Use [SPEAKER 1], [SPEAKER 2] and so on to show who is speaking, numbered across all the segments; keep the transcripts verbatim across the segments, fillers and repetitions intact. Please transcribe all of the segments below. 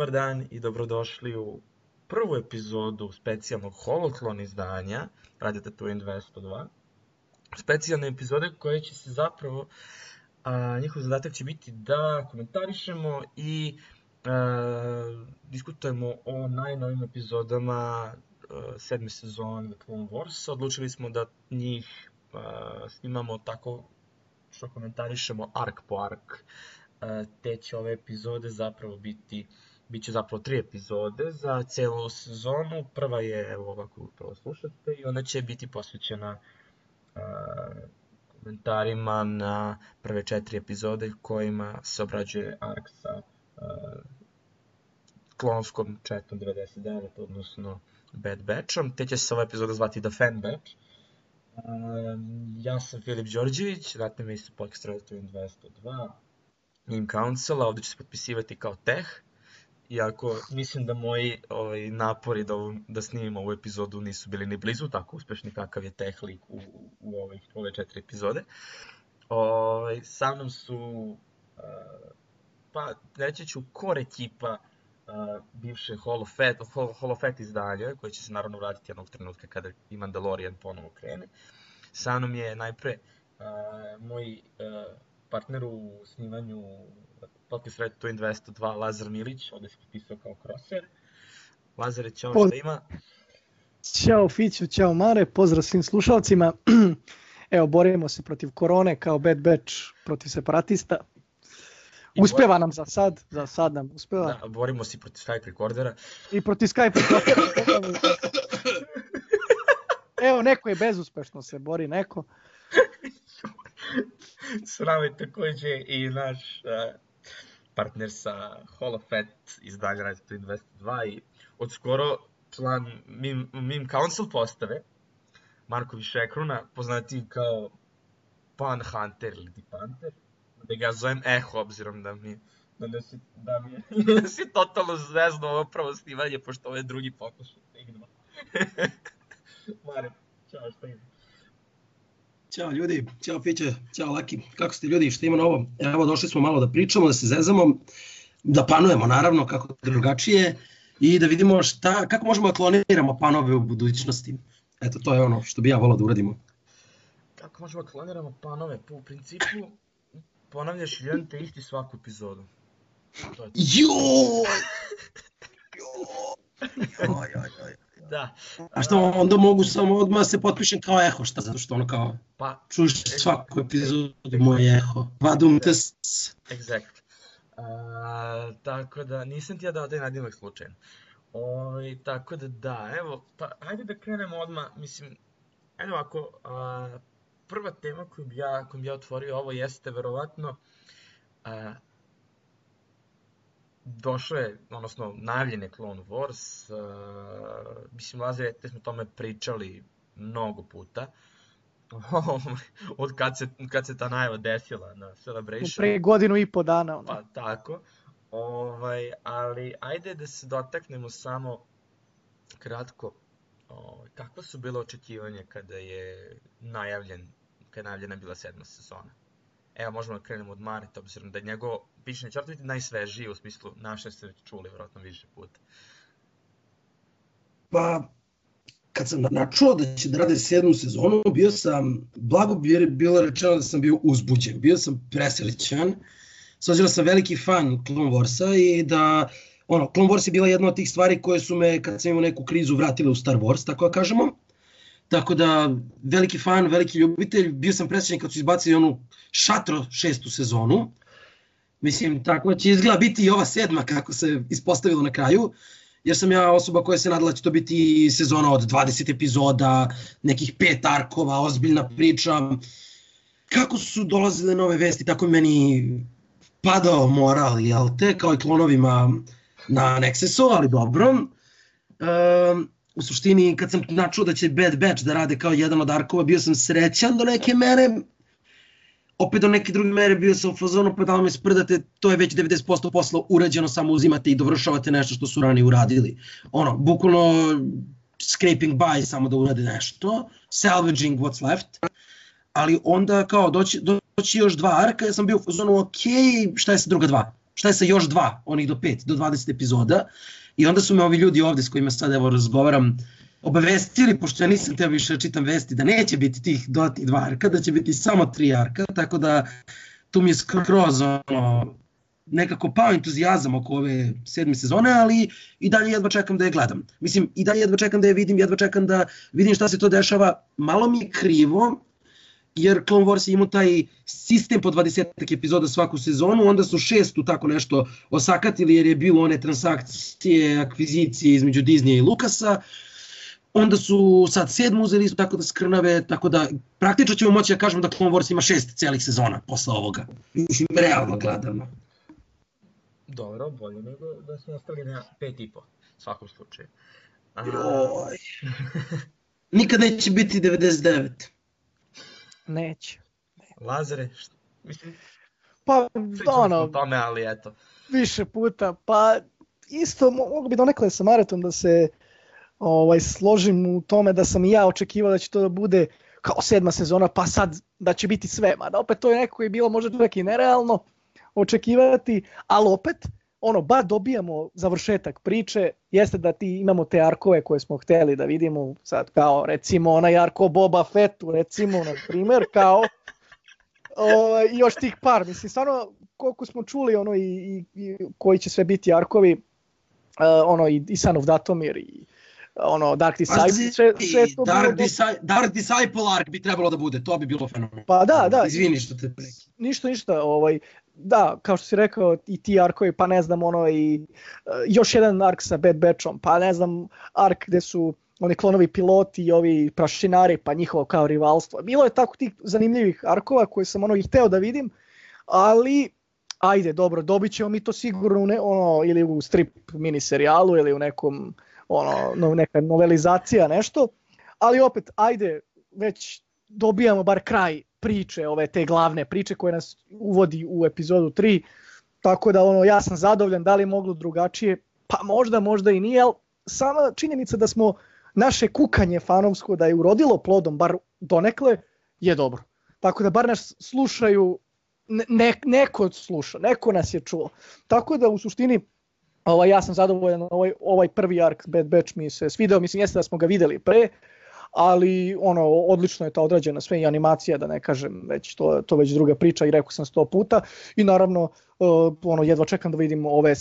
[SPEAKER 1] Dobar dan i dobrodošli u prvu epizodu specijalnog Holoklon izdanja Radio Tatooine dvesta dva. Specijalne epizode koje će se zapravo, a, njihov zadatak će biti da komentarišemo i a, diskutujemo o najnovim epizodama a, sedme sezone The Clone Wars. Odlučili smo da njih a, snimamo tako što komentarišemo ark po ark. Te će ove epizode zapravo biti, bit će zapravo tri epizode za celu sezonu. Prva je, evo ovako upravo slušate, i ona će biti posvećena uh, komentarima na prve četiri epizode kojima se obrađuje ark sa uh, klonskom četom devedeset devet, odnosno Bad Batchom. Te će se ova epizoda zvati The Fan Batch. Uh, ja sam Filip Đorđević, ratne me isto podcast Radio Tatooine dvesta dva. Meme Council, ovdje ću se potpisivati kao Teh, iako mislim da moji ovaj, napori da, da snimim ovu epizodu nisu bili ni blizu tako uspešni kakav je Teh lik u, u ovih, ove četiri epizode. Ovaj, sa mnom su, uh, pa reći ću, core ekipa uh, bivše Hall of Fat, Hall of Fat izdanja, koje će se naravno vratiti jednog trenutka kada i Mandalorian ponovo krene. Sa mnom je najpre uh, moj uh, partner u snimanju podcast Radio Tatooine dvesta dva, Lazar Milić, ovdje se potpisao kao Crosshair. Lazare, ćao, šta ima?
[SPEAKER 2] Ćao Fiću, ćao Mare, pozdrav svim slušalcima. Evo, borimo se protiv korone kao Bad Batch protiv separatista. Uspeva nam za sad, za sad nam uspeva.
[SPEAKER 1] Da, borimo se protiv Skype rekordera.
[SPEAKER 2] I protiv Skype rekordera. Evo, neko je bezuspešno se bori, neko.
[SPEAKER 1] S nama je također i naš uh, partner sa Hall of Fat izdanja Radio Tatooine dvesta dva i od skoro član Meme, Meme Council postave, Marko Višekruna, poznati kao Pan Hunter ili Di Panter, da ga zovem Eho, obzirom da mi, da nas, da mi nas je totalno zvezno ovo prvo snimanje, pošto ovo je drugi pokušaj. Mare, čao, šta ima?
[SPEAKER 3] Ćao ljudi, ćao Fiće, ćao Laki, kako ste ljudi, šta ima novo? Evo došli smo malo da pričamo, da se zezamo, da panujemo naravno kako drugačije i da vidimo šta, kako možemo da kloniramo panove u budućnosti. Eto, to je ono što bi ja volao da uradimo.
[SPEAKER 1] Kako možemo da kloniramo panove? Po u principu ponavljaš jedan te isti svaku epizodu.
[SPEAKER 3] Joj! Joj, joj, joj.
[SPEAKER 1] Da.
[SPEAKER 3] A što onda mogu samo odmah se potpišem kao Eho, šta, zato što ono kao, pa, čuš svaku epizodu moj Eho, vadum te s...
[SPEAKER 1] Exact. Uh, tako da, nisam ti ja dao taj nadimak slučajno. O, tako da da, evo, pa hajde da krenemo odmah, mislim, evo ako, uh, prva tema koju bi ja, koju bi ja otvorio ovo jeste verovatno, uh, došlo je, odnosno najavljen je Clone Wars, uh, mislim, Lazare, te smo tome pričali mnogo puta, od kad se, kad se ta najava desila na Celebration.
[SPEAKER 2] Pre godinu i po dana. Ono.
[SPEAKER 1] Pa tako, ovaj, ali ajde da se dotaknemo samo kratko, ovaj, kakva su bila očekivanja kada je najavljen, kada je najavljena bila sedma sezona. Evo, možemo da krenemo od Mareta, obzirom da je njegov pišanje će biti najsvežiji, u smislu naše ste već čuli vjerojatno više puta.
[SPEAKER 3] Pa, kad sam načuo da će da rade sedmu sezonu, bio sam, blago bi je bilo rečeno da sam bio uzbuđen, bio sam presrećan, s obzirom sam veliki fan Clone Warsa i da, ono, Clone Wars je bila jedna od tih stvari koje su me, kad sam imao neku krizu, vratile u Star Wars, tako da kažemo. Tako da, veliki fan, veliki ljubitelj, bio sam presrećen kad su izbacili onu Šatro šestu sezonu. Mislim, tako će izgleda biti i ova sedma kako se ispostavilo na kraju. Jer sam ja osoba koja se nadala će to biti sezona od dvadeset epizoda, nekih pet arkova, ozbiljna priča. Kako su dolazile nove vesti, tako je meni padao moral, jel te, kao i klonovima na Nexusu, ali dobro. Um, U suštini, kad sam načuo da će Bad Batch da rade kao jedan od arkova, bio sam srećan do neke mere. Opet do neke druge mere bio sam u fazonu, pa da li me sprdate, to je već devedeset posto posla urađeno, samo uzimate i dovršavate nešto što su ranije uradili. Ono, bukvalno scraping by, samo da urade nešto, salvaging what's left. Ali onda kao doći, doći još dva arka, ja sam bio u fazonu, ok, šta je sa druga dva? šta je sa još dva, onih do pet, do dvadeset epizoda. I onda su me ovi ljudi ovde s kojima sad evo razgovaram obavestili, pošto ja nisam teo više čitam vesti, da neće biti tih dodatnih dva arka, da će biti samo tri arka, tako da tu mi je skroz ono, nekako pao entuzijazam oko ove sedme sezone, ali i dalje jedva čekam da je gledam. Mislim, i dalje jedva čekam da je vidim, jedva čekam da vidim šta se to dešava. Malo mi je krivo, jer Clone Wars je imao taj sistem po dvadeset epizoda svaku sezonu, onda su šestu tako nešto osakatili jer je bilo one transakcije, akvizicije između Disneya i Lucasa, onda su sad sedmu uzeli isto tako da skrnave, tako da praktično ćemo moći da kažemo da Clone Wars ima šest celih sezona posle ovoga. Mislim, realno gledano.
[SPEAKER 1] Dobro, bolje nego da smo ostali na pet i po, u svakom slučaju. A...
[SPEAKER 3] Joj. Nikad neće biti devedeset devet.
[SPEAKER 2] Neće.
[SPEAKER 1] Lazare, šta? Mislim,
[SPEAKER 2] Pa,
[SPEAKER 1] pričamo
[SPEAKER 2] ono,
[SPEAKER 1] smo o tome, ali eto.
[SPEAKER 2] više puta, pa isto mogu bi donekle sa Maratom da se ovaj, složim u tome da sam i ja očekivao da će to da bude kao sedma sezona, pa sad da će biti sve, mada opet to je neko koji je bilo možda čak i nerealno očekivati, ali opet, ono, ba dobijamo završetak priče, jeste da ti imamo te arkove koje smo hteli da vidimo, sad kao recimo onaj arko Boba Fettu, recimo, na primjer, kao o, i još tih par, mislim, stvarno koliko smo čuli ono i, i, i koji će sve biti arkovi, uh, ono i, i Son of Datomir i ono Dark Disciple, sve, sve to
[SPEAKER 3] Dark,
[SPEAKER 2] bilo...
[SPEAKER 3] Disi- Dark Disciple arc bi trebalo da bude, to bi bilo fenomenalno.
[SPEAKER 2] Pa da, da.
[SPEAKER 3] Izvini što te prekidam.
[SPEAKER 2] Ništa, ništa, ovaj, da, kao što si rekao, i ti arkovi, pa ne znam, ono i uh, još jedan ark sa Bad Batchom, pa ne znam, ark gde su oni klonovi piloti i ovi prašinari, pa njihovo kao rivalstvo. Bilo je tako tih zanimljivih arkova koje sam ono i hteo da vidim, ali ajde, dobro, dobit ćemo mi to sigurno ne, ono, ili u strip miniserijalu ili u nekom, ono, no, neka novelizacija, nešto, ali opet, ajde, već dobijamo bar kraj priče, ove te glavne priče koje nas uvodi u epizodu tri, tako da ono, ja sam zadovoljan, da li je moglo drugačije, pa možda, možda i nije, ali sama činjenica da smo naše kukanje fanovsko da je urodilo plodom, bar donekle, je dobro. Tako da bar nas slušaju, ne, neko sluša, neko nas je čuo. Tako da u suštini ovaj, ja sam zadovoljan, ovaj, ovaj prvi ark Bad Batch mi se svideo, mislim jeste da smo ga videli pre, ali ono, odlično je ta odrađena sve i animacija, da ne kažem, već to, to već druga priča i rekao sam sto puta i naravno uh, ono, jedva čekam da vidim ove,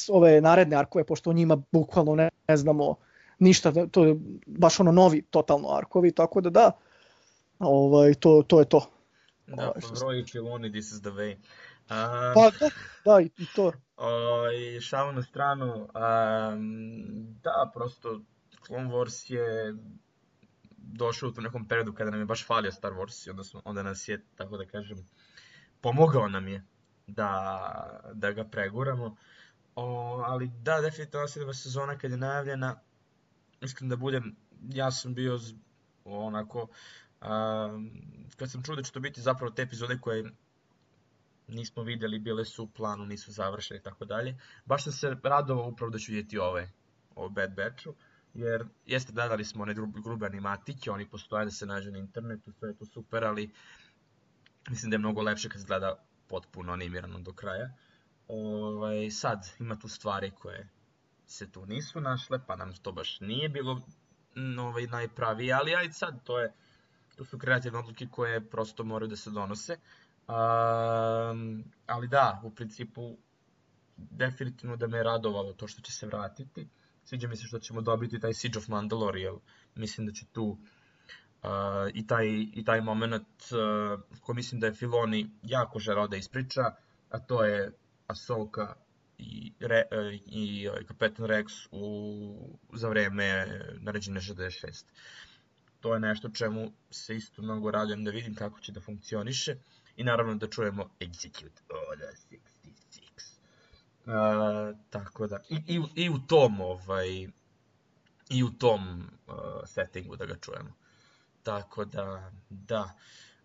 [SPEAKER 2] ove naredne arkove, pošto o njima bukvalno ne, ne znamo ništa, to je baš ono novi totalno arkovi, tako da da, ovaj, to, to je to.
[SPEAKER 1] Da,
[SPEAKER 2] ovaj,
[SPEAKER 1] Roy Filoni, this is the way. Uh,
[SPEAKER 2] pa da, da i, i to.
[SPEAKER 1] Uh, šalu na stranu, um, da, prosto Clone Wars je došao u tom nekom periodu kada nam je baš falio Star Wars i onda, smo, onda nas je, tako da kažem, pomogao nam je da, da ga preguramo. O, ali da, definitivno sedma sezona kad je najavljena, iskren da budem, ja sam bio z, onako, um, kad sam čuo da će to biti zapravo te epizode koje nismo vidjeli, bile su u planu, nisu završene i tako dalje, baš sam se radovao upravo da ću vidjeti ove, o Bad Batchu, jer jeste gledali smo one grube animatike, oni postoje da se nađu na internetu, sve je to super, ali mislim da je mnogo lepše kad se gleda potpuno animirano do kraja. Ovaj, sad ima tu stvari koje se tu nisu našle, pa nam to baš nije bilo ovaj, najpravije, ali ajde sad, to, je, to su kreativne odluke koje prosto moraju da se donose. Um, ali da, u principu definitivno da me je radovalo to što će se vratiti. Sviđa mi se što ćemo dobiti taj Siege of Mandalore, jer mislim da će tu uh, i, taj, i taj moment uh, koji mislim da je Filoni jako želeo da ispriča, a to je Ahsoka i, Re, uh, i uh, Kapetan Rex u, za vreme naređenja šezdeset šest. To je nešto čemu se isto mnogo radujem da vidim kako će da funkcioniše i naravno da čujemo Execute Order šezdeset šest. Uh, tako da, i, i, i u tom, ovaj, i u tom uh, settingu da ga čujemo. Tako da, da.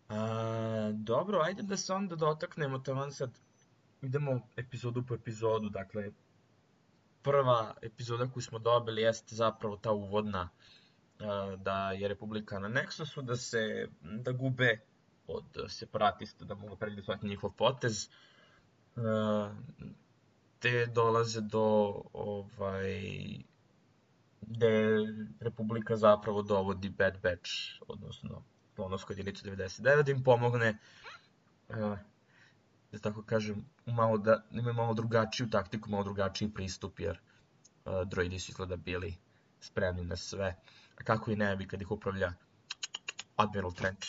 [SPEAKER 1] Uh, dobro, ajde da se onda dotaknemo, tamo sad idemo epizodu po epizodu, dakle, prva epizoda koju smo dobili jeste zapravo ta uvodna, uh, da je Republika na Nexusu, da se, da gube od separatista, da mogu predvidjeti svaki njihov potez. Uh, te dolaze do ovaj gde Republika zapravo dovodi Bad Batch, odnosno klonovsku jedinicu devedeset devet, da im pomogne, uh, da tako kažem, malo da imaju malo drugačiju taktiku, malo drugačiji pristup, jer uh, droidi su izgleda bili spremni na sve. A kako i ne bi kad ih upravlja Admiral Trench.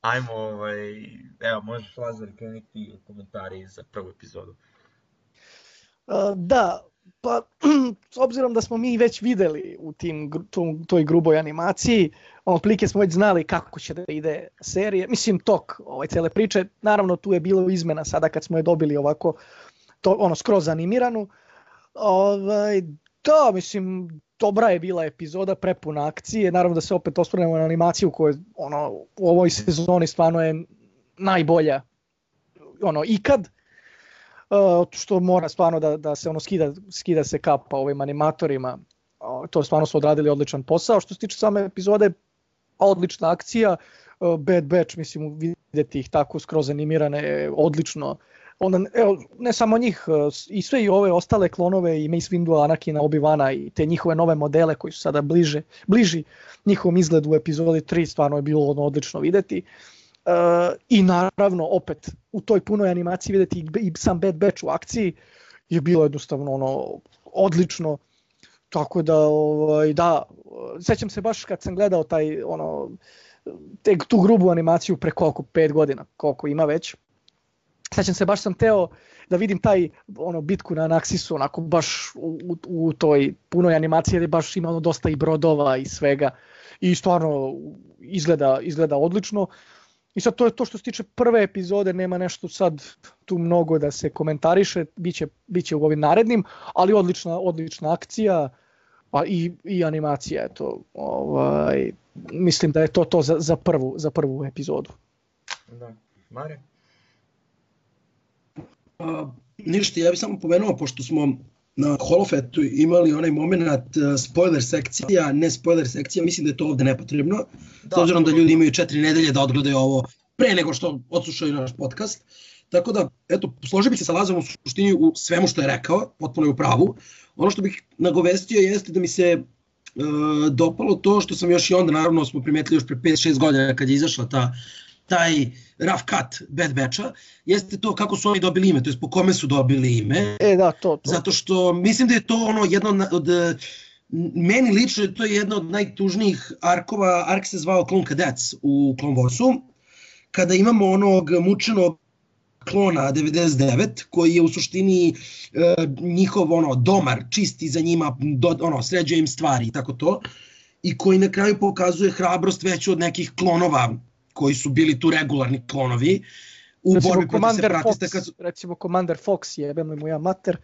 [SPEAKER 1] Ajmo, ovaj, evo, možeš Lazar krenuti komentari za prvu epizodu.
[SPEAKER 2] Uh, da, pa s obzirom da smo mi već videli u tim, tom, toj gruboj animaciji, otprilike smo već znali kako će da ide serije, mislim tok ovaj, cele priče, naravno tu je bilo izmena sada kad smo je dobili ovako, to, ono, skroz animiranu. Ovaj, da, mislim, dobra je bila epizoda, prepuna akcije, naravno da se opet osvrnemo na animaciju koja ono, u ovoj sezoni stvarno je najbolja ono, ikad. Uh, što mora stvarno da, da se ono skida, skida se kapa ovim animatorima, uh, to stvarno su odradili odličan posao. Što se tiče same epizode, odlična akcija, uh, Bad Batch, mislim vidjeti ih tako skroz animirane, odlično. Onda, evo, ne samo njih, uh, i sve i ove ostale klonove, i Mace Windu, Anakina, Obi-Wana i te njihove nove modele koji su sada bliže, bliži njihovom izgledu u epizodi tri, stvarno je bilo ono odlično vidjeti. Uh, I naravno opet u toj punoj animaciji vidjeti i, i sam Bad Batch u akciji je bilo jednostavno ono odlično, tako da ovaj, da, sećam se baš kad sam gledao taj ono te, tu grubu animaciju pre koliko pet godina koliko ima već, sećam se baš sam teo da vidim taj ono bitku na Anaxisu onako baš u, u, u toj punoj animaciji jer je baš imalo dosta i brodova i svega i stvarno izgleda, izgleda odlično. I sad to je to što se tiče prve epizode, nema nešto sad tu mnogo da se komentariše, biće, biće u ovim narednim, ali odlična, odlična akcija a i, i animacija, eto, ovaj, mislim da je to to za, za, prvu, za prvu epizodu.
[SPEAKER 1] Da, Mare?
[SPEAKER 3] Uh, ništa, ja bih samo pomenuo, pošto smo na Holofetu imali onaj moment uh, spoiler sekcija, ne spoiler sekcija, mislim da je to ovde nepotrebno, da, s obzirom da ljudi imaju četiri nedelje da odgledaju ovo pre nego što odslušaju naš podcast. Tako da, eto, složio bih se sa Lazom u suštini u svemu što je rekao, potpuno je u pravu. Ono što bih nagovestio jeste da mi se uh, dopalo to što sam još i onda, naravno smo primetili još pre pet šest godina kad je izašla ta taj rough cut Bad Batcha, jeste to kako su oni dobili ime, to jest po kome su dobili ime.
[SPEAKER 2] E da, to, to.
[SPEAKER 3] Zato što mislim da je to ono jedno od, od meni lično je to jedna od najtužnijih arkova, ark se zvao Clone Cadets u Clone Warsu, kada imamo onog mučenog klona devedeset devet koji je u suštini e, njihov ono domar, čisti za njima, do, ono sređuje im stvari i tako to, i koji na kraju pokazuje hrabrost veću od nekih klonova koji su bili tu regularni klonovi u
[SPEAKER 2] recimo
[SPEAKER 3] borbi protiv separatista.
[SPEAKER 2] Fox, kad... Recimo Commander Fox, jebem li mu ja mater.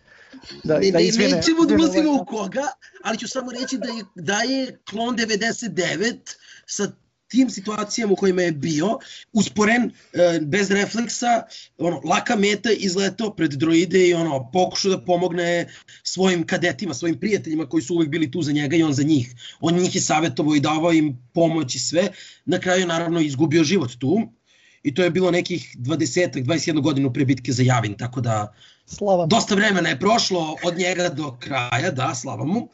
[SPEAKER 3] Da, ne, da izvine, nećemo da ulazimo u koga, ali ću samo reći da je, da je klon devedeset devet sa tim situacijama u kojima je bio, usporen, bez refleksa, ono, laka meta, izletao pred droide i ono, pokušao da pomogne svojim kadetima, svojim prijateljima koji su uvek bili tu za njega i on za njih. On njih je savjetovao i davao im pomoć i sve. Na kraju je naravno izgubio život tu i to je bilo nekih dvadeset dvadeset jedna godinu pre bitke za Javin, tako da
[SPEAKER 2] slava.
[SPEAKER 3] Dosta vremena je prošlo od njega do kraja, da, slava mu.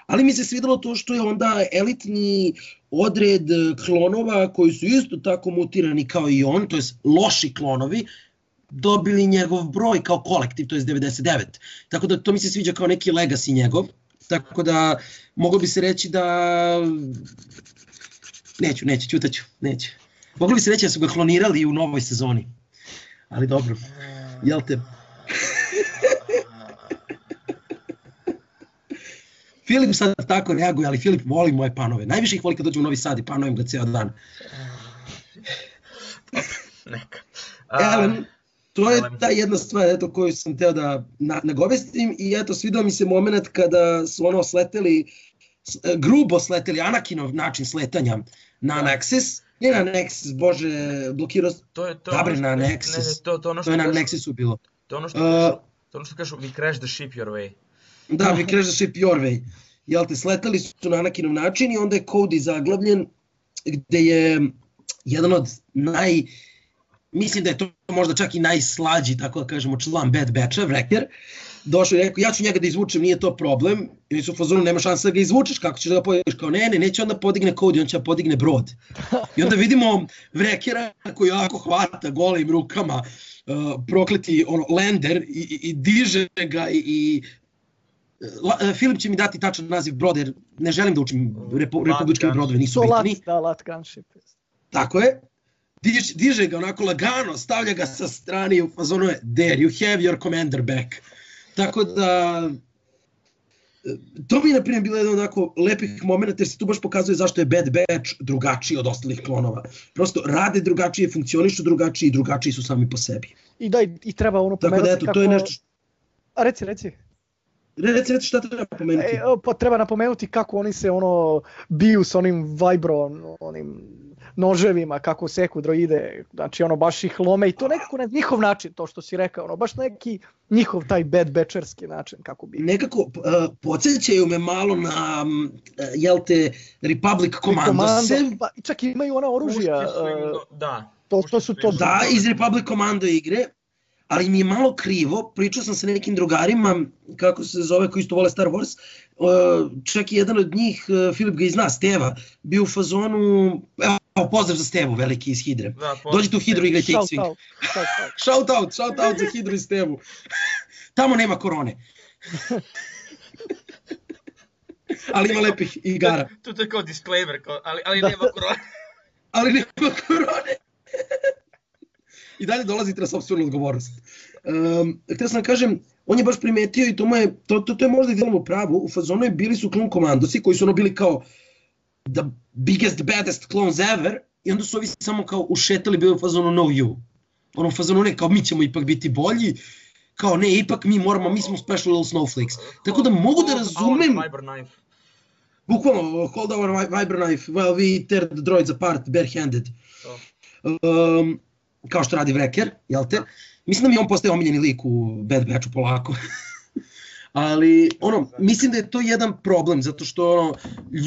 [SPEAKER 3] Ali mi se svidelo to što je onda elitni odred klonova koji su isto tako mutirani kao i on, to jest loši klonovi, dobili njegov broj kao kolektiv, to jest devedeset devet. Tako da to mi se sviđa kao neki legacy njegov. Tako da moglo bi se reći da... Neću, neću, ćutaću, neću. Moglo bi se reći da su ga klonirali u novoj sezoni. Ali dobro, jel te... Filip sad tako reaguje, ali Filip voli moje panove. Najviše ih voli kad dođe u Novi Sad i panujem ga ceo dan.
[SPEAKER 1] Neka.
[SPEAKER 3] E, to je ta jedna stvar eto, koju sam teo da na, nagovestim i eto, svidao mi se moment kada su ono sleteli, grubo sleteli, Anakinov način sletanja na Nexus. Ne na Nexus, bože, blokirao...
[SPEAKER 1] To je to.
[SPEAKER 3] Dobre, na
[SPEAKER 1] ne,
[SPEAKER 3] Nexus.
[SPEAKER 1] Ne, ne, to, to, ono što
[SPEAKER 3] to je na
[SPEAKER 1] kažu,
[SPEAKER 3] Nexusu bilo.
[SPEAKER 1] To ono što kažu, uh, to ono što kažu, we crash the ship your way.
[SPEAKER 3] Da, we crash the ship your way. Jel te, sletali su na Anakinov način i onda je Cody zaglavljen, gde je jedan od naj mislim da je to možda čak i najslađi, tako da kažemo, član Bad Batcha, Wrecker, došao i rekao, ja ću njega da izvučem, nije to problem, ili su u fazonu, nema šanse da ga izvučeš, kako ćeš da ga podigneš, kao ne, ne, neće onda podigne Cody, on će da podigne brod. I onda vidimo Wreckera koji jako hvata golim rukama, uh, prokleti ono, Lander i, i, i diže ga i, i La, Filip će mi dati tačan naziv broda, jer ne želim da učim repu, republičke brodove, nisu bitni.
[SPEAKER 2] Da, Lat Gunship.
[SPEAKER 3] Tako je. Diže, diže ga onako lagano, stavlja ga sa strane i u fazonu je there, you have your commander back. Tako da, to mi je na primjer bilo jedan onako lepih momenta, jer se tu baš pokazuje zašto je Bad Batch drugačiji od ostalih klonova. Prosto rade drugačije, funkcionišu drugačije i drugačiji su sami po sebi.
[SPEAKER 2] I da, i treba ono pomenuti
[SPEAKER 3] tako da, eto,
[SPEAKER 2] kako...
[SPEAKER 3] to je nešto...
[SPEAKER 2] A reci, reci.
[SPEAKER 3] Reci, reci šta treba napomenuti.
[SPEAKER 2] E, pa treba napomenuti kako oni se ono biju s onim vibro, onim noževima, kako seku droide, znači ono baš ih lome i to nekako na njihov način, to što si rekao, ono baš neki njihov taj Bad Batcherski način kako bi.
[SPEAKER 3] Nekako uh, podsjećaju me malo na, uh, jel te, Republic Commandose.
[SPEAKER 2] Pa čak imaju ona oružja.
[SPEAKER 1] Uh, da.
[SPEAKER 2] To, to su to.
[SPEAKER 3] Da, iz Republic Commando igre. Ali mi je malo krivo, pričao sam sa nekim drugarima, kako se zove, koji isto vole Star Wars, čak i jedan od njih, Filip ga i zna, Steva, bio u fazonu, evo pozdrav za Stevu, veliki iz Hidre. Da, dođite u Hidru i igrajte X-Wing. Shout out, shout out za Hidru i Stevu. Tamo nema korone. Ali ima lepih igara.
[SPEAKER 1] To je kao disclaimer, ali, ali nema korone.
[SPEAKER 3] Ali nema korone. I dalje dolazite na sopstvenu odgovornost. Um, htio sam da kažem, on je baš primetio i to, mu je, to, to, to je možda i djelom u pravu, u fazonu je bili su Clone Commandosi koji su ono bili kao the biggest, baddest clones ever i onda su ovi samo kao ušetali, bili u fazonu no you. Ono u fazonu ne, kao mi ćemo ipak biti bolji, kao ne, ipak mi moramo, mi smo special little snowflakes. Tako da mogu da razumem... Bukvalno, hold our viber knife while we tear the droids apart barehanded. Um, kao što radi Wrecker, jel te? Mislim da mi on postaje omiljeni lik u Bad Batchu polako. Ali, ono, mislim da je to jedan problem, zato što ono,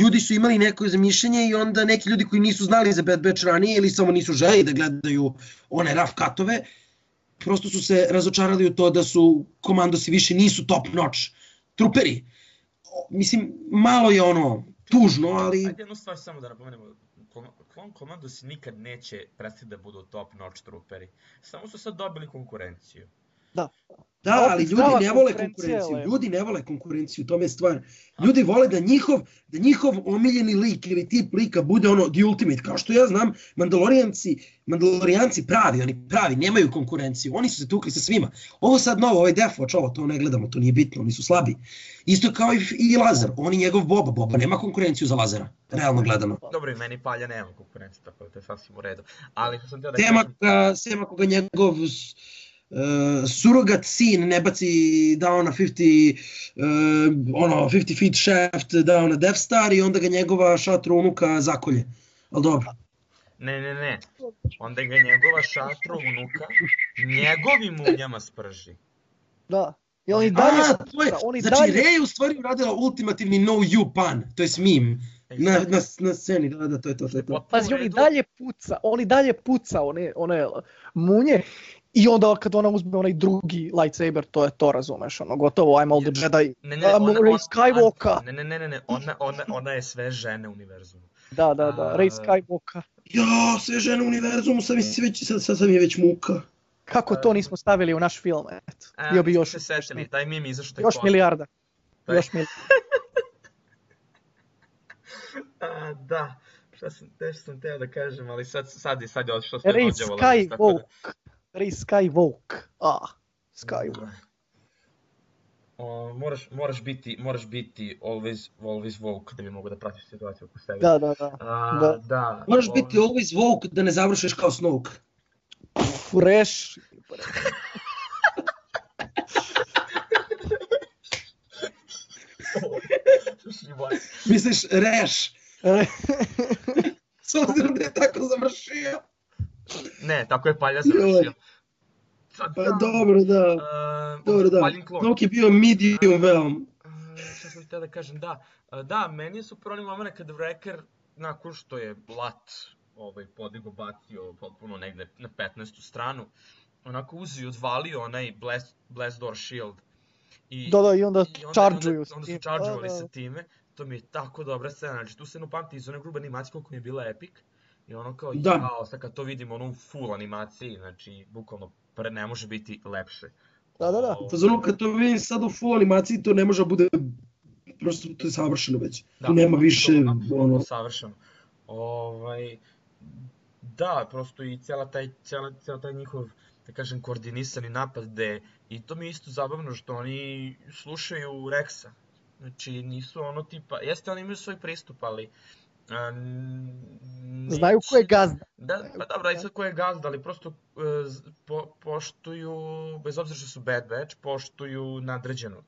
[SPEAKER 3] ljudi su imali neko zamišljenje i onda neki ljudi koji nisu znali za Bad Batch ranije ili samo nisu želi da gledaju one rough cutove, prosto su se razočarali u to da su komandosi više nisu top notch truperi. Mislim, malo je ono, tužno, ali...
[SPEAKER 1] Ajde jednu stvar samo da napomenemo. Clone Commandosi nikad neće prestati da budu top notch truperi. Samo su sad dobili konkurenciju.
[SPEAKER 2] Da.
[SPEAKER 3] Da, ali ljudi ne vole konkurenciju. Ljudi ne vole konkurenciju, to je stvar. Ljudi vole da njihov, da njihov omiljeni lik ili tip lika bude ono the ultimate. Kao što ja znam, Mandalorijanci, Mandalorijanci pravi, oni pravi, nemaju konkurenciju. Oni su se tukli sa svima. Ovo sad novo, ovaj Death Watch, ovo, to ne gledamo, to nije bitno, oni su slabi. Isto kao i, i Lazar, on i njegov Boba. Boba nema konkurenciju za Lazara, realno gledano.
[SPEAKER 1] Dobro, i meni Palja nema konkurenciju, tako da to je sasvim u redu. Ali što sam teo da
[SPEAKER 3] Tema kažem... Sem ako ga njegov... Uh, surogat sin ne baci down na pedeset, uh, ono, pedeset feet shaft down na Death Star i onda ga njegova šatru unuka zakolje. Ali dobro.
[SPEAKER 1] Ne, ne, ne. Onda ga njegova šatru unuka njegovim munjama sprži.
[SPEAKER 2] Da. I on i dalje...
[SPEAKER 3] A, to je, on i znači dalje... Rey u stvari uradila ultimativni no you pun, to je meme. Na, na, na sceni, da, da, to je to. to, je to.
[SPEAKER 2] Pazi, on i dalje puca, on i dalje puca one, one munje. I onda kad ona uzme onaj drugi lightsaber, to je to, razumeš, ono, gotovo, I'm all the Jedi,
[SPEAKER 1] ne, ne,
[SPEAKER 2] I'm
[SPEAKER 1] ona,
[SPEAKER 2] Rey Skywalker.
[SPEAKER 1] Ne, ne, ne, ne, ne, ona, ona, ona je sve žene univerzumu.
[SPEAKER 2] Da, da, da, Rey Skywalker.
[SPEAKER 3] Ja, sve žene univerzumu, sad, već, sad, sad sam je već muka.
[SPEAKER 2] Kako to nismo stavili u naš film, eto, bio bi još...
[SPEAKER 1] Se setili, taj meme izašao tek
[SPEAKER 2] Još milijarda,
[SPEAKER 1] taj...
[SPEAKER 2] još milijarda.
[SPEAKER 1] A, da, šta sam, nešto sam teo da kažem, ali sad, sad, sad je odšlo sve
[SPEAKER 2] Rey
[SPEAKER 1] dođevo.
[SPEAKER 2] Skywalker. Rey Skywalker. Ah, Skywalker.
[SPEAKER 1] O, moraš, moraš biti, moraš biti always, always woke da bi mogo da pratiš situaciju oko sebe.
[SPEAKER 2] Da, da, da.
[SPEAKER 1] A,
[SPEAKER 2] da.
[SPEAKER 1] da.
[SPEAKER 3] Moraš biti always woke da ne završiš kao Snoke.
[SPEAKER 2] Reš.
[SPEAKER 3] Misliš Reš? S obzirom da je tako završio.
[SPEAKER 1] Ne, tako je Palja završio.
[SPEAKER 3] Sad, pa dobro, da. Uh, dobro, da. Snoke je bio medium veom.
[SPEAKER 1] Uh, šta sam htio da kažem, da. Uh, da, meni je super oni moment kada Wrecker, nakon što je Lat ovaj, podigo, bacio potpuno negde na petnaestu stranu, onako uzeo i odvalio onaj Blast, Blast Door Shield. I,
[SPEAKER 2] Da, da, i onda
[SPEAKER 1] i onda,
[SPEAKER 2] charge-uju
[SPEAKER 1] onda,
[SPEAKER 2] s
[SPEAKER 1] onda
[SPEAKER 2] tim.
[SPEAKER 1] su charge-ovali
[SPEAKER 2] Da, da.
[SPEAKER 1] sa time. To mi je tako dobra scena, znači tu scenu pamti iz one grube animacije koliko mi je bila epic. I ono kao,
[SPEAKER 3] Da.
[SPEAKER 1] jao, sad kad to vidimo ono u full animaciji, znači, bukvalno, pre ne može biti lepše.
[SPEAKER 2] Da, da, da.
[SPEAKER 3] U fazonu kad to vidim sad u full animaciji, to ne može da bude, prosto to je savršeno već.
[SPEAKER 1] Da,
[SPEAKER 3] Tu nema više,
[SPEAKER 1] to, apsolutno
[SPEAKER 3] ono,
[SPEAKER 1] savršeno. Ovaj, da, prosto i cijela taj, cijela, cijela taj njihov, da kažem, koordinisani napad gde, i to mi je isto zabavno što oni slušaju Rexa. Znači, nisu ono tipa, jeste oni imaju svoj pristup, ali a, n-
[SPEAKER 2] Znaju ko je
[SPEAKER 1] neće-
[SPEAKER 2] gazda.
[SPEAKER 1] Da, pa dobro, i sad ko je gazda, ali prosto e, z- po, poštuju, bez obzira što su Bad Batch, poštuju nadređenog.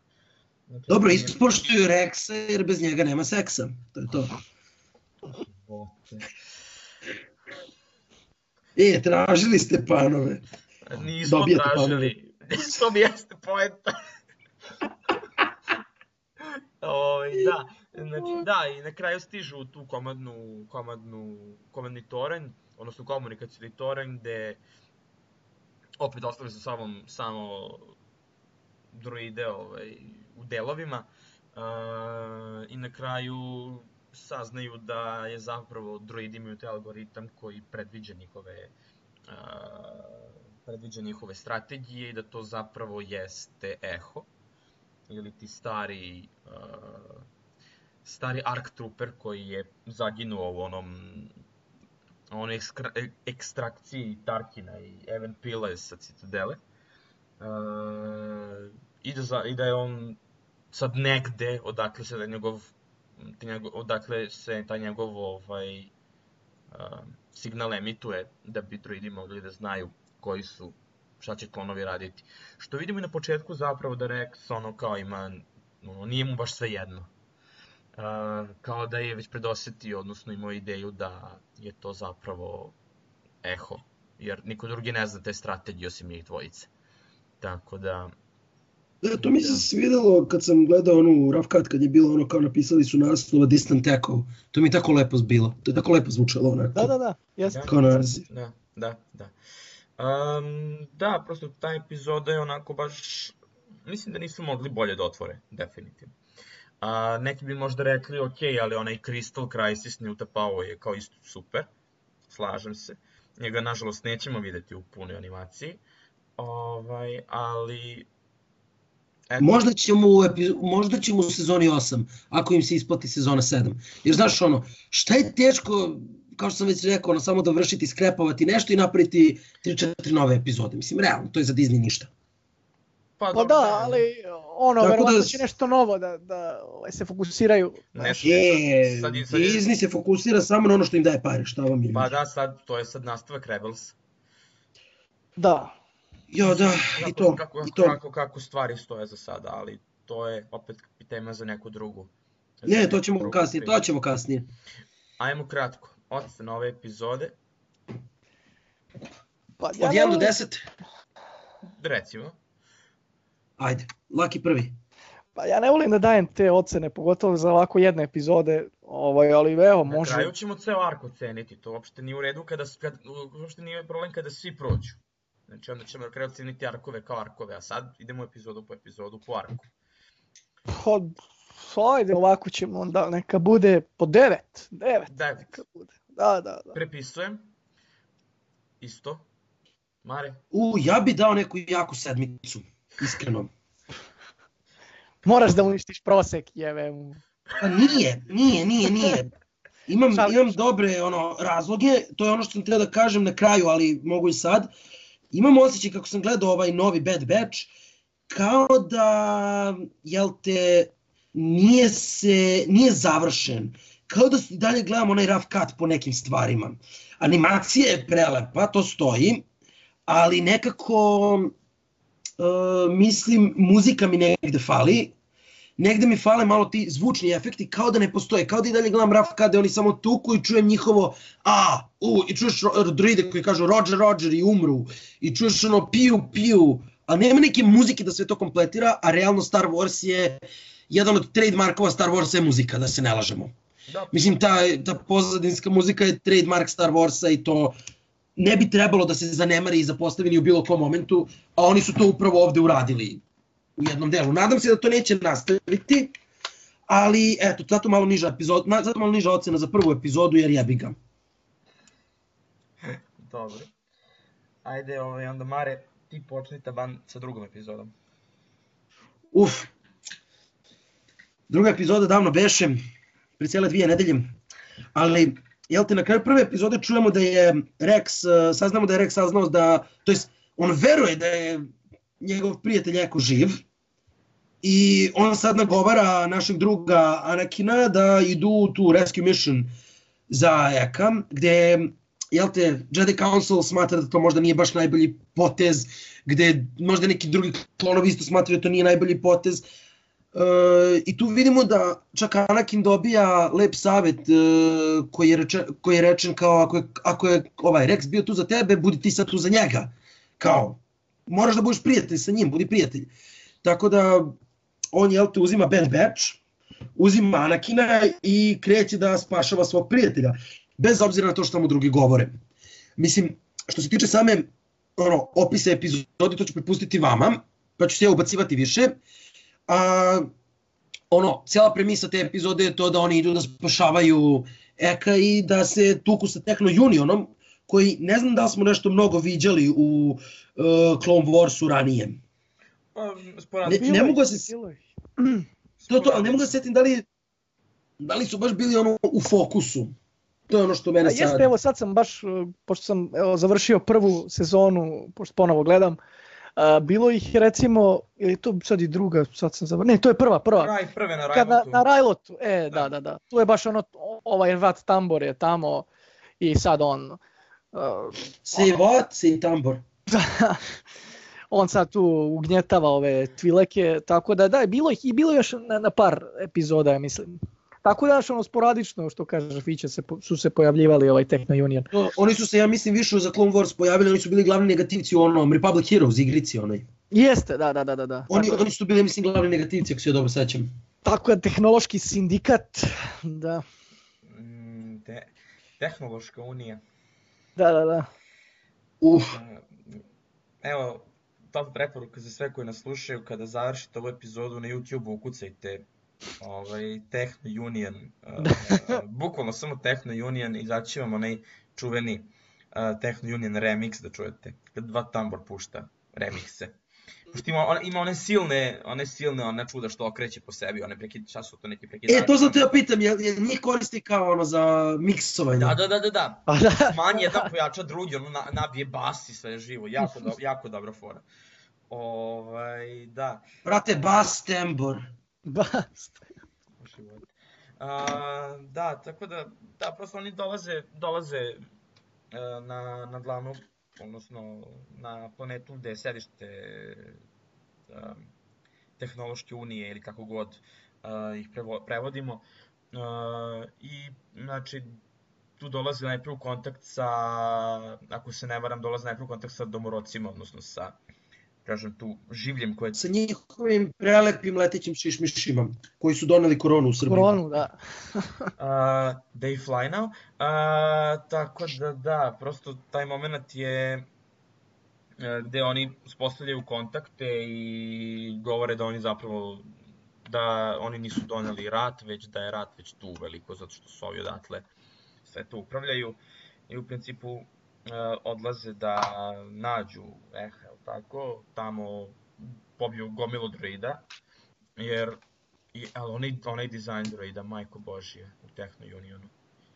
[SPEAKER 1] Znači,
[SPEAKER 3] dobro,
[SPEAKER 1] nije-
[SPEAKER 3] isto poštuju Rexa jer bez njega nema seksa, to je to.
[SPEAKER 1] Bote.
[SPEAKER 3] E, tražili ste panove.
[SPEAKER 1] Nismo
[SPEAKER 3] Dobijete
[SPEAKER 1] tražili. To mi jeste poenta. Ovaj, da, znači, da, i na kraju stižu u tu komadnu, komadnu, komadni toranj, odnosno komunikacijni toranj, gde opet ostali sa sobom samo droide ovaj, u delovima. Uh, I na kraju saznaju da je zapravo droidi imaju taj algoritam koji predviđa njihove uh, predviđa njihove strategije i da to zapravo jeste Eho ili ti stari uh, stari Arc Trooper koji je zaginuo u onom onoj ekskra, ekstrakciji Tarkina i Evan Pila sa Citadele. Uh, i, da za, I da je on sad negde odakle se da njegov, njegov odakle se taj njegov ovaj uh, signal emituje da bi droidi mogli da znaju koji su, šta će klonovi raditi. Što vidimo i na početku zapravo da Rex ono kao ima, ono, nije mu baš sve jedno. Uh, kao da je već predosetio, odnosno imao ideju da je to zapravo Eho, jer niko drugi ne zna te strategije osim njih dvojice. Tako da...
[SPEAKER 3] Da, to mi se svidelo kad sam gledao onu rough cut, kad je bilo ono kao napisali su naslova Distant Echo. To mi je tako lepo bilo, to je tako lepo zvučalo onako.
[SPEAKER 2] Da, da, da, jeste.
[SPEAKER 3] Kao naziv.
[SPEAKER 1] Da, da, da. Um, da, prosto ta epizoda je onako baš... Mislim da nisu mogli bolje da otvore, definitivno. Uh, neki bi možda rekli, ok, ali onaj Crystal Crisis Newta Pao je kao isto super. Slažem se. Njega, nažalost, nećemo videti u punoj animaciji. Ovaj, ali... Eto.
[SPEAKER 3] Možda ćemo, u epi, možda ćemo u sezoni osam, ako im se isplati sezona sedam. Jer znaš ono, šta je teško, kao što sam već rekao, ono, samo dovršiti, skrepovati nešto i napraviti tri četiri nove epizode. Mislim, realno, to je za Disney ništa.
[SPEAKER 1] Pa,
[SPEAKER 2] Pa
[SPEAKER 1] dobro,
[SPEAKER 2] da, ali ono,
[SPEAKER 3] Tako
[SPEAKER 2] verovatno
[SPEAKER 3] da-
[SPEAKER 2] će nešto novo da, da ovaj, se fokusiraju.
[SPEAKER 1] Nešto,
[SPEAKER 3] E,
[SPEAKER 1] sad je- sad je-
[SPEAKER 3] Disney se fokusira samo na ono što im daje pare, šta vam je.
[SPEAKER 1] Pa da, sad, to je sad nastavak Rebels.
[SPEAKER 2] Da.
[SPEAKER 3] Jo, da, i to,
[SPEAKER 1] kako,
[SPEAKER 3] i to.
[SPEAKER 1] kako, kako stvari stoje za sada, ali to je opet tema za neku drugu. za
[SPEAKER 3] Ne,
[SPEAKER 1] neku
[SPEAKER 3] to ćemo
[SPEAKER 1] drugu
[SPEAKER 3] kasnije,
[SPEAKER 1] priču.
[SPEAKER 3] to ćemo kasnije.
[SPEAKER 1] Ajmo kratko, ocena ove epizode,
[SPEAKER 2] Pa,
[SPEAKER 3] Od
[SPEAKER 2] ne
[SPEAKER 3] jedan do
[SPEAKER 2] volim-
[SPEAKER 3] deset,
[SPEAKER 1] recimo.
[SPEAKER 3] ajde, Laki prvi.
[SPEAKER 2] Pa ja ne volim da dajem te ocene, pogotovo za ovako jedne epizode, ovaj, ali evo,
[SPEAKER 1] Na
[SPEAKER 2] može.
[SPEAKER 1] kraju ćemo ceo ark oceniti, to uopšte nije u redu, kada, kad, uopšte nije problem kada svi prođu. Znači onda ćemo na kraju oceniti arkove kao arkove, a sad idemo epizodu po epizodu po arku.
[SPEAKER 2] Pa, ajde, ovako ćemo onda, neka bude po devet. Devet,
[SPEAKER 1] Devet.
[SPEAKER 2] neka bude. Da, da, da.
[SPEAKER 1] Prepisujem. Isto. Mare?
[SPEAKER 3] U, ja bi dao neku jaku sedmicu, iskreno.
[SPEAKER 2] Moraš da uništiš prosek, jeve mu.
[SPEAKER 3] Pa nije, nije, nije, nije. Imam,
[SPEAKER 2] Šalim
[SPEAKER 3] imam
[SPEAKER 2] se.
[SPEAKER 3] dobre ono, razloge, to je ono što sam trebao da kažem na kraju, ali mogu i sad. Imam osjećaj kako sam gledao ovaj novi Bad Batch, kao da, jel te, nije se, nije završen. Kao da i dalje gledam onaj rough cut po nekim stvarima. Animacija je prelepa, to stoji, ali nekako, uh, mislim, muzika mi negde fali. Negde mi fale malo ti zvučni efekti, kao da ne postoje, kao da i dalje gledam rough cut, oni samo tuku i čujem njihovo a, u, i čuješ ro- droide koji kažu Roger, Roger i umru, i čuješ ono piju, piju, a nema neke muzike da sve to kompletira, a realno Star Wars je, jedan od trademarkova Star Warsa je muzika, da se ne lažemo.
[SPEAKER 1] Da,
[SPEAKER 3] Mislim, ta, ta pozadinska muzika je trademark Star Warsa i to ne bi trebalo da se zanemari i zapostavi ni u bilo kom momentu, a oni su to upravo ovde uradili u jednom delu. Nadam se da to neće nastaviti, ali eto, zato malo niža epizod, na- zato malo niža ocena za prvu epizodu jer jebi ga.
[SPEAKER 1] dobro. Ajde, ovaj, onda Mare, ti počni taban sa drugom epizodom.
[SPEAKER 3] Uf. Druga epizoda davno beše, pre cijele dvije nedelje, ali jel te na kraju prve epizode čujemo da je Rex, uh, saznamo da je Rex saznao da, to jest on veruje da je njegov prijatelj Eko živ i on sad nagovara našeg druga Anakina da idu u tu rescue mission za Eka, gde jel te, Jedi Council smatra da to možda nije baš najbolji potez, gde možda neki drugi klonovi isto smatraju da to nije najbolji potez. Uh, I tu vidimo da čak Anakin dobija lep savjet uh, koji, je rečen, koji je rečen kao ako je, ako je ovaj Rex bio tu za tebe, budi ti sad tu za njega. Kao, moraš da budeš prijatelj sa njim, budi prijatelj. Tako da on jel te uzima Bad Batch, uzima Anakina i kreće da spašava svog prijatelja. Bez obzira na to što mu drugi govore. Mislim, što se tiče same ono, opise epizode, to ću prepustiti vama, pa ću se ja ubacivati više. A, ono, cijela premisa te epizode je to da oni idu da spašavaju Eka i da se tuku sa Techno Unionom, koji ne znam da li smo nešto mnogo viđali u uh, Clone Warsu ranije.
[SPEAKER 1] Pa,
[SPEAKER 3] Ne,
[SPEAKER 1] sporadno.
[SPEAKER 3] ne mogu da se... To, to, ali ne mogu da se setim da li, da li su baš bili ono u fokusu. To je ono što mene
[SPEAKER 2] A
[SPEAKER 3] sad...
[SPEAKER 2] jeste, evo sad sam baš, uh, pošto sam evo, završio prvu sezonu, pošto ponovo gledam, uh, bilo ih recimo, ili to sad i druga, sad sam završio, ne, to je prva, prva.
[SPEAKER 1] Kraj prve na
[SPEAKER 2] Kad na,
[SPEAKER 1] Rajlotu.
[SPEAKER 2] na Rajlotu, e, da,
[SPEAKER 1] Da.
[SPEAKER 2] da, da, tu je baš ono, ovaj Vat Tambor je tamo i sad on, uh,
[SPEAKER 3] Say what? Say Tambor.
[SPEAKER 2] on sad tu ugnjetava ove tvileke, tako da da, bilo ih i bilo još na, na par epizoda, ja mislim. Tako da još ono sporadično, što kaže Fiće, se, po- su se pojavljivali ovaj Techno Union.
[SPEAKER 3] No, oni su se, ja mislim, više za Clone Wars pojavili, oni su bili glavni negativci u onom Republic Heroes igrici onoj.
[SPEAKER 2] Jeste, da, da, da, da. da.
[SPEAKER 3] Oni,
[SPEAKER 2] Tako,
[SPEAKER 3] oni su bili, mislim, glavni negativci, ako se ja dobro sećam.
[SPEAKER 2] tako je tehnološki sindikat, da,
[SPEAKER 1] Mm, te, tehnološka unija.
[SPEAKER 2] da, da, da.
[SPEAKER 3] Uf,
[SPEAKER 1] Evo, top preporuka za sve koji nas slušaju, kada završite ovu epizodu na YouTube-u, ukucajte ovaj, Techno Union, uh, uh, bukvalno samo Techno Union, izaći će vam onaj čuveni uh, Techno Union remix da čujete, kad dva tambor pušta remikse. Pošto ima, on, ima one silne, one silne, one čuda što okreće po sebi, one prekid, šta su to neki prekidači?
[SPEAKER 3] e, to sam te ja pitam, jel, jel njih koristi kao ono za miksovanje?
[SPEAKER 1] Da, da, da, da, da.
[SPEAKER 2] Pa da.
[SPEAKER 1] Manji jedan pojača drugi, ono na, nabije bas i sve živo, jako, do, jako dobra fora. Ovaj, da.
[SPEAKER 3] Brate, Bas Tambor.
[SPEAKER 2] Basta.
[SPEAKER 1] Život. A, da, tako da, da, prosto oni dolaze, dolaze e, na, na glavnu, odnosno na planetu gde je sedište um, tehnološke unije ili kako god uh, ih prevo, prevodimo. Uh, I, znači, tu dolazi najprije u kontakt sa, ako se ne varam, dolazi najprije u kontakt sa domorocima, odnosno sa, kažem tu, življem koje...
[SPEAKER 3] Sa njihovim prelepim letećim šišmišima, koji su doneli koronu u Srbiji.
[SPEAKER 2] Koronu, da.
[SPEAKER 1] Uh, they fly now. Uh, tako da da, prosto taj moment je uh, gde oni uspostavljaju kontakte i govore da oni zapravo da oni nisu doneli rat, već da je rat već tu veliko, zato što su ovi odatle sve to upravljaju i u principu uh, odlaze da nađu Eha, jel tako, tamo pobiju gomilu droida, jer I, ali onaj, onaj dizajn droida, majko božje, u Techno Unionu.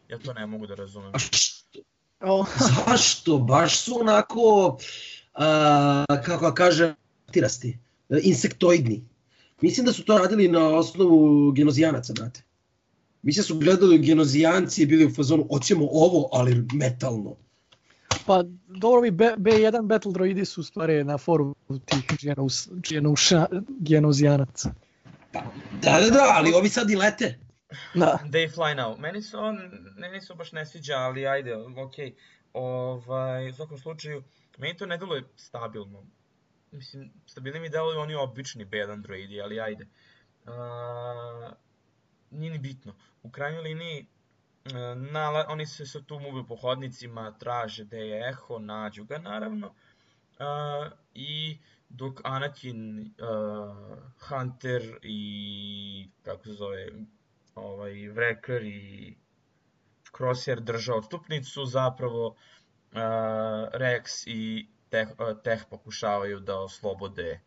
[SPEAKER 1] Ja to ne mogu da razumem.
[SPEAKER 3] A što?
[SPEAKER 2] O,
[SPEAKER 3] Zašto? Baš su onako, a, kako da kažem, tirasti, insektoidni. Mislim da su to radili na osnovu genozijanaca, brate. Mislim da su gledali genozijanci i bili u fazonu, hoćemo ovo, ali metalno.
[SPEAKER 2] pa dobro, ovi B, B1 Battle Droidi su u stvari na foru tih genus, genuša, genozijanaca.
[SPEAKER 3] Da, da, da, ali ovi sad i lete.
[SPEAKER 2] Da.
[SPEAKER 1] They fly now. Meni se on, meni se baš ne sviđa, ali ajde, okej. Ovaj, u svakom slučaju, meni to ne deluje stabilno. Mislim, stabilni mi deluju oni obični B jedan droidi, ali ajde. Uh, nije ni bitno. U krajnjoj liniji, na, oni se sad tu muve po hodnicima, traže gde je Eho, nađu ga naravno. Uh, I dok Anakin, uh, Hunter i, kako se zove, ovaj, Wrecker i Crosshair drže odstupnicu, zapravo uh, Rex i Teh, uh, Teh pokušavaju da oslobode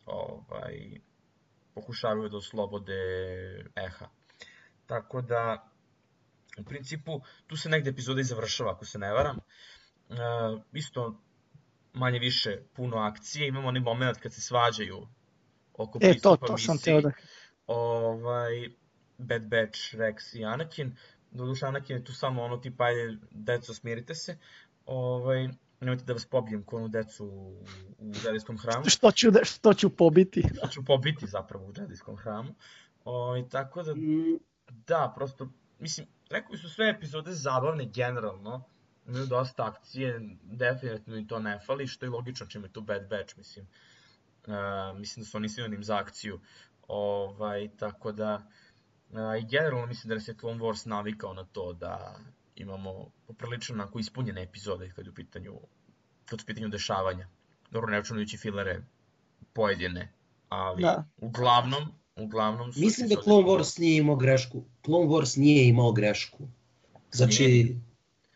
[SPEAKER 1] ovaj, pokušavaju da oslobode Eha. Tako da, u principu, tu se negde epizoda i završava, ako se ne varam. Uh, isto, manje više, puno akcije. Imamo onaj moment kad se svađaju oko
[SPEAKER 2] E, to,
[SPEAKER 1] pristupa
[SPEAKER 2] to sam
[SPEAKER 1] misiji.
[SPEAKER 2] teo da...
[SPEAKER 1] Ovaj, Bad Batch, Rex i Anakin. Doduše, Anakin je tu samo ono tipa, ajde, deco, smirite se. Ovaj, nemojte da vas pobijem ko onu decu u, u Jedijskom hramu.
[SPEAKER 2] Što ću, da, što ću pobiti?
[SPEAKER 1] Što ću pobiti zapravo u Jedijskom hramu. Ovaj, tako da, da, prosto, mislim, rekao su sve epizode zabavne generalno. Imaju dosta akcije, definitivno i to ne fali, što je logično čim je tu Bad Batch, mislim. Uh, mislim da su oni sinonim za akciju. Ovaj, tako da, uh, i generalno mislim da nas je Clone Wars navikao na to da imamo poprilično onako ispunjene epizode kad je u pitanju, kad su u pitanju dešavanja. Dobro, ne računajući filere pojedine, ali
[SPEAKER 2] Da.
[SPEAKER 1] uglavnom, uglavnom su
[SPEAKER 3] Mislim da
[SPEAKER 1] epizode
[SPEAKER 3] Clone
[SPEAKER 1] dobre.
[SPEAKER 3] Wars nije imao grešku. Clone Wars nije imao grešku. Znači,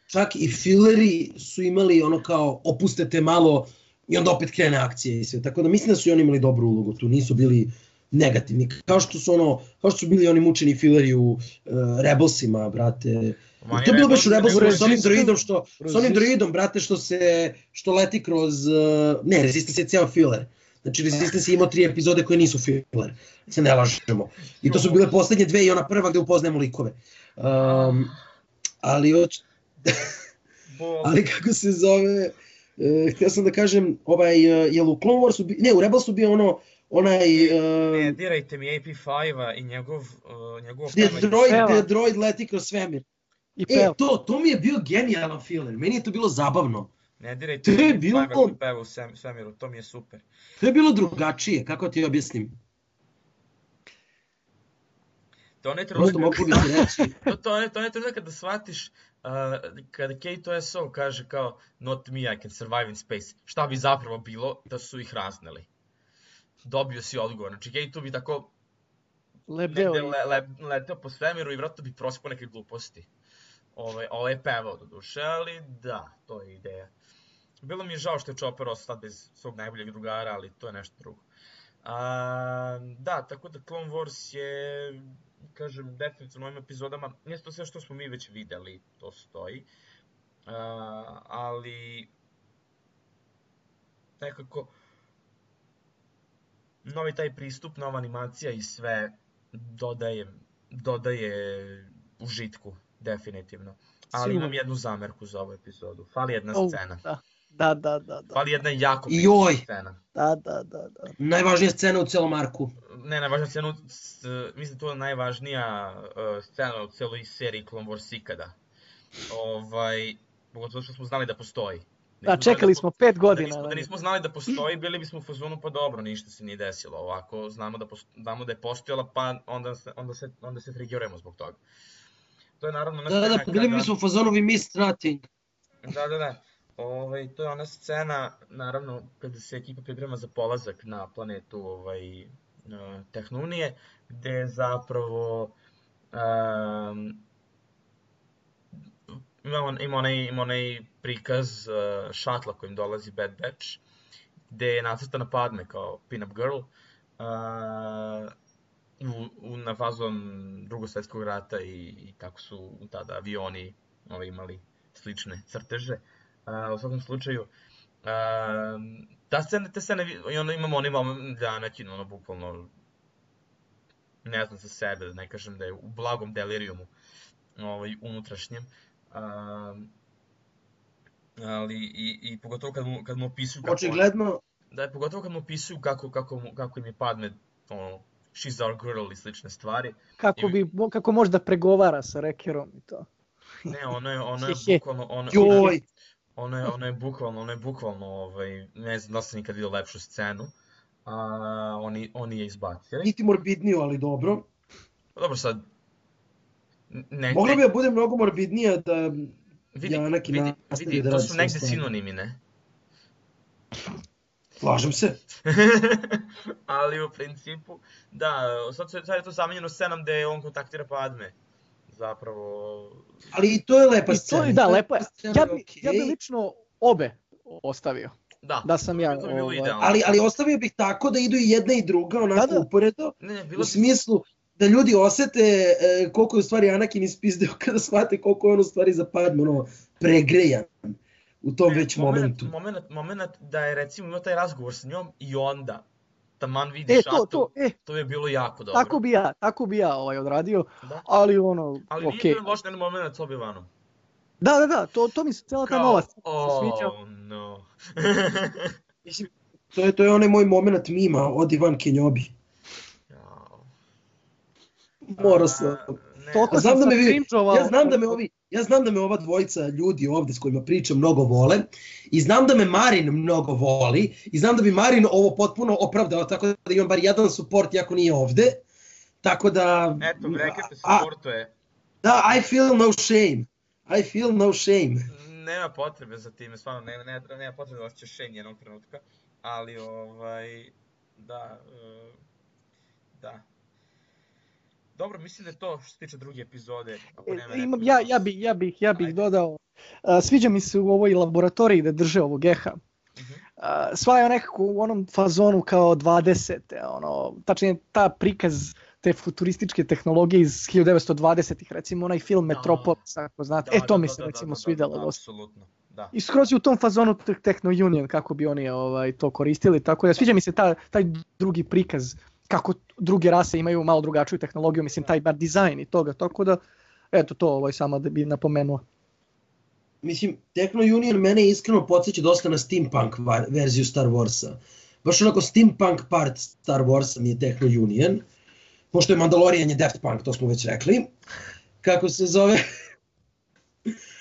[SPEAKER 3] čak i fileri su imali ono kao opustete malo i onda opet krene akcije i sve. Tako da mislim da su i oni imali dobru ulogu tu, nisu bili negativni. Kao što su ono, kao što su bili oni mučeni fileri u uh, Rebelsima, brate.
[SPEAKER 1] Manje
[SPEAKER 3] To je bilo baš u
[SPEAKER 1] Rebelsi,
[SPEAKER 3] Rebelsima
[SPEAKER 1] nego
[SPEAKER 3] s onim
[SPEAKER 2] Resistance-
[SPEAKER 3] droidom što, s onim
[SPEAKER 2] Resist-
[SPEAKER 3] droidom, brate, što se, što leti kroz, uh, ne, Resistance je cijel filer. Znači, Resistance je imao tri epizode koje nisu filler, se ne lažemo. I to su bile poslednje dve i ona prva gde upoznajemo likove. Um, ali, oč...
[SPEAKER 1] Bol.
[SPEAKER 3] ali kako se zove, uh, htio sam da kažem, ovaj, uh, jel u Clone Warsu, bi... ne, u Rebelsu bio ono, onaj,
[SPEAKER 1] Ne,
[SPEAKER 3] uh,
[SPEAKER 1] dirajte mi A P5-a i njegov, uh, njegov
[SPEAKER 3] gde
[SPEAKER 1] pevanje.
[SPEAKER 3] droid,
[SPEAKER 2] Peva.
[SPEAKER 3] gde droid leti kroz svemir.
[SPEAKER 2] I
[SPEAKER 3] E,
[SPEAKER 2] pel.
[SPEAKER 3] to, to mi je bio genijalan filler, meni je to bilo zabavno.
[SPEAKER 1] Ne dirajte
[SPEAKER 3] To je
[SPEAKER 1] mi A P
[SPEAKER 3] bilo-
[SPEAKER 1] five-a koji peva u sem- svemiru, to mi je super.
[SPEAKER 3] To je bilo drugačije, kako ti objasnim.
[SPEAKER 1] To ne
[SPEAKER 3] Prosto
[SPEAKER 1] trenutak,
[SPEAKER 3] mogu bi ti reći.
[SPEAKER 1] to, to, ne, to ne trenutak kada shvatiš, uh, kada K two S O kaže kao not me, I can survive in space. Šta bi zapravo bilo da su ih razneli? Dobio si odgovor. Znači K two bi tako
[SPEAKER 2] Lebdeo
[SPEAKER 1] negde
[SPEAKER 2] i...
[SPEAKER 1] le, le, leteo po svemiru i vratno bi prospao neke gluposti. Ovaj, ovo je pevao do duše, ali da, to je ideja. Bilo mi je žao što je Chopper ostao sad bez svog najboljeg drugara, ali to je nešto drugo. A, da, tako da Clone Wars je, kažem, definitivno u ovim epizodama, nije to sve što smo mi već videli, to stoji, a, ali nekako novi taj pristup, nova animacija i sve dodaje, dodaje užitku, definitivno. Ali imam
[SPEAKER 2] Sigurno.
[SPEAKER 1] jednu zamerku za ovu epizodu, fali jedna
[SPEAKER 2] Au,
[SPEAKER 1] scena.
[SPEAKER 2] Da, da, da, da, da,
[SPEAKER 1] Fali jedna jako
[SPEAKER 3] Joj.
[SPEAKER 1] bitna scena.
[SPEAKER 2] da, da, da, da.
[SPEAKER 3] Najvažnija scena u celom arku.
[SPEAKER 1] Ne, najvažnija scena, s- mislim da to je najvažnija uh, scena u celoj seriji Clone Wars ikada. Ovaj, pogotovo što smo znali da postoji.
[SPEAKER 2] Da,
[SPEAKER 1] nismo znali
[SPEAKER 2] čekali
[SPEAKER 1] po-
[SPEAKER 2] smo pet
[SPEAKER 1] Da
[SPEAKER 2] godina.
[SPEAKER 1] nismo, da nismo znali da postoji, bili bismo u fazonu pa dobro, ništa se nije desilo. Ovako znamo da, post, znamo da je postojala, pa onda se, onda se, onda se triggerujemo zbog toga. To je naravno ona
[SPEAKER 3] Da, da,
[SPEAKER 1] scena
[SPEAKER 3] da, pa bili
[SPEAKER 1] kada-
[SPEAKER 3] bi smo u fazonu we missed nothing.
[SPEAKER 1] Da, da, da. Ovaj, to je ona scena, naravno, kada se ekipa priprema za polazak na planetu ovaj, uh, Tehnunije, gde zapravo um, ima, ima, onaj, ima onaj prikaz uh, šatla kojim dolazi Bad Batch, gde je nacrtana Padme kao pin-up girl, uh, u, u, na fazon drugog svjetskog rata i, i kako su tada avioni ovaj, imali slične crteže. Uh, u svakom slučaju, uh, ta scena, te scene, i onda imamo onaj moment da Anakin, ono, bukvalno, ne znam za sebe, da ne kažem da je u blagom delirijumu, ovaj, unutrašnjem. Uh, ali i, i pogotovo kad mu, kad mu opisuju kako...
[SPEAKER 3] Očigledno,
[SPEAKER 1] Da je pogotovo kad mu opisuju kako, kako, mu- kako im je Padme, ono, she's our girl i slične stvari.
[SPEAKER 2] Kako, bi, mo- kako može da pregovara sa Rekerom i to.
[SPEAKER 1] Ne, ono je, ono je
[SPEAKER 2] Hehe.
[SPEAKER 1] bukvalno, ono,
[SPEAKER 3] joj,
[SPEAKER 1] ono je, ono je bukvalno, ono je bukvalno, ovaj, ne znam da li sam nikad vidio lepšu scenu, a oni, oni je izbacili.
[SPEAKER 3] niti morbidniju, ali dobro.
[SPEAKER 1] Pa dobro sad, Ne,
[SPEAKER 3] Mogla
[SPEAKER 1] ne,
[SPEAKER 3] bi da bude mnogo morbidnija da
[SPEAKER 1] vidi,
[SPEAKER 3] Janaki
[SPEAKER 1] vidi,
[SPEAKER 3] nastavi
[SPEAKER 1] vidi,
[SPEAKER 3] da
[SPEAKER 1] to
[SPEAKER 3] radi
[SPEAKER 1] su
[SPEAKER 3] svoje
[SPEAKER 1] negde
[SPEAKER 3] stvari.
[SPEAKER 1] sinonimi, ne?
[SPEAKER 3] Slažem se.
[SPEAKER 1] Ali u principu, da, sad, se, sad je to zamenjeno scenom gde on kontaktira Padme. Zapravo...
[SPEAKER 3] Ali i to je lepa
[SPEAKER 2] I to
[SPEAKER 3] scena.
[SPEAKER 2] je,
[SPEAKER 3] i
[SPEAKER 2] da,
[SPEAKER 3] ta
[SPEAKER 2] lepo je.
[SPEAKER 3] scena
[SPEAKER 2] Ja
[SPEAKER 3] je
[SPEAKER 2] bi,
[SPEAKER 3] okej.
[SPEAKER 2] ja bi lično obe ostavio.
[SPEAKER 1] Da,
[SPEAKER 2] Da sam
[SPEAKER 1] to bi,
[SPEAKER 2] ja,
[SPEAKER 1] to bi bilo
[SPEAKER 2] ovaj,
[SPEAKER 1] idealno.
[SPEAKER 3] Ali, ali ostavio bih tako da idu i jedna i druga, onako
[SPEAKER 2] Da, da.
[SPEAKER 3] uporedo,
[SPEAKER 1] Ne, ne,
[SPEAKER 3] u
[SPEAKER 1] bilo bi...
[SPEAKER 3] smislu da ljudi osete e, koliko je u stvari Anakin ispizdeo kada shvate koliko je on u stvari za Padme, ono, pregrejan u tom
[SPEAKER 1] Ne,
[SPEAKER 3] već
[SPEAKER 1] moment,
[SPEAKER 3] momentu.
[SPEAKER 1] moment, moment da je recimo imao taj razgovor s njom i onda taman vidi
[SPEAKER 2] E, to,
[SPEAKER 1] šatu,
[SPEAKER 2] to, e,
[SPEAKER 1] to je bilo jako dobro.
[SPEAKER 2] tako bi ja, tako bi ja ovaj odradio,
[SPEAKER 1] Da.
[SPEAKER 2] ali ono,
[SPEAKER 1] Ali nije
[SPEAKER 2] okej.
[SPEAKER 1] bio loš jedan moment s Obi-Wanom.
[SPEAKER 2] Da, da, da, to, to mi se, cijela ta
[SPEAKER 1] Kao,
[SPEAKER 2] nova scena se sviđa.
[SPEAKER 1] oh no.
[SPEAKER 3] Mislim, to je, to je onaj moj moment mima od Ivan Kenjobi.
[SPEAKER 1] Jao.
[SPEAKER 3] Morao
[SPEAKER 1] A,
[SPEAKER 3] sam.
[SPEAKER 1] ne,
[SPEAKER 2] Toliko
[SPEAKER 3] Ja
[SPEAKER 2] sam
[SPEAKER 3] znam da
[SPEAKER 2] sad
[SPEAKER 3] me vi,
[SPEAKER 2] cringeovao.
[SPEAKER 3] ja znam da me ovi, ja znam da me ova dvojica ljudi ovde s kojima pričam mnogo vole i znam da me Marin mnogo voli i znam da bi Marin ovo potpuno opravdao, tako da imam bar jedan support iako nije ovde. Tako da...
[SPEAKER 1] Eto, rekete se
[SPEAKER 3] a,
[SPEAKER 1] sportuje.
[SPEAKER 3] da, I feel no shame. I feel no shame.
[SPEAKER 1] Nema potrebe za time, stvarno, nema, nema, nema potrebe da osjećaš šenje jednog trenutka, ali ovaj, da, uh, da. Dobro, mislim da je to što se tiče druge epizode. Ako nema
[SPEAKER 2] E, imam,
[SPEAKER 1] neko
[SPEAKER 2] ja,
[SPEAKER 1] još.
[SPEAKER 2] ja, bi, ja bih, ja bih
[SPEAKER 1] Ajde.
[SPEAKER 2] dodao, a, sviđa mi se u ovoj laboratoriji da drže ovog geha.
[SPEAKER 1] Mhm.
[SPEAKER 2] A, sva je nekako u onom fazonu kao dvadesete, ono, tačnije ta prikaz te futurističke tehnologije iz hiljadu devetsto dvadesetih, recimo onaj film
[SPEAKER 1] Da.
[SPEAKER 2] Metropolis, ako znate,
[SPEAKER 1] Da,
[SPEAKER 2] e to
[SPEAKER 1] da,
[SPEAKER 2] mi
[SPEAKER 1] da,
[SPEAKER 2] se
[SPEAKER 1] da,
[SPEAKER 2] recimo
[SPEAKER 1] da, da,
[SPEAKER 2] svidelo
[SPEAKER 1] da,
[SPEAKER 2] dosta.
[SPEAKER 1] apsolutno, da.
[SPEAKER 2] I skroz je u tom fazonu te- Techno Union, kako bi oni ovaj, to koristili, tako da sviđa mi se ta, taj drugi prikaz, kako druge rase imaju malo drugačiju tehnologiju, mislim taj bar dizajn i toga, tako da, eto to ovaj, samo da bi napomenuo.
[SPEAKER 3] Mislim, Techno Union mene iskreno podsjeća dosta na steampunk va- verziju Star Warsa. Baš onako steampunk part Star Warsa mi je Techno Union, pošto je Mandalorian je Daft Punk, to smo već rekli. Kako se zove?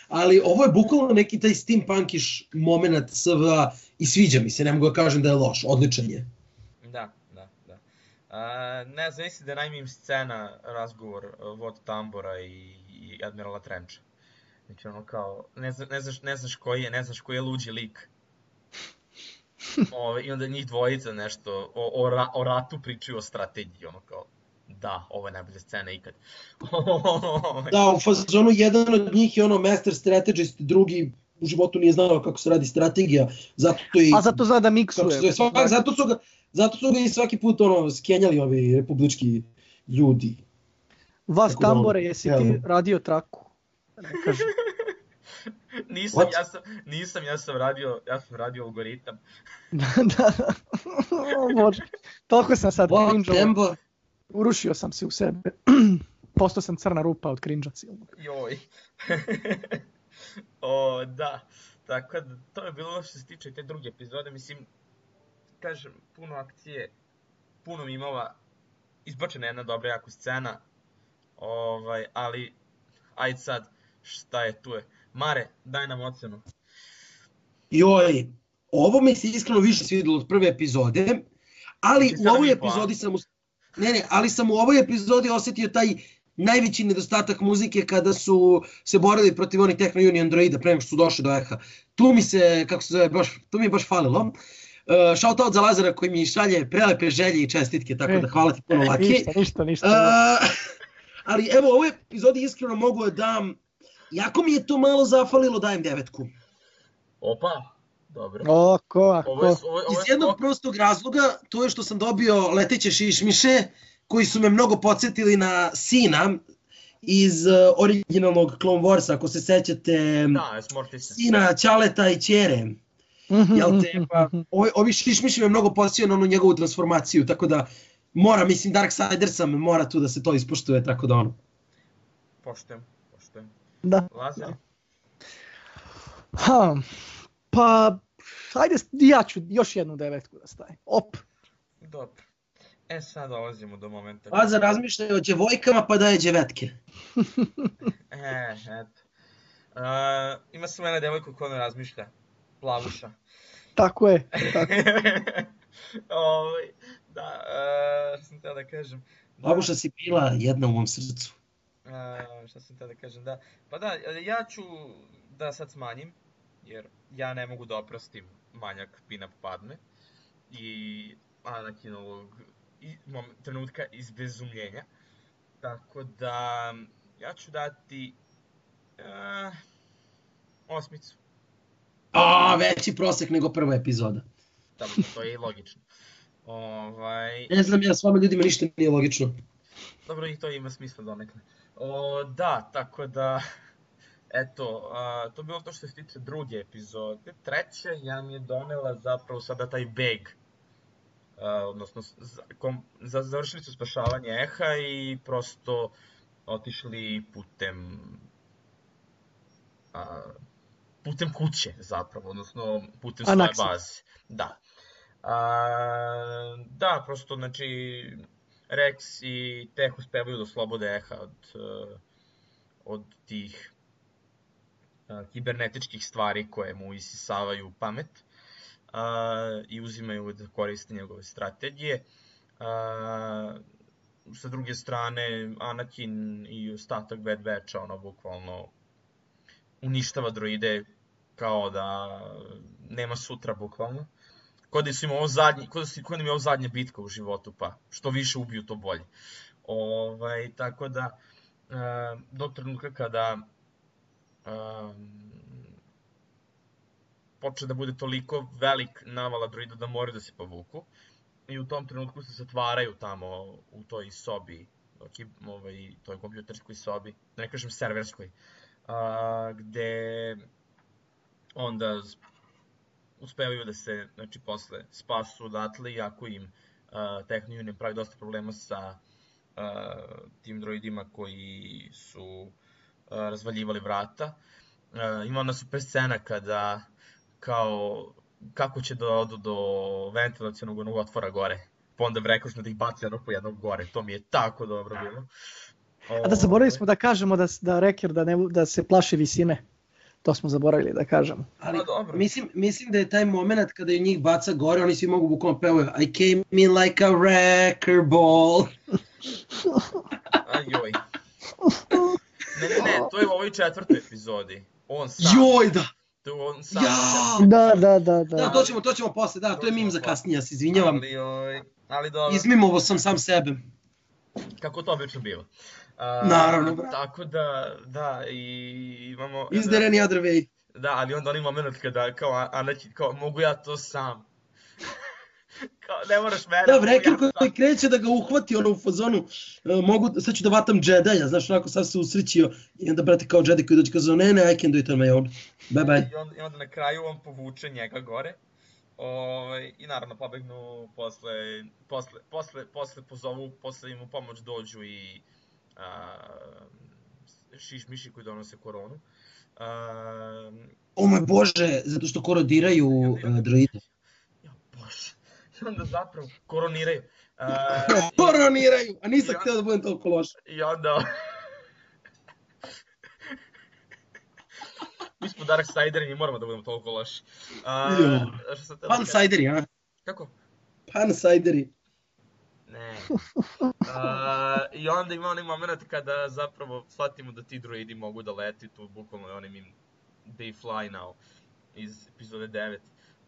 [SPEAKER 3] Ali ovo je bukvalno neki taj steampunkiš moment S V A i sviđa mi se, ne mogu da kažem da je loš, odličan je.
[SPEAKER 1] Da, da, da. A, ne znam, mislim da je najmim scena razgovor uh, Vod Tambora i, i Admirala Trenča. Znači ono kao, ne, zna, ne, znaš, ne znaš koji je, ne znaš koji je luđi lik. Ove, I onda njih dvojica nešto o, o, ra, o ratu pričaju o strategiji, ono kao, da, ovo je najbolja scena ikad.
[SPEAKER 3] Da, u fazonu jedan od njih je ono master strategist, drugi u životu nije znao kako se radi strategija, zato i...
[SPEAKER 2] A zato zna da
[SPEAKER 3] kako se
[SPEAKER 2] miksuje.
[SPEAKER 3] zove, svak, zato, su ga, zato su ga i svaki put ono, skenjali ovi republički ljudi.
[SPEAKER 2] Vas
[SPEAKER 3] Tako da ono,
[SPEAKER 2] Tambore, jesi ti
[SPEAKER 3] evo.
[SPEAKER 2] radio traku? Ne kažem.
[SPEAKER 1] nisam,
[SPEAKER 3] What?
[SPEAKER 1] ja sam, nisam, ja sam radio, ja sam radio algoritam.
[SPEAKER 2] da, da. O Bože, toliko sam sad
[SPEAKER 3] What,
[SPEAKER 2] cringeovao.
[SPEAKER 3] Tembo?
[SPEAKER 2] Urušio sam se u sebe. Postao sam crna rupa od cringe-a silnog.
[SPEAKER 1] Joj. O, da. Tako da, to je bilo što se tiče te druge epizode. Mislim, kažem, puno akcije, puno mimova, izbačena jedna dobra jako scena. Ovaj, ali, ajde sad, šta je tu je. Mare, daj nam ocenu.
[SPEAKER 3] Joj, ovo mi se iskreno više svidjelo od prve epizode, ali
[SPEAKER 1] Znači,
[SPEAKER 3] u ovoj
[SPEAKER 1] sedam i po, a?
[SPEAKER 3] epizodi sam, u- ne ne, ali sam u ovoj epizodi osjetio taj najveći nedostatak muzike kada su se borili protiv onih Techno Union droida pre nego što su došli do Eha. Tu mi se, kako se zove, baš, tu mi je baš falilo. Uh, shout out za Lazara koji mi šalje prelepe želje i čestitke, tako
[SPEAKER 2] E,
[SPEAKER 3] da hvala ti puno Laki.
[SPEAKER 2] Ništa, ništa, ništa.
[SPEAKER 3] Uh, ali evo, u ovoj epizodi iskreno mogu da dam, jako mi je to malo zafalilo, dajem devetku.
[SPEAKER 1] Opa, dobro.
[SPEAKER 2] Oko,
[SPEAKER 1] Ovo je,
[SPEAKER 2] ako.
[SPEAKER 1] ovo je, ovo
[SPEAKER 3] Iz
[SPEAKER 1] je
[SPEAKER 3] jednog
[SPEAKER 1] skok.
[SPEAKER 3] prostog razloga, to je što sam dobio leteće šišmiše, koji su me mnogo podsjetili na sina iz uh, originalnog Clone Warsa, ako se sećate,
[SPEAKER 1] Da, Smortise.
[SPEAKER 3] sina Ćaleta i Ćere. Jel te, pa, ovi, ovi šišmiši me mnogo podsjećaju na onu njegovu transformaciju, tako da mora, mislim, Darksider sam, mora tu da se to ispoštuje, tako da ono.
[SPEAKER 1] Poštujem, poštujem.
[SPEAKER 2] Da.
[SPEAKER 1] Lazar?
[SPEAKER 2] Ha, pa, ajde, ja ću još jednu devetku da stavim. Op.
[SPEAKER 1] Dobro. E, sad dolazimo do momenta.
[SPEAKER 3] Lazar razmišlja o djevojkama, pa daje djevetke.
[SPEAKER 1] E, eto. Uh, ima samo jedna devojka koja ne razmišlja. Plavuša.
[SPEAKER 2] Tako je. Tako.
[SPEAKER 1] Ovaj, da, uh, sam teo da kažem. Da,
[SPEAKER 3] Babuša si bila jedna u mom srcu.
[SPEAKER 1] A, šta sam te da kažem, da. Pa da, ja ću da sad smanjim, jer ja ne mogu da oprostim manjak Pina Padme i Anakinovog i, mom, trenutka izbezumljenja. Tako da, ja ću dati uh, osmicu.
[SPEAKER 3] A, veći prosek nego prva epizoda.
[SPEAKER 1] Dobro, to je i logično. Ovaj...
[SPEAKER 3] Ne znam ja, s vama ljudima ništa nije logično.
[SPEAKER 1] Dobro, i to ima smisla donekle. O, da, tako da, eto, a, to je bilo to što se tiče druge epizode. Treća ja mi je donela zapravo sada taj beg. A, odnosno, za, kom, za, završili su spašavanje Eha i prosto otišli putem... A, putem kuće zapravo, odnosno putem svoje
[SPEAKER 2] Anaxi.
[SPEAKER 1] baze. Da. A, da, prosto, znači, Rex i Tech uspevaju da oslobode Eha od, od tih kibernetičkih stvari koje mu isisavaju pamet a, i uzimaju da koriste njegove strategije. A, sa druge strane, Anakin i ostatak Bad Batcha, ono, bukvalno uništava droide kao da nema sutra, bukvalno. Kod da su im ovo zadnji, kod da su kod im je ovo zadnja bitka u životu, pa što više ubiju, to bolje. Ovaj, tako da, uh, do trenutka kada um, počne da bude toliko velik navala droida da moraju da se povuku, i u tom trenutku se zatvaraju tamo u toj sobi, ovaj, toj kompjuterskoj sobi, da ne kažem serverskoj, uh, gde onda uspevaju da se, znači, posle spasu odatle, iako im uh, Techno Union pravi dosta problema sa uh, tim droidima koji su uh, razvaljivali vrata. Uh, ima ona super scena kada, kao, kako će da odu do ventilacionog onog otvora gore, pa onda vrekošno da ih baci jednog po jednog gore, to mi je tako dobro bilo.
[SPEAKER 2] A da zaboravili smo da kažemo da, da Wrecker da, ne, da se plaši visine. To smo zaboravili da kažemo.
[SPEAKER 3] Ali mislim, mislim da je taj moment kada je njih baca gore, oni svi mogu bukvalno pevaju I came in like a wrecker ball.
[SPEAKER 1] Ajoj. Ne, ne, ne, to je u ovoj četvrtoj epizodi. On sam.
[SPEAKER 3] Joj, da.
[SPEAKER 1] To je on sam.
[SPEAKER 3] Ja!
[SPEAKER 2] Da, da, da, da.
[SPEAKER 3] Da, to ćemo, to ćemo posle, da, to je mim za kasnije, ja se izvinjavam.
[SPEAKER 1] Ali, oj, ali dobro.
[SPEAKER 3] Izmimovo sam sam sebe.
[SPEAKER 1] Kako to obično biva. Uh,
[SPEAKER 3] Naravno, brate.
[SPEAKER 1] Tako da, da, i imamo...
[SPEAKER 3] Is there any other way?
[SPEAKER 1] Da, ali onda onaj moment kada, kao, Anakin, kao, mogu ja to sam. Kao, ne moraš mene,
[SPEAKER 3] Da,
[SPEAKER 1] mogu
[SPEAKER 3] Wrecker
[SPEAKER 1] ja
[SPEAKER 3] koji kreće da ga uhvati ono u fazonu, uh, mogu, sad ću da vatam Jedija, znaš, onako sad se usrećio i onda, brate, kao Jedi koji dođe kao, ne, ne, I can do it on my own, bye bye.
[SPEAKER 1] I onda, i onda na kraju on povuče njega gore. Ovaj, i naravno pobegnu posle, posle, posle, posle pozovu, posle im u pomoć dođu i a, šiš miši koji donose koronu. A,
[SPEAKER 3] O moj bože, zato što korodiraju uh, droide.
[SPEAKER 1] Ja bože, i onda zapravo koroniraju. A,
[SPEAKER 3] Koroniraju, a nisam
[SPEAKER 1] Ja-
[SPEAKER 3] htio da budem toliko loš.
[SPEAKER 1] I onda... Mi smo Darksideri, mi moramo da budemo toliko loši. A,
[SPEAKER 3] Jo.
[SPEAKER 1] što sam teo da kažem?
[SPEAKER 3] Pansideri, a?
[SPEAKER 1] Kako?
[SPEAKER 3] Pansideri.
[SPEAKER 1] Ne. A, I onda ima onaj moment kada zapravo shvatimo da ti droidi mogu da leti, tu bukvalno je onim im They Fly Now iz epizode devet.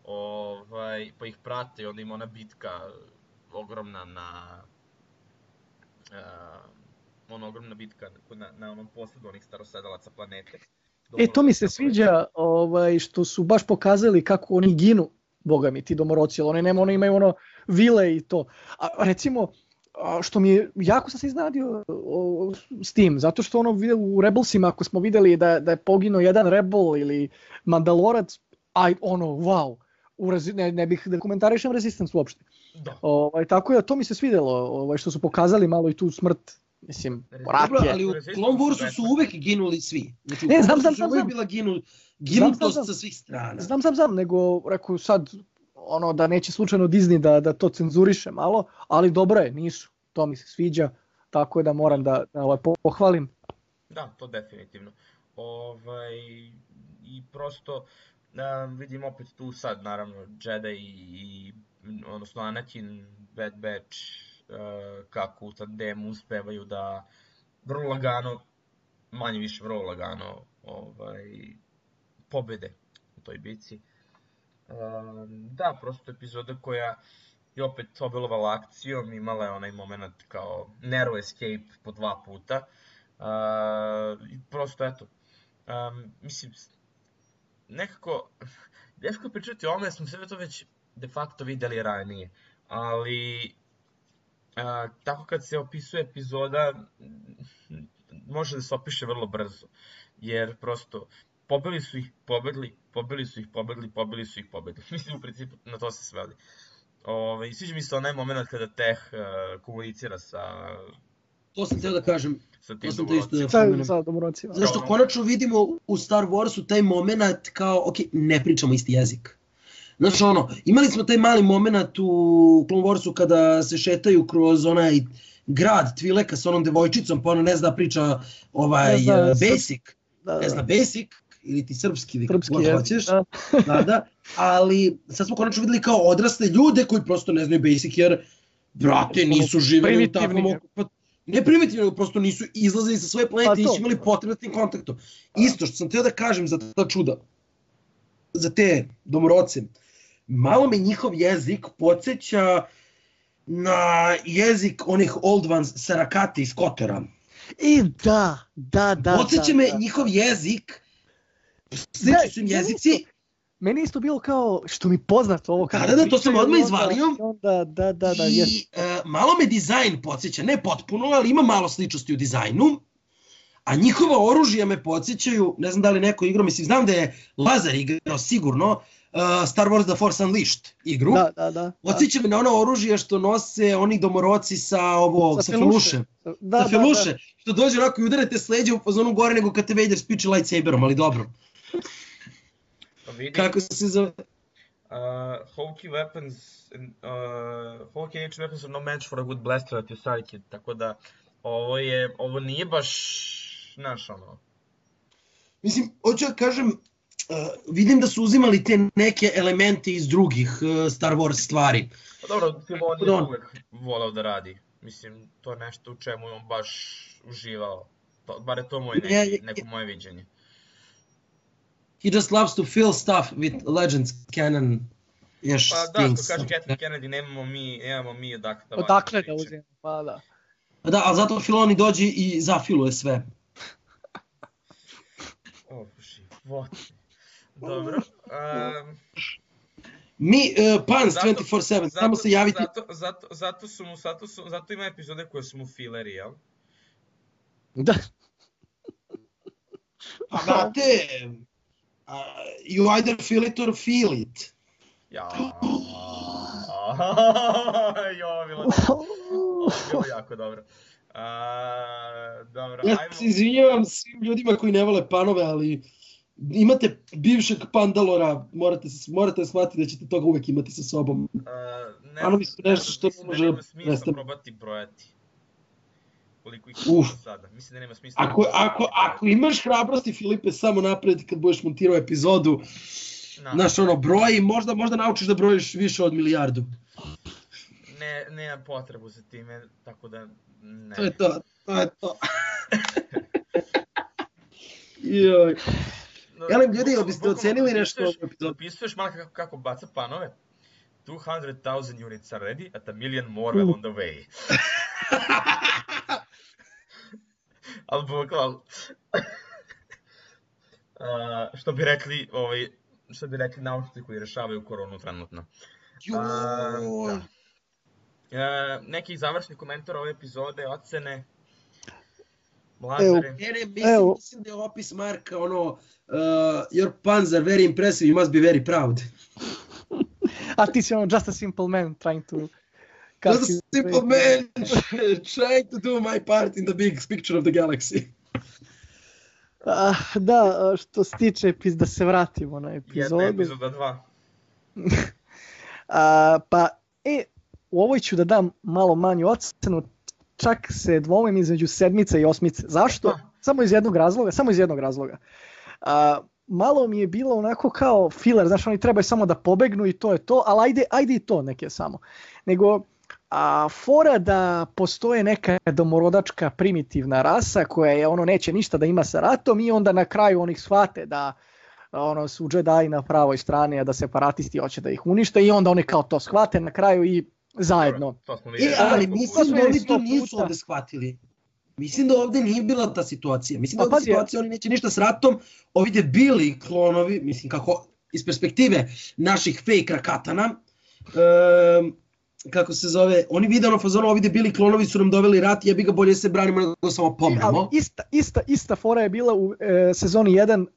[SPEAKER 1] Ovaj, pa ih prate i onda ima ona bitka ogromna na... Uh, ona ogromna bitka na, na onom posledu onih starosedalaca planete.
[SPEAKER 2] E, to mi se sviđa ovaj, što su baš pokazali kako oni ginu, boga mi, ti domoroci, ali oni, nema, oni imaju ono vile i to. A recimo, a, što mi je, jako sam se iznenadio o, s tim, zato što ono vide u Rebelsima, ako smo videli da, da je poginuo jedan Rebel ili Mandalorac, aj ono, wow, u rezi, ne, ne bih da komentarišem Resistance uopšte.
[SPEAKER 1] Da.
[SPEAKER 2] Ovaj, tako je, to mi se svidjelo, ovaj, što su pokazali malo i tu smrt, mislim,
[SPEAKER 3] Dobro,
[SPEAKER 2] rat je.
[SPEAKER 3] ali u Clone Warsu su uvek ginuli svi. Znači, u
[SPEAKER 2] Ne,
[SPEAKER 3] Clone
[SPEAKER 2] znam,
[SPEAKER 3] Warsu
[SPEAKER 2] znam,
[SPEAKER 3] su
[SPEAKER 2] znam,
[SPEAKER 3] uvek
[SPEAKER 2] znam.
[SPEAKER 3] bila ginu,
[SPEAKER 2] Znam,
[SPEAKER 3] ginutost
[SPEAKER 2] znam, znam.
[SPEAKER 3] sa svih strana.
[SPEAKER 2] Znam, znam, znam, nego rekao sad ono da neće slučajno Disney da, da to cenzuriše malo, ali dobro je, nisu. To mi se sviđa, tako je da moram da, da ovaj, pohvalim.
[SPEAKER 1] Da, to definitivno. Ovaj, I prosto um, vidim opet tu sad, naravno, Jedi i, odnosno Anakin, Bad Batch, uh, kako u tandemu uspevaju da vrlo lagano manje više vrlo lagano ovaj, pobede u toj bici. Um, da, prosto epizoda koja je opet obilovala akcijom, imala je onaj moment kao narrow escape po dva puta. Uh, prosto eto, um, mislim, nekako, teško je pričati o ovome, smo sve to već de facto videli ranije, ali uh, tako kad se opisuje epizoda, može da se opiše vrlo brzo, jer prosto pobili su ih, pobedli, pobili su ih, pobedli, pobili su ih, pobedli. Mislim, u principu na to se sveli. Ove, sviđa mi se onaj moment kada Teh uh, komunicira sa...
[SPEAKER 3] To sam htio da kažem.
[SPEAKER 1] Sa
[SPEAKER 3] To
[SPEAKER 1] tim
[SPEAKER 3] sam te isto da
[SPEAKER 2] Sa,
[SPEAKER 3] pomenem.
[SPEAKER 2] sa domorocima.
[SPEAKER 3] Zašto konačno vidimo u Star Warsu taj moment kao, ok, ne pričamo isti jezik. Znači ono, imali smo taj mali moment u Clone Warsu kada se šetaju kroz onaj grad Tvileka sa onom devojčicom, pa ona ne zna da priča ovaj
[SPEAKER 2] Ne zna,
[SPEAKER 3] uh,
[SPEAKER 2] srp-
[SPEAKER 3] basic,
[SPEAKER 2] Da, da.
[SPEAKER 3] ne zna basic, ili ti srpski, ili kako
[SPEAKER 2] Srpski
[SPEAKER 3] god
[SPEAKER 2] jezik,
[SPEAKER 3] hoćeš.
[SPEAKER 2] da.
[SPEAKER 3] Da, da, ali sad smo konačno videli kao odrasle ljude koji prosto ne znaju basic jer, brate, nisu živjeli u takvom
[SPEAKER 2] Primitivni.
[SPEAKER 3] okupa... Ne primitivni, nego prosto nisu izlazili sa svoje
[SPEAKER 2] Pa
[SPEAKER 3] planete i
[SPEAKER 2] to.
[SPEAKER 3] nisu imali potrebe s tim kontaktom. Isto što sam teo da kažem za ta čuda, za te domoroce, malo me njihov jezik podsjeća na jezik onih Old Ones Sarakate iz Kotora.
[SPEAKER 2] I da, da, da.
[SPEAKER 3] Podsjeća
[SPEAKER 2] da,
[SPEAKER 3] me
[SPEAKER 2] da.
[SPEAKER 3] njihov jezik,
[SPEAKER 2] Da,
[SPEAKER 3] slični su im
[SPEAKER 2] ja
[SPEAKER 3] jezici,
[SPEAKER 2] isto. Meni isto bilo kao, što mi poznato ovo kako
[SPEAKER 3] Da, da, da, to sam
[SPEAKER 2] pričaju,
[SPEAKER 3] odmah
[SPEAKER 2] onda-
[SPEAKER 3] izvalio.
[SPEAKER 2] Onda, da, da, da,
[SPEAKER 3] i
[SPEAKER 2] jes.
[SPEAKER 3] e, malo me dizajn podsjeća, ne potpuno, ali ima malo sličnosti u dizajnu, a njihova oružja me podsjećaju, ne znam da li neko igrao, mislim, znam da je Lazar igrao sigurno, uh, Star Wars The Force Unleashed igru,
[SPEAKER 2] Da, da, da.
[SPEAKER 3] podsjeća me na ono oružje što nose oni domoroci sa ovo, sa, sa Feluše,
[SPEAKER 2] Da,
[SPEAKER 3] sa Feluše, što dođe onako i udarate s leđa u fazonu gore nego kad te Vader spiči lightsaberom, ali dobro.
[SPEAKER 1] Pa vidi,
[SPEAKER 3] Kako se zove?
[SPEAKER 1] uh, Hokey weapons, uh, Hokey H weapons are no match for a good blaster at your sidekick, tako da ovo je, ovo nije baš, znaš ono,
[SPEAKER 3] Mislim, hoću da kažem, uh, vidim da su uzimali te neke elemente iz drugih uh, Star Wars stvari.
[SPEAKER 1] pa dobro, Filoni
[SPEAKER 3] Da.
[SPEAKER 1] je uvek volao da radi, mislim, to je nešto u čemu je on baš uživao, to, bar je to moj neki,
[SPEAKER 3] Ja, ja,
[SPEAKER 1] neko moje viđenje.
[SPEAKER 3] He just loves to fill stuff with Legends canon još
[SPEAKER 1] Pa da,
[SPEAKER 3] things.
[SPEAKER 1] što kaže Kathleen Kennedy, nemamo mi, nemamo mi odakle da
[SPEAKER 2] Odakle da
[SPEAKER 1] priče.
[SPEAKER 2] uzimamo, pa da.
[SPEAKER 3] Da, ali zato Filoni dođe i zafiluje sve.
[SPEAKER 1] O, život. Dobro. Um,
[SPEAKER 3] Mi, uh, Pans
[SPEAKER 1] Zato-
[SPEAKER 3] dvajset četiri sedam, samo se javite.
[SPEAKER 1] Zato, zato, zato, su mu, zato, su, zato ima epizode koje su mu fileri, jel?
[SPEAKER 2] Da.
[SPEAKER 3] Pa brate, uh, you either feel it or feel it.
[SPEAKER 1] Ja. Jo, bilo, ovo je bilo jako dobro. A, dobro,
[SPEAKER 3] Ja
[SPEAKER 1] ajmo.
[SPEAKER 3] se izvinjavam svim ljudima koji ne vole panove, ali imate bivšeg Pandalora, morate, se- morate shvatiti da ćete toga uvek imati sa sobom.
[SPEAKER 1] A, ne,
[SPEAKER 3] Panovi su nešto što
[SPEAKER 1] mislim da
[SPEAKER 3] može
[SPEAKER 1] nema smisla
[SPEAKER 3] prestati.
[SPEAKER 1] probati brojati. Koliko ih
[SPEAKER 3] Uf.
[SPEAKER 1] ima sada. Mislim da nema smisla.
[SPEAKER 3] Ako, ako, ako imaš hrabrosti, Filipe, samo napred kad budeš montirao epizodu,
[SPEAKER 1] Na,
[SPEAKER 3] znaš ono, broji, možda, možda naučiš da brojiš više od milijardu.
[SPEAKER 1] ne, nemam potrebu za time, tako da ne.
[SPEAKER 3] To je to, to je to. Joj. Elem, ljudi, jel biste
[SPEAKER 1] Bukvalno
[SPEAKER 3] ocenili nešto
[SPEAKER 1] zapisuješ-
[SPEAKER 3] ovu epizodu?
[SPEAKER 1] Zapisuješ malo kako, kako baca panove. two hundred thousand units are ready, at a million more well on the way. Ali bukvalno. A, što bi rekli, ovaj, što bi rekli naučnici koji rešavaju koronu trenutno. A,
[SPEAKER 3] Joj.
[SPEAKER 1] da. E, neki završni komentar ove epizode, ocene. Lazare.
[SPEAKER 3] Ne, ne, mislim,
[SPEAKER 2] Evo.
[SPEAKER 3] mislim da je opis Marka ono, uh, your puns are very impressive, you must be very proud.
[SPEAKER 2] A ti si ono just a simple man trying to...
[SPEAKER 3] Just a simple man trying to do my part in the big picture of the galaxy.
[SPEAKER 2] Ah, da, što se tiče, epiz- da se vratimo na
[SPEAKER 1] Jedna
[SPEAKER 2] epizodu.
[SPEAKER 1] epizoda dva.
[SPEAKER 2] A, pa, e, u ovoj ću da dam malo manju ocenu, čak se dvomim između sedmice i osmice. Zašto?
[SPEAKER 1] Pa.
[SPEAKER 2] Samo iz jednog razloga, samo iz jednog razloga. A, malo mi je bilo onako kao filler, znaš, oni trebaju samo da pobegnu i to je to, ali ajde, ajde i to neke samo. Nego, a fora da postoje neka domorodačka primitivna rasa koja je ono neće ništa da ima sa ratom i onda na kraju onih shvate da ono su Jedi na pravoj strani, a da separatisti hoće da ih unište i onda oni kao to shvate na kraju i zajedno.
[SPEAKER 1] To smo
[SPEAKER 3] E,
[SPEAKER 1] vidjeli.
[SPEAKER 3] ali
[SPEAKER 1] To
[SPEAKER 3] mislim
[SPEAKER 2] smo
[SPEAKER 3] da oni
[SPEAKER 2] vidjeli
[SPEAKER 3] to
[SPEAKER 2] sto
[SPEAKER 3] nisu
[SPEAKER 2] puta.
[SPEAKER 3] ovde shvatili. Mislim da ovde nije bila ta situacija. Mislim da
[SPEAKER 2] Pa
[SPEAKER 3] ovde
[SPEAKER 2] pazi,
[SPEAKER 3] situacija oni neće ništa s ratom. Ovi debili klonovi, mislim kako iz perspektive naših fake rakatana, um, kako se zove, oni vide ono fazonu, ovi debili klonovi su nam doveli rat, jebi ga bolje se branimo nego samo
[SPEAKER 2] Ali
[SPEAKER 3] pomremo.
[SPEAKER 2] ista, ista, ista fora je bila u e, sezoni jedan uh,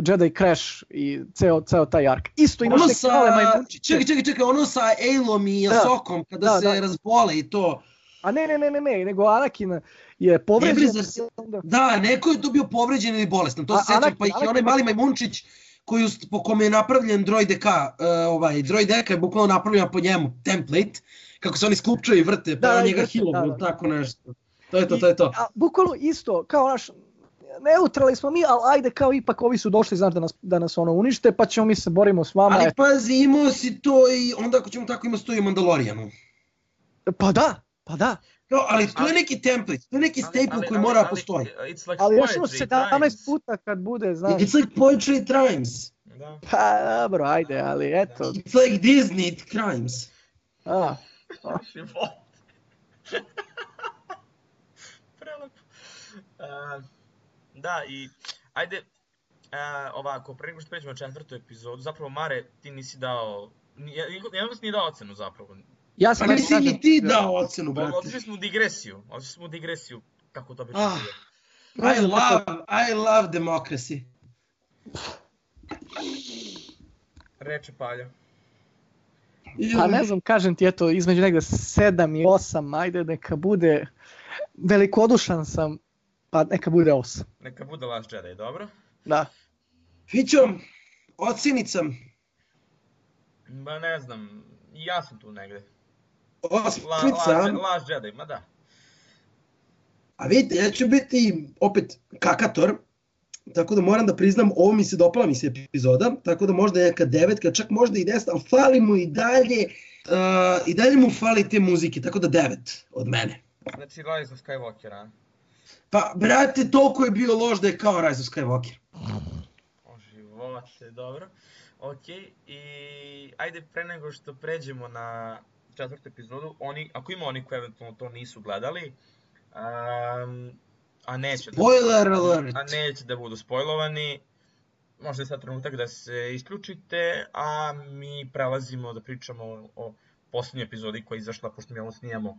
[SPEAKER 2] Jedi Crash i ceo, ceo taj ark. Isto imaš
[SPEAKER 3] Ono
[SPEAKER 2] neke
[SPEAKER 3] sa,
[SPEAKER 2] male majmunčiće.
[SPEAKER 3] čekaj, čekaj, čekaj, ono sa Ailom i
[SPEAKER 2] Da.
[SPEAKER 3] Asokom kada
[SPEAKER 2] Da,
[SPEAKER 3] se
[SPEAKER 2] da.
[SPEAKER 3] razbole i to.
[SPEAKER 2] A ne, ne, ne, ne, ne, nego Anakin je
[SPEAKER 3] Ne
[SPEAKER 2] povređen.
[SPEAKER 3] bre, zar se-
[SPEAKER 2] i onda-
[SPEAKER 3] Da, neko je tu bio povređen ili bolestan, to
[SPEAKER 2] A-
[SPEAKER 3] se sećam,
[SPEAKER 2] Anakin-
[SPEAKER 3] pa ih je
[SPEAKER 2] Anakin-
[SPEAKER 3] onaj mali majmunčić koji, ust- po kome je napravljen Droid D K, uh, ovaj, Droid D K je bukvalno napravljen po njemu, template, kako se oni sklupčaju i vrte, pa
[SPEAKER 2] Da,
[SPEAKER 3] da,
[SPEAKER 2] da,
[SPEAKER 3] njega
[SPEAKER 2] vrte,
[SPEAKER 3] healovu,
[SPEAKER 2] da, da.
[SPEAKER 3] tako nešto. To je to, to je to.
[SPEAKER 2] A, bukvalno isto, kao naš, neutrali smo mi, ali ajde kao ipak ovi su došli, znaš, da nas, da nas ono unište, pa ćemo mi se borimo s vama.
[SPEAKER 3] Ali
[SPEAKER 2] eto.
[SPEAKER 3] pazi, imao si to i onda ako ćemo tako imao si to i u Mandalorijanu.
[SPEAKER 2] Pa da, pa da.
[SPEAKER 3] Kao, ali to je
[SPEAKER 1] Ali-
[SPEAKER 3] neki template, to je neki
[SPEAKER 1] Ali-
[SPEAKER 3] staple
[SPEAKER 1] ali-
[SPEAKER 3] koji
[SPEAKER 1] ali-
[SPEAKER 3] mora
[SPEAKER 1] ali,
[SPEAKER 3] postoji.
[SPEAKER 1] It's like
[SPEAKER 2] Ali još ono
[SPEAKER 1] poetry,
[SPEAKER 2] sedamnaest
[SPEAKER 1] times.
[SPEAKER 2] puta kad bude, znaš.
[SPEAKER 3] It's like poetry at times.
[SPEAKER 1] Da.
[SPEAKER 2] Pa dobro, ajde, ali eto.
[SPEAKER 3] It's like Disney at crimes.
[SPEAKER 2] A,
[SPEAKER 1] Život. Prelepo. Uh, da, i ajde, uh, ovako, pre nego što pređemo na četvrtu epizodu, zapravo Mare, ti nisi dao, jedan vas nije dao ocenu zapravo.
[SPEAKER 2] ja
[SPEAKER 3] Pa
[SPEAKER 2] sam ajde
[SPEAKER 3] nisi
[SPEAKER 2] kažem,
[SPEAKER 3] ni ti dao ocenu,
[SPEAKER 1] Bo-
[SPEAKER 3] brate.
[SPEAKER 1] Otišli smo u digresiju, otišli smo u digresiju, kako to obično
[SPEAKER 3] Ah.
[SPEAKER 1] bude.
[SPEAKER 3] I love, I love democracy.
[SPEAKER 1] Reče Palja.
[SPEAKER 2] Pa ne znam, kažem ti, eto, između negde sedam i osam, ajde, neka bude, velikodušan sam, pa neka bude osam.
[SPEAKER 1] Neka bude Last Jedi, dobro?
[SPEAKER 2] Da.
[SPEAKER 3] Fićo, ocenica,
[SPEAKER 1] Ba ne znam, i ja sam tu negde. La,
[SPEAKER 3] osmica,
[SPEAKER 1] Last, Last Jedi, ma da.
[SPEAKER 3] a vidite, ja ću biti opet kakator, tako da moram da priznam, ovo mi se dopala mi se epizoda, tako da možda je neka devetka, čak možda i deset, ali fali mu i dalje, uh, i dalje mu fali te muzike, tako da devet od mene.
[SPEAKER 1] Znači Rise of Skywalker, a?
[SPEAKER 3] Pa, brate, toliko je bio loš da je kao Rise of Skywalker.
[SPEAKER 1] O živote, dobro. Ok, i ajde pre nego što pređemo na četvrtu epizodu, oni, ako ima oni koji eventualno to nisu gledali, um, a neće
[SPEAKER 3] Spoiler
[SPEAKER 1] da,
[SPEAKER 3] alert!
[SPEAKER 1] a neće da budu spojlovani, možda je sad trenutak da se isključite, a mi prelazimo da pričamo o poslednjoj epizodi koja je izašla, pošto mi ovo snijamo,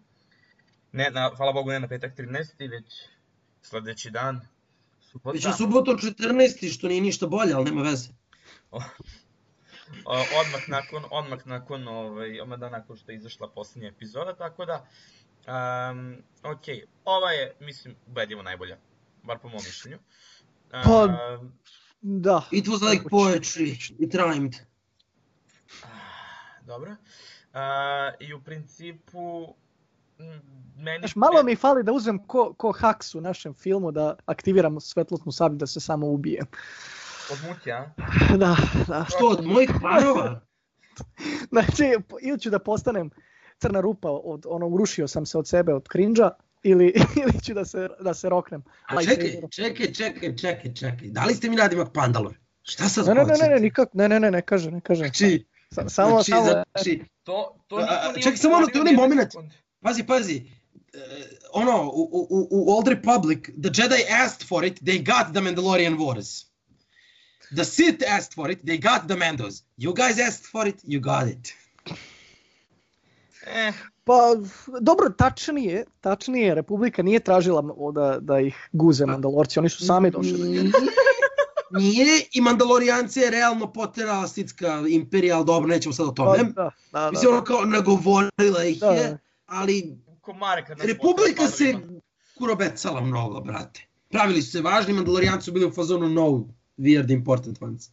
[SPEAKER 1] ne, na, hvala Bogu ne na petak trinaesti, već sledeći dan, subota.
[SPEAKER 3] Već je subotom četrnaesti, što nije ništa bolje, ali nema veze.
[SPEAKER 1] O, odmah nakon, odmah nakon, ovaj, odmah dan nakon što je izašla posljednja epizoda, tako da, um, ok, ova je, mislim, ubedljivo najbolja, bar po mom mišljenju.
[SPEAKER 2] Pa-
[SPEAKER 1] Um,
[SPEAKER 2] Da.
[SPEAKER 3] It was like poetry, it rhymed.
[SPEAKER 1] dobro. Uh, I u principu, m, meni...
[SPEAKER 2] Znaš, malo mi fali da uzmem ko, ko Hux u našem filmu, da aktiviramo svetlosnu sablju da se samo ubije.
[SPEAKER 1] Od muke, a?
[SPEAKER 2] Da, da.
[SPEAKER 3] Što, od mojih planova?
[SPEAKER 2] Znači, ili ću da postanem crna rupa od onog, urušio sam se od sebe, od cringe-a, ili, ili ću da se, da se roknem.
[SPEAKER 3] A čekaj, čekaj, čekaj, čekaj, čekaj. Da li ste mi nadimak Pandalor? Šta sad
[SPEAKER 2] Ne, ne, ne,
[SPEAKER 3] hoćete?
[SPEAKER 2] ne, nikak, ne, ne, ne, ne kaže, ne kaže.
[SPEAKER 3] Znači,
[SPEAKER 2] Sa- Samo,
[SPEAKER 3] znači,
[SPEAKER 2] samo,
[SPEAKER 3] znači,
[SPEAKER 1] To, to
[SPEAKER 3] A,
[SPEAKER 1] niko
[SPEAKER 3] a,
[SPEAKER 1] nije
[SPEAKER 3] čekaj, samo ono,
[SPEAKER 1] otvorio
[SPEAKER 3] to je onaj
[SPEAKER 1] ni jedan
[SPEAKER 3] moment.
[SPEAKER 1] sekund.
[SPEAKER 3] pazi, pazi. Uh, ono, u, u, u Old Republic, the Jedi asked for it, they got the Mandalorian Wars. The Sith asked for it, they got the Mandos. You guys asked for it, you got it.
[SPEAKER 1] Eh,
[SPEAKER 2] Pa, dobro, tačnije, tačnije, Republika nije tražila da, da ih guze Mandalorci, oni su sami došli. do njega.
[SPEAKER 3] Nije, i Mandalorijanci je realno poterala Sithska imperija, ali dobro, nećemo sad o
[SPEAKER 2] Pa,
[SPEAKER 3] tome.
[SPEAKER 2] da, da, da.
[SPEAKER 3] Mislim, ono kao nagovorila ih
[SPEAKER 2] Da,
[SPEAKER 3] je,
[SPEAKER 2] da.
[SPEAKER 3] ali
[SPEAKER 1] komare kad nas
[SPEAKER 3] Republika
[SPEAKER 1] potere
[SPEAKER 3] se
[SPEAKER 1] padovima.
[SPEAKER 3] kurobecala mnogo, brate. Pravili su se važni, Mandalorijanci su bili u fazonu no weird important ones.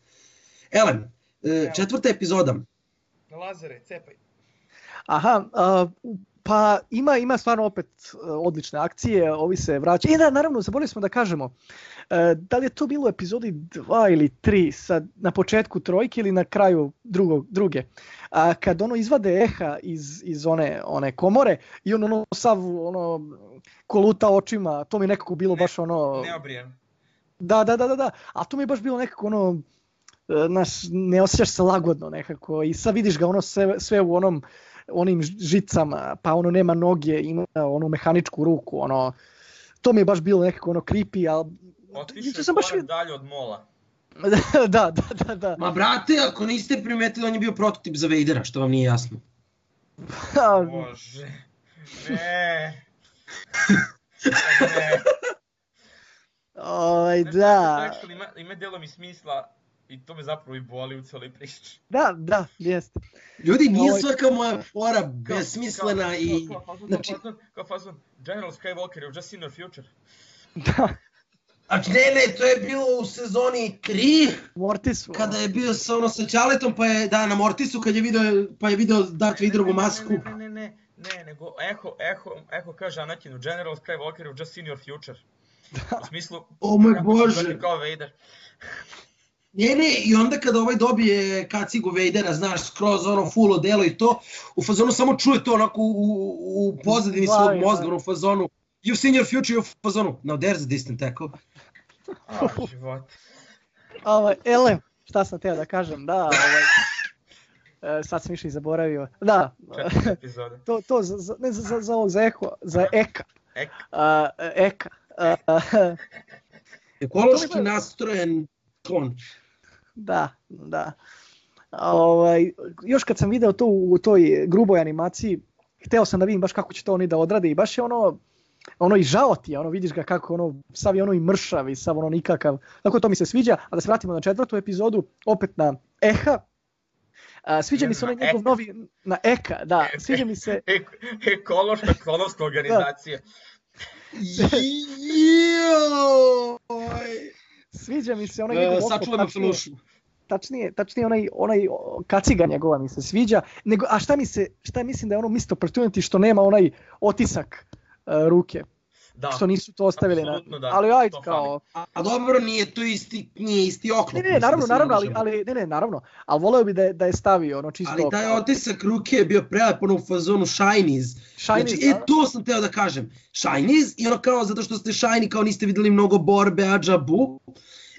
[SPEAKER 3] Elem, e, četvrta epizoda.
[SPEAKER 1] Lazare, cepaj.
[SPEAKER 2] Aha, a, u Pa ima ima stvarno opet uh, odlične akcije, ovi se vraćaju. I da, naravno, zaboravili smo da kažemo, uh, da li je to bilo u epizodi dva ili tri, sad, na početku trojke ili na kraju drugog, druge, a kad ono izvade Eha iz, iz one, one komore i on ono sav ono, koluta očima, to mi je nekako bilo
[SPEAKER 1] ne,
[SPEAKER 2] baš ono...
[SPEAKER 1] Neobrijan.
[SPEAKER 2] Da, da, da, da, da, a to mi je baš bilo nekako ono, naš, ne osjećaš se lagodno nekako i sad vidiš ga ono sve, sve u onom onim žicama, pa ono nema noge, ima onu mehaničku ruku, ono, to mi je baš bilo nekako ono creepy, ali...
[SPEAKER 1] Otišao je baš korak dalje od Mola.
[SPEAKER 2] da, da, da, da.
[SPEAKER 3] Ma brate, ako niste primetili, on je bio prototip za Vadera, što vam nije jasno.
[SPEAKER 1] Bože, ne. ne.
[SPEAKER 2] Oj, da.
[SPEAKER 1] Actually, ima, ima delo mi smisla i to me zapravo i boli u cijeloj priči.
[SPEAKER 2] Da, da, jeste.
[SPEAKER 3] Ljudi, nije
[SPEAKER 2] Oj.
[SPEAKER 3] svaka moja fora besmislena
[SPEAKER 1] kao,
[SPEAKER 3] i...
[SPEAKER 1] Kao, kao,
[SPEAKER 3] znači...
[SPEAKER 1] kao, kao fazon, General Skywalker, you've just seen your future.
[SPEAKER 2] Da.
[SPEAKER 3] Znači, ne, ne, to je bilo u sezoni tri,
[SPEAKER 2] Mortisu.
[SPEAKER 3] kada je bio sa, ono, sa Ćaletom, pa je, da, na Mortisu, kad je video, pa je video Darth Vaderovu masku.
[SPEAKER 1] Ne, ne, ne, ne, ne, nego Eho, Eho, Eho kaže Anakinu, General Skywalker, you've just seen your future. U smislu,
[SPEAKER 3] O moj
[SPEAKER 1] kako ćeš
[SPEAKER 3] Bože.
[SPEAKER 1] biti kao Vader.
[SPEAKER 3] Ne, ne, i onda kada ovaj dobije kacigu Vadera, znaš, skroz ono full odelo i to, u fazonu samo čuje to onako u, u, u pozadini svog mozga, ono u fazonu, you've seen your future, u fazonu, now there's a distant echo.
[SPEAKER 1] A, život.
[SPEAKER 2] Ovaj, ele, šta sam teo da kažem, da, ovaj, e, sad sam više i zaboravio, da,
[SPEAKER 1] Četiri epizode.
[SPEAKER 2] to, to za, za, ne za, za, za ovog, za Eho, za Eka,
[SPEAKER 1] Ek.
[SPEAKER 2] a, Eka, a, a,
[SPEAKER 3] Ekološki nastrojen klon.
[SPEAKER 2] da, da, ovaj, još kad sam video to u, u toj gruboj animaciji, hteo sam da vidim baš kako će to oni da odrade i baš je ono, ono i žao ti je, ono vidiš ga kako ono, sav je ono i mršav i sav ono nikakav, tako to mi se sviđa, a da se vratimo na četvrtu epizodu, opet na Eha, a, sviđa
[SPEAKER 1] Ne,
[SPEAKER 2] mi se onaj
[SPEAKER 1] na
[SPEAKER 2] njegov
[SPEAKER 1] Eka.
[SPEAKER 2] novi, na Eka, da, sviđa mi se,
[SPEAKER 1] Ek, ekološka klonovska organizacija.
[SPEAKER 3] Joj!
[SPEAKER 2] sviđa mi se onaj njegov oko,
[SPEAKER 3] Sačuvaj me
[SPEAKER 2] tačnije,
[SPEAKER 3] flušu.
[SPEAKER 2] tačnije, tačnije onaj, onaj o, kaciga njegova mi se sviđa, nego, a šta mi se, šta mislim da je ono missed opportunity što nema onaj otisak uh, ruke,
[SPEAKER 1] Da.
[SPEAKER 2] što nisu to ostavili na,
[SPEAKER 1] Apsolutno da,
[SPEAKER 2] ali ajde
[SPEAKER 1] to
[SPEAKER 2] kao,
[SPEAKER 3] A, a dobro, nije to isti, nije isti oklop.
[SPEAKER 2] ne, ne,
[SPEAKER 3] mislim,
[SPEAKER 2] naravno,
[SPEAKER 3] da se
[SPEAKER 2] naravno, ali,
[SPEAKER 3] možemo.
[SPEAKER 2] ali, ne, ne, naravno, ali voleo bi da je, da je stavio, ono, čisto...
[SPEAKER 3] Ali taj
[SPEAKER 2] kao-
[SPEAKER 3] otisak ruke je bio prelep, ono u fazonu Shinies.
[SPEAKER 2] Shinies,
[SPEAKER 3] Znači, e,
[SPEAKER 2] da.
[SPEAKER 3] to sam teo da kažem. Shinies, i ono kao, zato što ste Shiny, kao niste videli mnogo borbe, ađa, bu.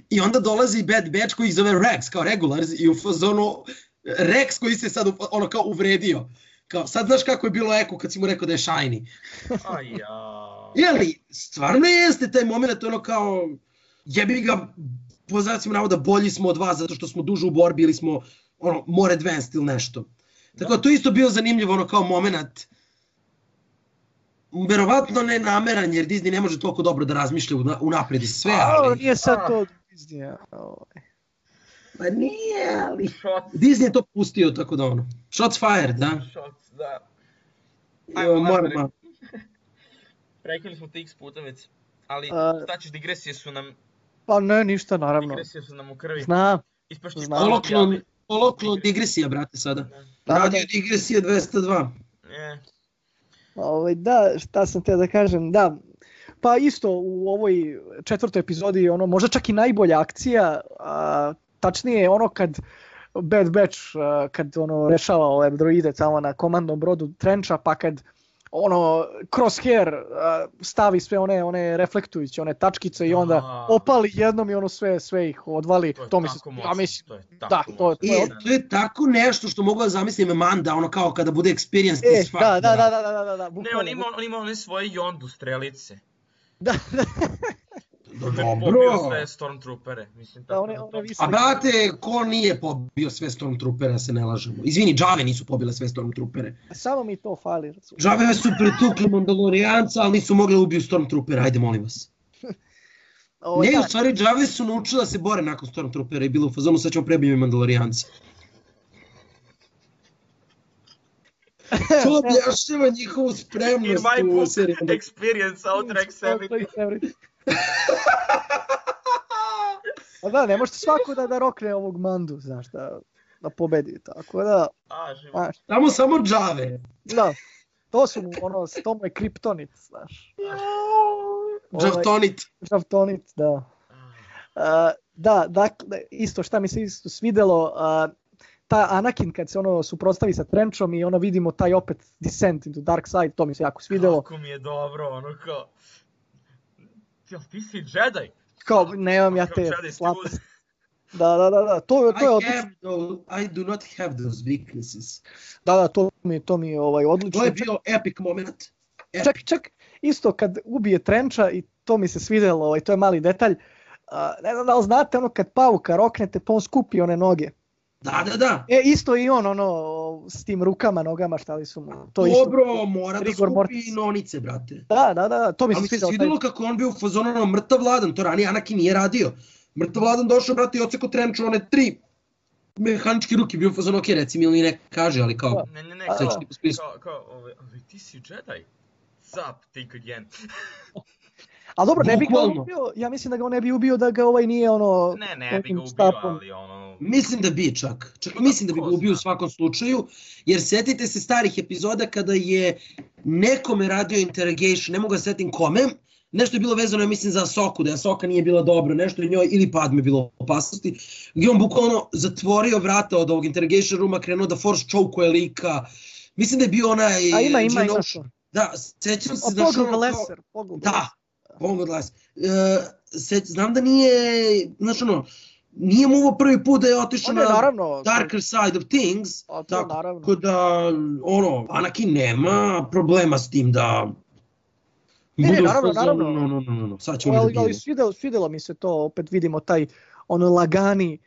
[SPEAKER 3] I onda dolazi Bad Batch koji ih zove Rex, kao Regulars, i u fazonu Rex koji se sad, u- ono, kao uvredio. Kao, sad znaš kako je bilo Eko kad si mu rekao da je Shiny.
[SPEAKER 1] Aj, ja.
[SPEAKER 3] Jeli, stvarno jeste taj moment, ono kao, jebi ga, po znacima navoda, bolji smo od vas zato što smo duže u borbi ili smo, ono, more advanced ili nešto. Tako da to isto bio zanimljivo, ono, kao moment, verovatno ne nameran, jer Disney ne može toliko dobro da razmišlja una- unapred i sve,
[SPEAKER 2] A,
[SPEAKER 3] ali...
[SPEAKER 2] nije sad
[SPEAKER 1] A.
[SPEAKER 2] to od Disneya, ovaj.
[SPEAKER 3] Pa nije, ali...
[SPEAKER 1] Shots,
[SPEAKER 3] Disney je to pustio, tako da ono. Shots fired, da?
[SPEAKER 1] shots, da.
[SPEAKER 3] Jo,
[SPEAKER 1] Ajmo,
[SPEAKER 3] moram,
[SPEAKER 1] nastavimo.
[SPEAKER 3] ma-
[SPEAKER 1] Prekinuli smo te x puta već. Ali,
[SPEAKER 2] A.
[SPEAKER 1] šta ćeš, digresije su nam,
[SPEAKER 2] Pa ne, ništa, naravno.
[SPEAKER 1] digresije su nam u krvi.
[SPEAKER 2] Znam.
[SPEAKER 1] Ispašće
[SPEAKER 2] Znam.
[SPEAKER 3] Koloklon, koloklon digresija, brate, sada.
[SPEAKER 2] Da,
[SPEAKER 3] Radio
[SPEAKER 2] da.
[SPEAKER 3] digresija dvesta dva.
[SPEAKER 1] E,
[SPEAKER 2] Ovaj, da, šta sam teo da kažem, da, pa isto u ovoj četvrtoj epizodi, ono, možda čak i najbolja akcija, a, tačnije ono kad Bad Batch, a, kad ono rešava ove droide tamo na komandnom brodu Trencha, pa kad ono crosshair a, stavi sve one one reflektujuće one tačkice i onda
[SPEAKER 1] A.
[SPEAKER 2] opali jednom i ono sve sve ih odvali,
[SPEAKER 1] to je
[SPEAKER 2] to mi se,
[SPEAKER 1] tako
[SPEAKER 2] ja
[SPEAKER 1] moćno,
[SPEAKER 2] mislim,
[SPEAKER 1] to je
[SPEAKER 2] da,
[SPEAKER 1] tako
[SPEAKER 2] to je-
[SPEAKER 1] moćno.
[SPEAKER 3] E, to je tako nešto što mogu da zamislim Amanda, ono kao kada bude experienced
[SPEAKER 2] e,
[SPEAKER 3] as fuck.
[SPEAKER 2] da, da, da, da, da, da, da,
[SPEAKER 1] Ne,
[SPEAKER 2] bukvalno,
[SPEAKER 1] on ima, on ima one svoje Yondu strelice.
[SPEAKER 2] da, da,
[SPEAKER 1] Pobio
[SPEAKER 3] Dobro.
[SPEAKER 1] sve Stormtroopere, mislim,
[SPEAKER 2] da,
[SPEAKER 1] tako
[SPEAKER 2] one,
[SPEAKER 1] da
[SPEAKER 2] one
[SPEAKER 1] to...
[SPEAKER 2] visle.
[SPEAKER 3] A brate, ko nije pobio sve Stormtroopera, se ne lažemo. Izvini, Džave nisu pobile sve Stormtroopere.
[SPEAKER 2] Samo mi to fali, razumiješ.
[SPEAKER 3] Džave su pretukli Mandalorijanca, ali nisu mogli da ubiju Stormtroopera, ajde molim vas.
[SPEAKER 2] Ovaj,
[SPEAKER 3] Ne,
[SPEAKER 2] da.
[SPEAKER 3] u stvari Džave su naučili da se bore nakon Stormtroopera i bilo u fazonu, sad ćemo prebiti Mandalorijanca. To objašnjava njihovu
[SPEAKER 1] In
[SPEAKER 3] spremnost
[SPEAKER 1] my
[SPEAKER 3] u
[SPEAKER 1] book,
[SPEAKER 3] seriji.
[SPEAKER 1] experience outranks everything.
[SPEAKER 2] everything. A da, ne možete svako da, da rokne ovog Mandu, znaš, da, da pobedi, tako da,
[SPEAKER 1] A, život.
[SPEAKER 2] znaš,
[SPEAKER 3] Tamo samo Džave.
[SPEAKER 2] da. to su mu, ono, to mu je kriptonit, znaš.
[SPEAKER 3] Žavtonit.
[SPEAKER 2] Žavtonit, da. Uh, da, dakle, isto šta mi se isto svidelo, uh, ta Anakin kad se ono suprotstavi sa Trenchom i ono vidimo taj opet descent into dark side, to mi se jako svidelo.
[SPEAKER 1] Kako mi je dobro, ono kao... Jel ti si Jedi?
[SPEAKER 2] Kao, nemam ja te slabosti. Da, da, da, da, to, to je odlično.
[SPEAKER 3] I do not have those weaknesses.
[SPEAKER 2] Da, da, to mi, to mi je ovaj, odlično.
[SPEAKER 3] To je bio epic moment. Epic.
[SPEAKER 2] Čak, čak, isto kad ubije Trencha i to mi se svidelo, ovaj, to je mali detalj. Uh, ne znam da li znate, ono kad pauka roknete pa on skupi one noge.
[SPEAKER 3] Da, da, da.
[SPEAKER 2] E, isto i on, ono, s tim rukama, nogama, šta li su mu. To
[SPEAKER 3] Dobro,
[SPEAKER 2] isto,
[SPEAKER 3] mora da
[SPEAKER 2] Rigor
[SPEAKER 3] skupi
[SPEAKER 2] Mortis.
[SPEAKER 3] nonice, brate.
[SPEAKER 2] Da, da, da, to mi se
[SPEAKER 3] Ali
[SPEAKER 2] svidelo.
[SPEAKER 3] Ali se svidelo kako on bio u fazonu, ono, mrtav vladan, to ranije Anakin nije radio. Mrtav vladan došao, brate, i oceko Trenchu, one tri mehaničke ruke, bio u fazonu, ok, reci mi ili ne kaže, ali kao...
[SPEAKER 1] Ne, ne, ne,
[SPEAKER 2] kao,
[SPEAKER 1] kao, kao, kao, ovaj, ali ti si Jedi. Zap, think again.
[SPEAKER 2] Ali dobro, ne bi ga on ubio, ja mislim da ga on ne bi ubio da ga ovaj nije ono...
[SPEAKER 1] Ne, ne bi ga ubio, ali ono...
[SPEAKER 3] Mislim da bi čak, čak mislim da bi ga ubio u svakom slučaju, jer setite se starih epizoda kada je nekome radio interrogation, ne mogu da setim kome, nešto je bilo vezano, ja mislim, za Ahsoku, da je Ahsoka nije bila dobra, nešto je njoj ili Padme bilo u opasnosti, gdje on bukvalno zatvorio vrata od ovog interrogation rooma, krenuo da force choke-uje lika, mislim da je bio onaj...
[SPEAKER 2] A ima, ima, ima
[SPEAKER 3] to. Da, sećam se...
[SPEAKER 2] O, Poggle Lesser, Poggle
[SPEAKER 3] Da, Poggle Lesser. Uh, znam da nije, znaš ono, nije mu ovo prvi put da je otišao na
[SPEAKER 2] naravno,
[SPEAKER 3] darker side of things,
[SPEAKER 2] to,
[SPEAKER 3] tako
[SPEAKER 2] naravno.
[SPEAKER 3] da, ono, Anakin nema problema s tim da...
[SPEAKER 2] Ne, ne, naravno, naravno.
[SPEAKER 3] No, no, no, no. Sad ćemo
[SPEAKER 2] ali, ali svidelo, svidelo mi se to, opet vidimo taj ono lagani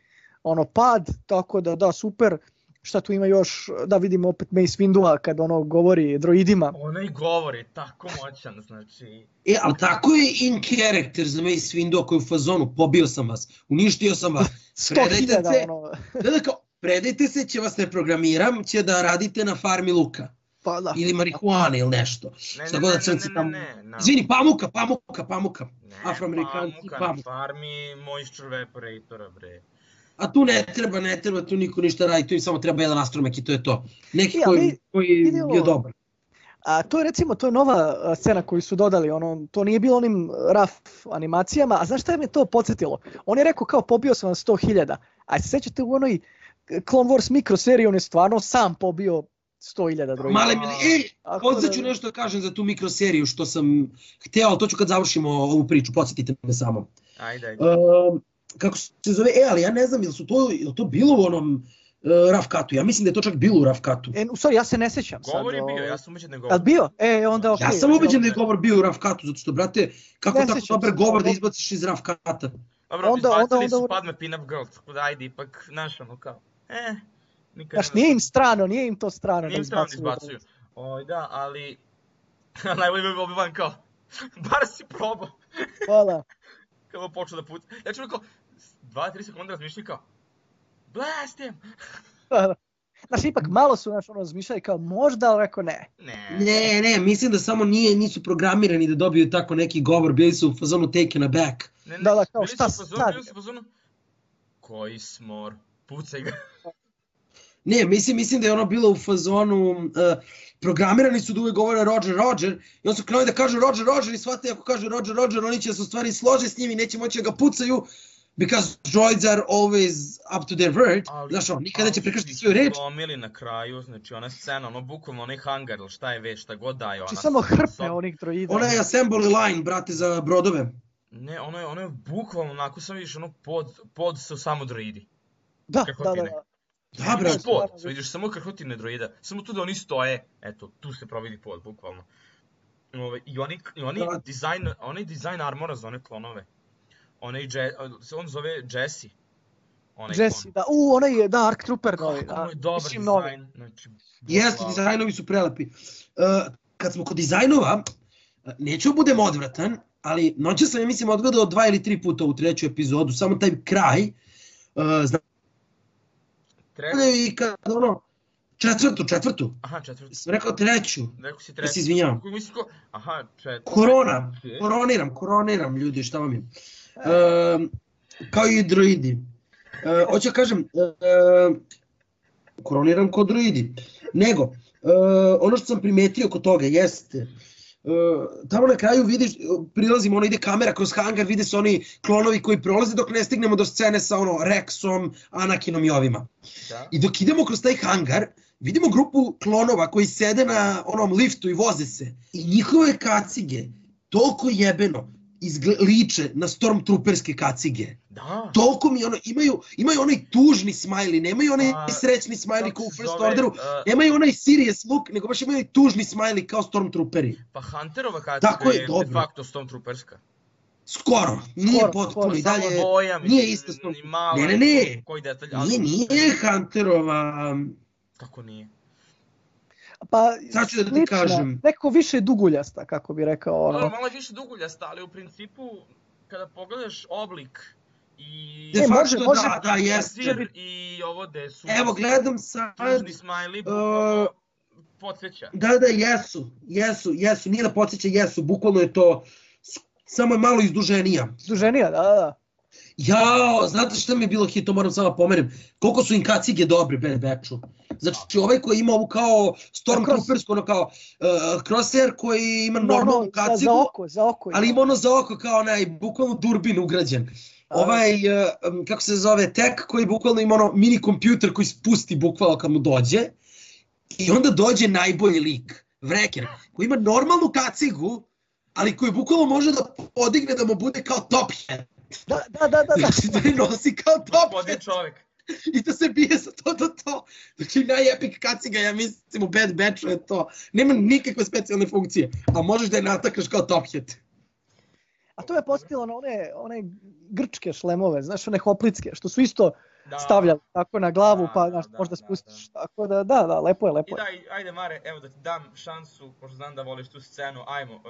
[SPEAKER 2] ono pad, tako da da, super. Šta tu ima još, da vidimo opet Mace Windua kad ono govori droidima.
[SPEAKER 1] Ono i govori, tako moćan, znači...
[SPEAKER 3] E, ali tako je in character za Mace Windu koji je u fazonu, pobio sam vas, uništio sam vas,
[SPEAKER 2] sto hiljada ono...
[SPEAKER 3] Da, kao, predajte se, će vas ne programiram, će da radite na farmi luka.
[SPEAKER 2] Pa da.
[SPEAKER 3] Ili marihuane ili nešto.
[SPEAKER 1] Ne,
[SPEAKER 3] šta
[SPEAKER 1] ne,
[SPEAKER 3] god da
[SPEAKER 1] ne,
[SPEAKER 3] crnci
[SPEAKER 1] ne,
[SPEAKER 3] tamo...
[SPEAKER 1] ne, ne, ne.
[SPEAKER 3] Izvini, pamuka, pamuka, pamuka.
[SPEAKER 1] Ne,
[SPEAKER 3] Afroamerikanci,
[SPEAKER 1] pamuka.
[SPEAKER 3] pamuka.
[SPEAKER 1] Na farmi moisture evaporatora, bre.
[SPEAKER 3] A tu ne treba, ne treba, tu niko ništa radi, tu im samo treba jedan astromek i to je to. Neki
[SPEAKER 2] I,
[SPEAKER 3] koji,
[SPEAKER 2] ali,
[SPEAKER 3] koji je
[SPEAKER 2] vidjelo,
[SPEAKER 3] bio dobar.
[SPEAKER 2] A to je recimo, to je nova scena koju su dodali, ono, to nije bilo onim raf animacijama, a znaš šta je me to podsjetilo? On je rekao kao pobio sam vam sto hiljada, a se sećate u onoj Clone Wars mikro seriji, on je stvarno sam pobio sto hiljada droida.
[SPEAKER 3] Male mili, ej, odsad ću nešto da kažem za tu mikroseriju što sam hteo, ali to ću kad završimo ovu priču, podsjetite me samo.
[SPEAKER 1] Ajde, ajde.
[SPEAKER 3] Uh, kako se zove, e, ali ja ne znam, je li su to, je li to bilo u onom uh, rough cutu? Ja mislim da je to čak bilo u rough cutu.
[SPEAKER 2] E, u stvari, ja se ne sećam sad.
[SPEAKER 1] Govor je bio, ja sam ubeđen da je govor.
[SPEAKER 2] Jel bio? E, onda okej.
[SPEAKER 3] Ja sam ubeđen da je govor bio u rough cutu, zato što, brate, kako
[SPEAKER 2] Ne
[SPEAKER 3] tako
[SPEAKER 2] sećam
[SPEAKER 3] dobar
[SPEAKER 2] se,
[SPEAKER 3] govor da
[SPEAKER 2] onda-
[SPEAKER 3] izbaciš iz rough cuta?
[SPEAKER 1] Dobro,
[SPEAKER 2] onda-
[SPEAKER 1] izbacili
[SPEAKER 2] onda-
[SPEAKER 1] su
[SPEAKER 2] onda-
[SPEAKER 1] Padme Pin-Up Girl, tako da ajde, ipak, znaš, ono kao, eh, nikad
[SPEAKER 2] Znaš, nije im strano, nije im to strano.
[SPEAKER 1] Nije im strano da izbacuju. Oj, da, ali, najbolji bi Obi-Wan kao, bar si probao,
[SPEAKER 2] Hvala.
[SPEAKER 1] kada je počeo da puca. Ja ću rekao, dva tri sekunde razmišljaju kao, blast him!
[SPEAKER 2] Znaš, ipak malo su, znaš, ono, razmišljali kao možda, ali rekao ne.
[SPEAKER 1] Ne,
[SPEAKER 3] Ne, ne, mislim da samo nije, nisu programirani da dobiju tako neki govor, bili su u fazonu taken aback.
[SPEAKER 1] ne, ne,
[SPEAKER 2] Da, da, kao,
[SPEAKER 1] bili su
[SPEAKER 2] šta
[SPEAKER 1] u fazonu,
[SPEAKER 2] sad?
[SPEAKER 1] bili su u fazonu, koji smor, pucaj ga.
[SPEAKER 3] Ne, mislim, mislim da je ono bilo u fazonu, uh, programirani su da uvek govore Roger, Roger, i on su krenuli da kažu Roger, Roger, i shvatili ako kažu Roger, Roger, oni će se u stvari slože s njim i neće moći da ga pucaju, because droids are always up to their word,
[SPEAKER 1] Ali-
[SPEAKER 3] znaš ono, nikada neće
[SPEAKER 1] ali
[SPEAKER 3] prekršiti
[SPEAKER 1] su
[SPEAKER 3] svoju reč.
[SPEAKER 1] Slomili na kraju, znači ona scena, ono bukvalno onaj hangar ili šta je već, šta god daje ona.
[SPEAKER 2] Znači, samo
[SPEAKER 1] sa-
[SPEAKER 2] hrpe
[SPEAKER 1] sa-
[SPEAKER 2] onih droida.
[SPEAKER 3] Ona je assembly line, brate, za brodove.
[SPEAKER 1] Ne, ono je, ono je bukvalno onako sam vidiš, ono pod, pod su samo droidi.
[SPEAKER 2] Da, da, da.
[SPEAKER 1] krhotine.
[SPEAKER 2] da.
[SPEAKER 3] Da,
[SPEAKER 1] Vidiš
[SPEAKER 3] brate.
[SPEAKER 1] pod, vidiš samo krhotine droida, samo tu da oni stoje, eto, tu se providi pod, bukvalno. Ove, I oni, i oni
[SPEAKER 3] Da.
[SPEAKER 1] dizajn, onaj dizajn armora za one klonove. Onaj, Je, on zove Jesse. Onaj
[SPEAKER 2] Jesse,
[SPEAKER 1] klon.
[SPEAKER 2] da. U, onaj je, da, Ark Trooper novi.
[SPEAKER 1] Kako
[SPEAKER 2] Da.
[SPEAKER 1] mu je dobar
[SPEAKER 2] Mislim, novi.
[SPEAKER 1] dizajn, znači...
[SPEAKER 3] Jeste,
[SPEAKER 1] wow.
[SPEAKER 3] dizajnovi su prelepi. Uh, kad smo kod dizajnova, uh, neću budem odvratan, ali noće sam, ja mislim, odgledao dva ili tri puta u treću epizodu, samo taj kraj. Uh, znam
[SPEAKER 1] Treći,
[SPEAKER 3] i kad ono, četvrtu, četvrtu,
[SPEAKER 1] aha, četvrti.
[SPEAKER 3] sam rekao treću,
[SPEAKER 1] Rekao si
[SPEAKER 3] ja
[SPEAKER 1] treći.
[SPEAKER 3] se izvinjavam.
[SPEAKER 1] Kako mislim ko... Aha, četvrti.
[SPEAKER 3] Korona,
[SPEAKER 1] Okej.
[SPEAKER 3] koroniram, koroniram ljudi, šta vam je. Uh, kao i droidi. Uh, hoću da kažem, uh, koroniram kod droidi. Nego, uh, ono što sam primetio kod toga jeste, Uh, tamo na kraju vidiš, prilazimo, ono ide kamera kroz hangar, vide se oni klonovi koji prolaze dok ne stignemo do scene sa ono Rexom, Anakinom i ovima. Da. I dok idemo kroz taj hangar, vidimo grupu klonova koji sede na onom liftu i voze se. I njihove kacige toliko jebeno izgle, liče na Stormtrooperske kacige.
[SPEAKER 1] Da.
[SPEAKER 3] Toliko mi ono, imaju, imaju onaj tužni smajli, nemaju onaj A, srećni smajli kao u First zove, Orderu, uh, nemaju onaj serious look, nego baš imaju tužni smajli kao Stormtrooperi.
[SPEAKER 1] Pa Hunterova kaciga je, je de facto Stormtrooperska.
[SPEAKER 3] Skoro, nije skoro, potpuno i dalje, boja, nije isto Stormtrooperska. Ne, ne, ne, koji detalj, ali... nije, nije Hunterova...
[SPEAKER 1] Kako nije?
[SPEAKER 2] Pa,
[SPEAKER 3] sad ću da ti kažem.
[SPEAKER 2] Neko više duguljasta, kako bi rekao. Ono.
[SPEAKER 1] No, malo je više duguljasta, ali u principu, kada pogledaš oblik i...
[SPEAKER 3] De facto, može, da, da, jeste.
[SPEAKER 1] I ovo gde su...
[SPEAKER 3] Evo, gledam sad...
[SPEAKER 1] Tužni smajli, bukvalno uh, podsjeća.
[SPEAKER 3] Da, da, jesu, jesu, jesu, nije da podsjeća, jesu, bukvalno je to, samo je malo izduženija.
[SPEAKER 2] Izduženija, da, da.
[SPEAKER 3] Jao, znate šta mi je bilo hit, to moram samo pomerim, koliko su im kacige dobri, Bad Batchu. Znači, ovaj koji ima ovu kao Stormtroopersku, ono kao uh, Crosshair koji ima normalnu no, no, kacigu,
[SPEAKER 2] za oko, za oko,
[SPEAKER 3] ali ima ono za oko kao onaj, bukvalno durbin ugrađen. Ovaj, uh, kako se zove, Tech koji bukvalno ima ono mini kompjuter koji spusti bukvalno kad mu dođe. I onda dođe najbolji lik, Wrecker, koji ima normalnu kacigu, ali koji bukvalno može da podigne da mu bude kao top hat.
[SPEAKER 2] Da, da, da, da.
[SPEAKER 3] Znači da je nosi kao top
[SPEAKER 1] hat. Čovjek.
[SPEAKER 3] I da se bije sa to do to. Znači najepik kaciga, ja mislim u Bad Batchu je to. Nema nikakve specijalne funkcije, a možeš da je natakaš kao top hat.
[SPEAKER 2] A to je postavilo na one, one grčke šlemove, znaš, one hoplitske, što su isto da. stavljali tako na glavu, da, pa znaš, da, možda da, spustiš. Da. Tako da, da, da, lepo je, lepo je.
[SPEAKER 1] I daj, ajde Mare, evo da ti dam šansu, pošto znam da voliš tu scenu, ajmo, uh,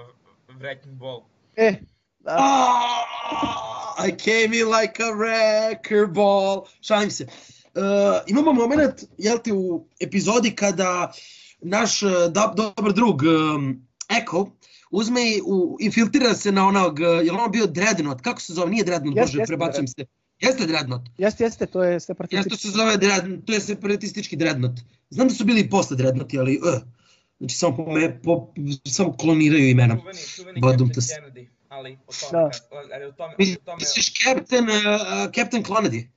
[SPEAKER 1] Wrecking Ball.
[SPEAKER 2] E, da.
[SPEAKER 3] Oh, I came in like a wrecker ball. Šalim se. Uh, imamo moment, jel ti, u epizodi kada naš uh, da, dobar drug um, Echo uzme i u, infiltrira se na onog, je li ono bio Dreadnought, kako se zove, nije Dreadnought,
[SPEAKER 2] yes,
[SPEAKER 3] bože, prebacujem se. Jeste Dreadnought?
[SPEAKER 2] Jeste, jeste, to je separatistički.
[SPEAKER 3] Jeste, to se zove Dreadnought, to je separatistički Dreadnought. Znam da su bili i posle Dreadnoughti, ali, uh, znači samo, po me, po, samo kloniraju imena.
[SPEAKER 1] Čuveni, čuveni Captain Kennedy, ali o tome, da. ali o tome, o tome...
[SPEAKER 3] Misliš Captain, uh, Captain Clonedy?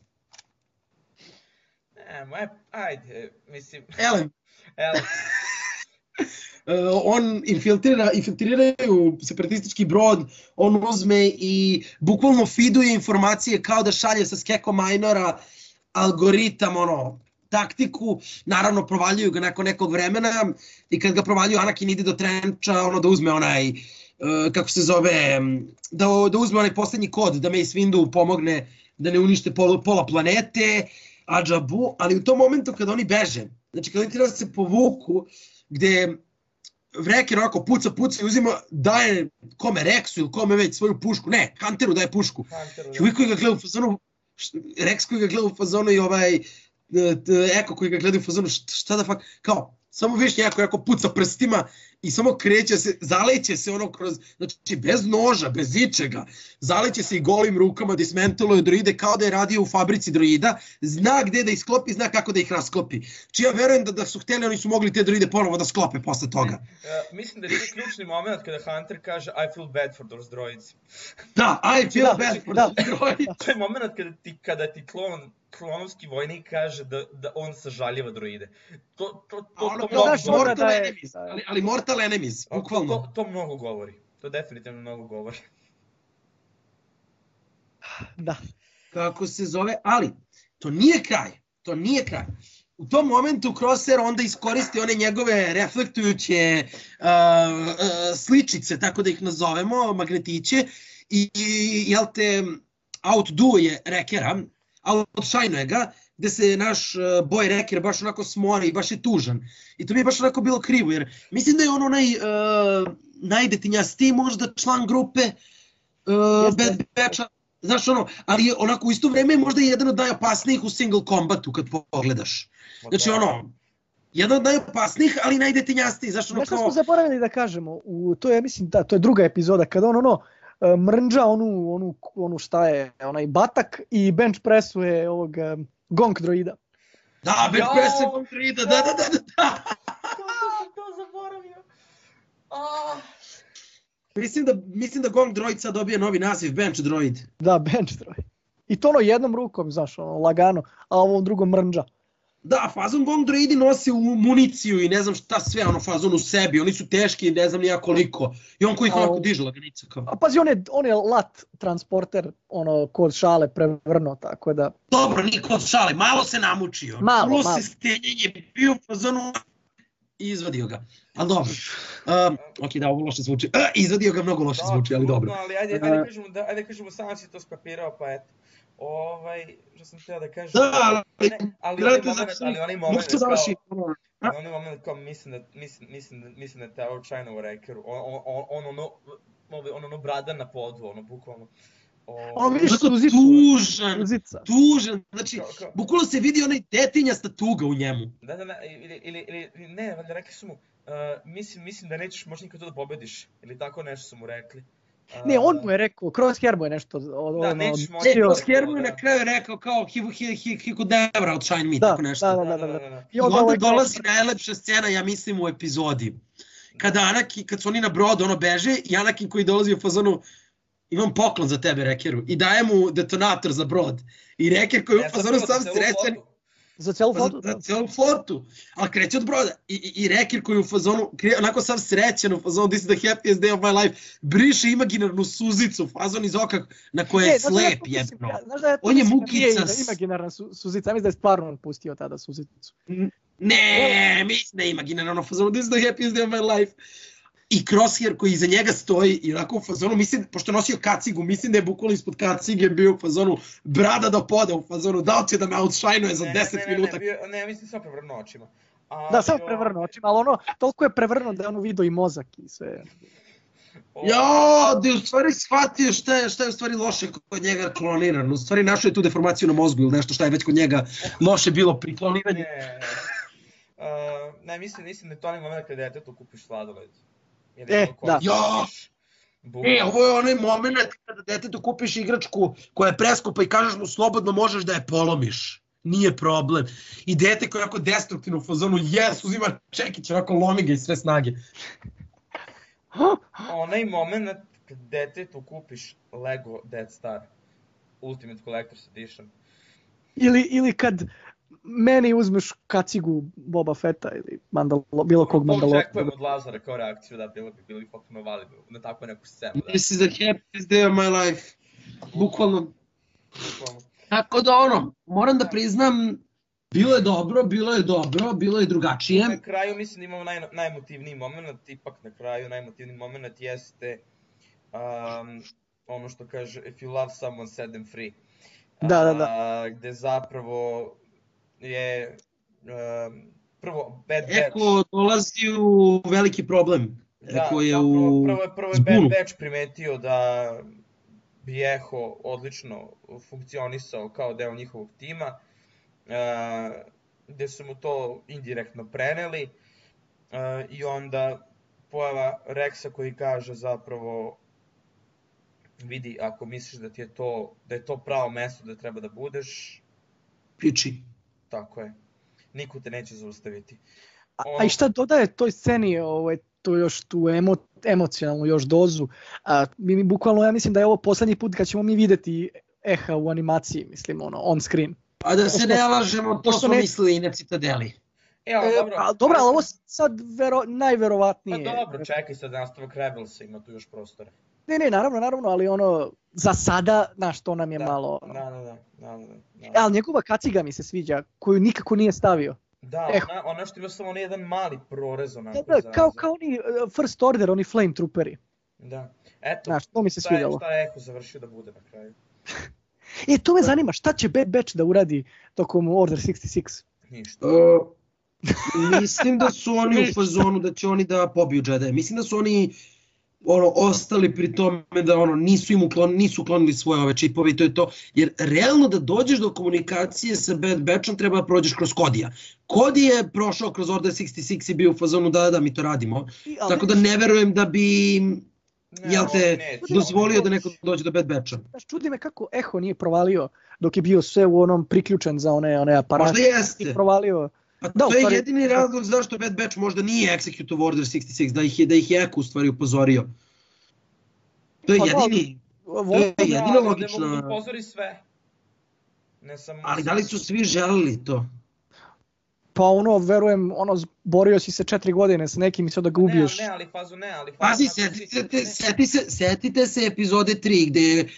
[SPEAKER 1] Ne, ajde, mislim...
[SPEAKER 3] Ellen.
[SPEAKER 1] Ellen.
[SPEAKER 3] Uh, on infiltrira, infiltriraju separatistički brod, on uzme i bukvalno feeduje informacije kao da šalje sa Skeko Minora algoritam, ono, taktiku, naravno provaljuju ga nakon nekog vremena i kad ga provaljuju Anakin ide do Trencha, ono da uzme onaj, uh, kako se zove, da, da uzme onaj posljednji kod, da Mace Windu pomogne da ne unište pol, pola planete, Ajabu, ali u tom momentu kada oni beže, znači kada oni treba da se povuku, gde Wrecker onako puca, puca i uzima, daje kome Rexu ili kome već svoju pušku, ne, Hunteru daje pušku. Hunteru, i uvijek koji ga gleda u fazonu, Rex koji ga gleda u fazonu i ovaj Eko koji ga gleda u fazonu, šta da fak, kao, samo viš njako jako puca prstima i samo kreće se, zaleće se ono kroz, znači bez noža, bez ičega, zaleće se i golim rukama, dismentaluje droide kao da je radio u fabrici droida, zna gde da ih sklopi, zna kako da ih rasklopi. Či ja verujem da, da su hteli, oni su mogli te droide ponovo da sklope posle toga.
[SPEAKER 1] Uh, mislim da je to ključni moment kada Hunter kaže I feel bad for those droids.
[SPEAKER 3] Da, I feel da, bad for da. those droids.
[SPEAKER 1] To je moment kada ti, kada ti klon klonovski vojnik kaže da, da on sažaljeva droide. To, to, to,
[SPEAKER 3] ono,
[SPEAKER 1] to, to,
[SPEAKER 3] to mortal da je, enemies, ali, ali mortal enemies, bukvalno.
[SPEAKER 1] To, to, to mnogo govori. To definitivno mnogo govori.
[SPEAKER 2] Da.
[SPEAKER 3] Kako se zove, ali to nije kraj. To nije kraj. U tom momentu Crosshair onda iskoristi one njegove reflektujuće uh, uh, sličice, tako da ih nazovemo, magnetiće, i, i jel te, outdouje Wreckera, outshine ga, gde se naš uh, boy Wrecker baš onako smori i baš je tužan. I to mi je baš onako bilo krivo, jer mislim da je on onaj uh, najdetinjastiji možda član grupe uh, Bad Batcha, znaš ono, ali onako u isto vreme je možda jedan od najopasnijih u single combatu kad pogledaš. Znači ono, jedan od najopasnijih, ali najdetinjastiji, znaš ono kao...
[SPEAKER 2] Nešto smo zaboravili da kažemo, u, to je, mislim, da, to je druga epizoda, kada on ono, mrnđa onu, onu, onu šta je, onaj batak i bench pressuje ovog um, Gonk droida.
[SPEAKER 3] Da, bench pressuje Gonk droida, da, da, da, da.
[SPEAKER 1] Ah.
[SPEAKER 3] Mislim da, mislim da Gong Droid sad dobije novi naziv, Bench Droid.
[SPEAKER 2] Da, bench droid. I to ono jednom rukom, znaš, ono, lagano, a ovom drugom mrnđa.
[SPEAKER 3] Da, fazon Gong Droidi nosi u municiju i ne znam šta sve, ono fazon u sebi, oni su teški, ne znam nija koliko. I on koji ih onako diže laganica kao.
[SPEAKER 2] A pazi, on je, on je lat transporter, ono, kod šale prevrno, tako da...
[SPEAKER 3] Dobro, nije kod šale, malo se namučio.
[SPEAKER 2] Malo,
[SPEAKER 3] Plus
[SPEAKER 2] malo.
[SPEAKER 3] se stenjenje bio u fazonu i izvadio ga. Ali dobro. Um, ok, da, ovo loše zvuči. Uh, izvadio ga mnogo loše zvuči, ali dobro.
[SPEAKER 1] Ali ajde, ajde kažemo, da, ajde kažemo, sam si to skapirao, pa eto. Ovaj, što sam htio da kažem...
[SPEAKER 3] Da, ali...
[SPEAKER 1] Ne, ali onaj moment, ali onaj moment
[SPEAKER 3] kao... Završi.
[SPEAKER 1] Ali onaj moment kao mislim da, mislim, mislim da, mislim da je Terror China u Rekeru, on, on, on, ono, on ono brada na podu, ono, bukvalno.
[SPEAKER 2] On vidiš
[SPEAKER 3] suzicu. Tužan,
[SPEAKER 2] suzica.
[SPEAKER 3] tužan, znači, bukvalno se vidi onaj detinjasta tuga u njemu.
[SPEAKER 1] Da, da, da, ili, ili, ili ne, valjda rekli su mu, uh, mislim, mislim da nećeš možda nikad to da pobediš, ili tako nešto su mu rekli. Uh,
[SPEAKER 2] ne, on mu je rekao, Crosshair mu je nešto od...
[SPEAKER 1] Da, nećeš možda...
[SPEAKER 3] Ne, Crosshair mu je na kraju rekao kao he, he, he, he could never outshine me,
[SPEAKER 2] da,
[SPEAKER 3] tako nešto.
[SPEAKER 2] Da, da, da, da, da.
[SPEAKER 3] I onda, onda dolazi najlepša scena, ja mislim, u epizodi. Kada Anakin, kad su oni na brodu, ono beže, i Anakin koji dolazi u fazonu, imam poklon za tebe, Rekeru, i daje mu detonator za brod. I Reker koji je u fazonu sam srećan...
[SPEAKER 2] Za celu flotu?
[SPEAKER 3] Za, za celu flotu, ali kreće od broda. I, i, i Reker koji je u fazonu, kre, onako sam srećan u fazonu, this is the happiest day of my life, briše imaginarnu suzicu, fazon iz oka na koje je slep jebno.
[SPEAKER 2] Ja,
[SPEAKER 3] on je mukica.
[SPEAKER 2] Da imaginarna su, suzica, ja mislim da je stvarno on pustio tada suzicu.
[SPEAKER 3] Ne, mislim da je imaginarno fazonu, this is the happiest day of my life. I Crosshair koji iza njega stoji i onako u fazonu, mislim, pošto je nosio kacigu, mislim da je bukvalno ispod kacige bio u fazonu brada do poda u fazonu, da li će da me outshine-uje za deset minuta.
[SPEAKER 1] Ne, ne, ne, ne, mislim samo prevrnuo očima.
[SPEAKER 2] A, da, samo prevrnuo očima, ali ono, toliko je prevrnuo da je ono vidio i mozak i sve.
[SPEAKER 3] Jo, da je u stvari shvatio šta je, šta je u stvari loše kod njega kloniran. U stvari našao je tu deformaciju na mozgu ili nešto šta je već kod njega loše bilo pri kloniranju.
[SPEAKER 1] Ne, uh, ne, mislim, mislim da je to onaj moment kada detetu kupiš sladoled.
[SPEAKER 2] E, da.
[SPEAKER 3] Jo! E, ovo je onaj moment kada detetu kupiš igračku koja je preskupa i kažeš mu slobodno možeš da je polomiš. Nije problem. I dete koje je onako destruktivno u fazonu, jes, uzima čekić, onako lomi ga iz sve snage.
[SPEAKER 1] Onaj moment kada detetu kupiš Lego Death Star, Ultimate Collector's Edition.
[SPEAKER 2] Ili, ili kad meni uzmeš kacigu Boba Fetta ili mandalo, bilo kog Mandalora.
[SPEAKER 1] Očekujem od Lazara kao reakciju, da, bilo bi, bilo bi potpuno validno na takvu neku scenu. Da.
[SPEAKER 3] This is the happiest day of my life. Bukvalno.
[SPEAKER 1] Bukvalno.
[SPEAKER 3] Tako da ono, moram da priznam, bilo je dobro, bilo je dobro, bilo je drugačije.
[SPEAKER 1] Na kraju mislim da imamo naj, najemotivniji moment, ipak na kraju najemotivniji moment jeste um, ono što kaže if you love someone set them free.
[SPEAKER 2] Da, da, da.
[SPEAKER 1] Uh, gde zapravo je um, prvo Bad Batch.
[SPEAKER 3] Eko dolazi u veliki problem.
[SPEAKER 1] Da,
[SPEAKER 3] Eko je
[SPEAKER 1] da,
[SPEAKER 3] u
[SPEAKER 1] prvo, prvo, prvo je Bad Batch primetio da bi Eho odlično funkcionisao kao deo njihovog tima, uh, gde su mu to indirektno preneli uh, i onda pojava Rexa koji kaže zapravo vidi, ako misliš da ti je to, da je to pravo mesto da treba da budeš,
[SPEAKER 3] piči.
[SPEAKER 1] Tako je. Niko te neće zaustaviti.
[SPEAKER 2] Ono... A, a i šta dodaje toj sceni, ovaj, to još tu emo, emocionalnu još dozu, a, mi, mi bukvalno, ja mislim da je ovo poslednji put kad ćemo mi videti Eha u animaciji, mislim, ono, on screen.
[SPEAKER 3] A da se ne lažemo, to smo ne... mislili i na Citadeli.
[SPEAKER 1] E, ali dobro.
[SPEAKER 2] E, dobro, ali ovo sad vero, najverovatnije.
[SPEAKER 1] Pa dobro, čekaj sad nastavak Rebelsa, ima tu još prostora.
[SPEAKER 2] Ne, ne, naravno, naravno, ali ono, za sada, znaš, to nam je
[SPEAKER 1] da,
[SPEAKER 2] malo...
[SPEAKER 1] Da, da, da, da, da, da.
[SPEAKER 2] Ali njegova kaciga mi se sviđa, koju nikako nije stavio.
[SPEAKER 1] Da, ona, ona što ima samo onaj jedan mali prorez onako.
[SPEAKER 2] Da, da, kao, kao oni uh, First Order, oni Flame Trooperi.
[SPEAKER 1] Da, eto,
[SPEAKER 2] znaš, to mi se svidjelo.
[SPEAKER 1] Šta je Eho završio da bude na kraju.
[SPEAKER 2] E, to me zanima, šta će Bad Batch da uradi tokom Order šezdeset šest?
[SPEAKER 1] Ništa.
[SPEAKER 3] Uh, mislim da su oni u fazonu da će oni da pobiju Jedi. Mislim da su oni ono, ostali pri tome da ono, nisu im uklon, nisu uklonili svoje ove čipove i to je to. Jer realno da dođeš do komunikacije sa Bad Batchom treba da prođeš kroz Kodija. Cody je prošao kroz Order šezdeset šest i bio u fazonu da, da mi to radimo. I, tako da ne verujem da bi ne, jel te neće, dozvolio da neko dođe do Bad Batcha.
[SPEAKER 2] Znaš, čudi me kako Eho nije provalio dok je bio sve u onom priključen za one, one aparate.
[SPEAKER 3] Možda jeste.
[SPEAKER 2] Nije provalio
[SPEAKER 3] Pa
[SPEAKER 2] Da,
[SPEAKER 3] to
[SPEAKER 2] u
[SPEAKER 3] je
[SPEAKER 2] stvari-
[SPEAKER 3] jedini razlog zašto Bad Batch možda nije Executive Order šezdeset šest, da ih je, da ih je Eko u stvari upozorio. To je
[SPEAKER 2] Pa da,
[SPEAKER 3] jedini, to
[SPEAKER 2] volio
[SPEAKER 3] je
[SPEAKER 2] bih-
[SPEAKER 1] Da,
[SPEAKER 3] jedina
[SPEAKER 1] ali ovdje mogu da
[SPEAKER 3] logična...
[SPEAKER 1] upozori sve. Ne samo...
[SPEAKER 3] Ali da li su svi želeli to?
[SPEAKER 2] Pa ono, verujem, ono, borio si se četiri godine sa nekim i sad da ga
[SPEAKER 1] Ne,
[SPEAKER 2] ubiješ.
[SPEAKER 1] ali ne, ali fazu ne, ali fazu...
[SPEAKER 3] Pazi,
[SPEAKER 1] nakon si-
[SPEAKER 3] setite,
[SPEAKER 1] ne,
[SPEAKER 3] seti se, setite se epizode tri gde je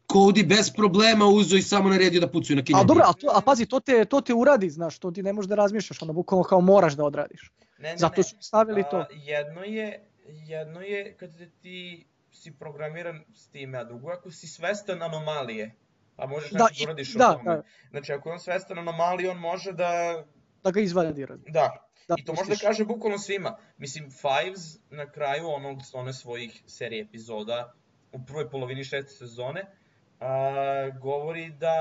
[SPEAKER 3] Cody bez problema uzeo i samo naredio da pucaju na
[SPEAKER 2] A
[SPEAKER 3] Kennedy.
[SPEAKER 2] dobro, a, to, a pazi, to te, to te uradi, znaš, to ti ne možeš da razmišljaš, ono, bukvalno kao moraš da odradiš.
[SPEAKER 1] ne, ne,
[SPEAKER 2] Zato
[SPEAKER 1] ne.
[SPEAKER 2] su stavili to.
[SPEAKER 1] A, jedno je, jedno je kad ti si programiran s time, a drugo je ako si svestan anomalije, pa možeš
[SPEAKER 2] Da,
[SPEAKER 1] nešto
[SPEAKER 2] i-
[SPEAKER 1] da uradiš
[SPEAKER 2] da,
[SPEAKER 1] o tome.
[SPEAKER 2] da.
[SPEAKER 1] Znači, ako je on svestan anomalije, on može da...
[SPEAKER 2] Da ga izvadi. razumiješ.
[SPEAKER 1] Da,
[SPEAKER 2] Da,
[SPEAKER 1] i to može da
[SPEAKER 2] pustiš.
[SPEAKER 1] kaže bukvalno svima. Mislim, Fives na kraju onog, one svojih serije epizoda, u prvoj polovini šeste sezone, a, govori da,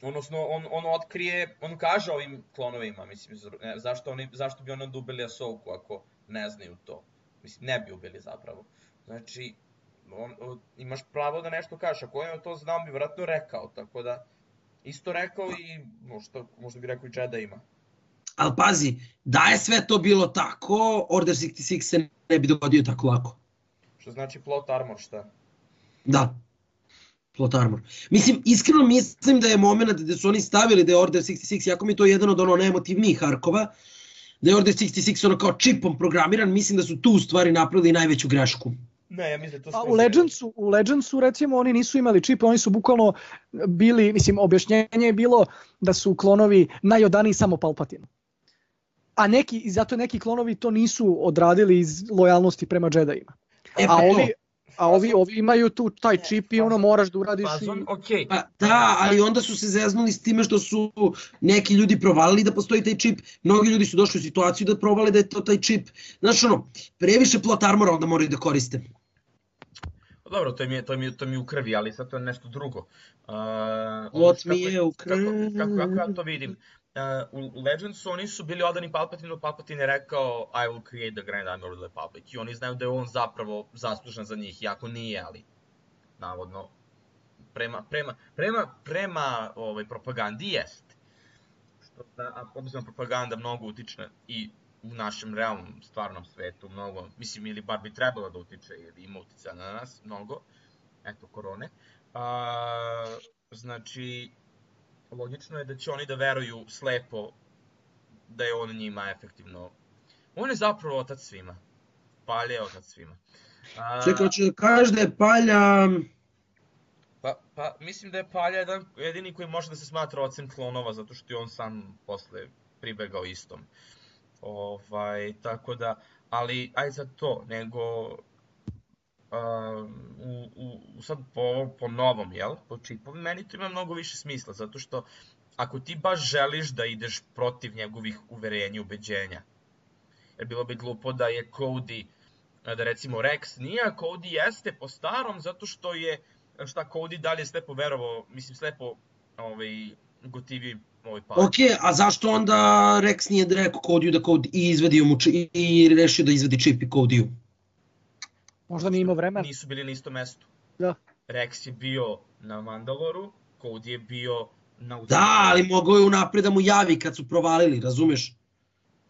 [SPEAKER 1] odnosno, on, on otkrije, on kaže ovim klonovima, mislim, zar- ne, zašto, oni, zašto bi oni onda ubili Ahsoku ako ne znaju to. Mislim, ne bi ubili zapravo. Znači, on, o, imaš pravo da nešto kažeš, ako je on to znao, bi vjerojatno rekao, tako da, isto rekao i možda, možda bi rekao i Jedima.
[SPEAKER 3] Ali pazi, da je sve to bilo tako, Order šezdeset šest se ne bi dogodio tako lako.
[SPEAKER 1] Što znači plot armor, šta?
[SPEAKER 3] Da. Plot armor. Mislim, iskreno mislim da je moment gde su oni stavili da je Order šezdeset šest, jako mi je to jedan od ono najemotivnijih arkova, da je Order šezdeset šest ono kao čipom programiran, mislim da su tu u stvari napravili najveću grešku.
[SPEAKER 1] Ne, ja mislim da je to
[SPEAKER 2] Pa
[SPEAKER 1] skroz
[SPEAKER 2] u Legendsu, u Legendsu recimo oni nisu imali čip, oni su bukvalno bili, mislim objašnjenje je bilo da su klonovi najodaniji samo Palpatinu. A neki, i zato neki klonovi to nisu odradili iz lojalnosti prema Jedijima.
[SPEAKER 3] E,
[SPEAKER 2] A
[SPEAKER 3] pa
[SPEAKER 2] ovi,
[SPEAKER 3] to.
[SPEAKER 2] a ovi, ovi imaju tu taj čip i ono
[SPEAKER 1] fazon-
[SPEAKER 2] moraš da uradiš
[SPEAKER 1] Fazon,
[SPEAKER 2] i...
[SPEAKER 1] okej.
[SPEAKER 3] Pa da, ali onda su se zeznuli s time što su neki ljudi provalili da postoji taj čip, mnogi ljudi su došli u situaciju da provale da je to taj čip. Znaš ono, previše plot armora onda moraju da koriste.
[SPEAKER 1] Pa dobro, to mi je, to mi je, to mi je u krvi, ali sad to je nešto drugo. Uh,
[SPEAKER 3] Plot
[SPEAKER 1] kako-
[SPEAKER 3] mi je u
[SPEAKER 1] Kako, kako, kako ja
[SPEAKER 3] krvi.
[SPEAKER 1] to vidim? Uh, u Legendsu oni su bili odani Palpatinu, Palpatine je rekao I will create the Grand Army of the Republic. I oni znaju da je on zapravo zaslužan za njih, iako nije, ali navodno prema, prema, prema, prema ovaj, propagandi jest. Što da, a obzirom propaganda mnogo utiče i u našem realnom, stvarnom svetu, mnogo, mislim, ili bar bi trebalo da utiče, jer ima uticaja na nas, mnogo, eto, korone. A, znači, logično je da će oni da veruju slepo da je on njima efektivno... On je zapravo otac svima. Palja je otac svima. A,
[SPEAKER 3] Čekaj, hoće da kažeš da je Palja...
[SPEAKER 1] Pa, pa mislim da je Palja jedan, jedini koji može da se smatra ocem klonova, zato što je on sam posle pribegao istom. Ovaj, tako da, ali aj sad to, nego um, u, u, sad po, po novom, jel, po čipu, meni to ima mnogo više smisla, zato što ako ti baš želiš da ideš protiv njegovih uverenja i ubeđenja, jer bilo bi glupo da je Cody, da recimo Rex nije, a Cody jeste po starom, zato što je, šta Cody dalje slepo verovao, mislim slepo ovaj, gotivio ovaj pad.
[SPEAKER 3] Ok, a zašto onda Rex nije rekao Codyu da Cody i izvedio mu či, i rešio da izvedi čip i Codyu?
[SPEAKER 2] Možda nije imao vremena.
[SPEAKER 1] Nisu bili na istom mestu.
[SPEAKER 2] Da.
[SPEAKER 1] Rex je bio na Mandaloru, Cody je bio na
[SPEAKER 3] Da, ali mogao je unapred da mu javi kad su provalili, razumeš?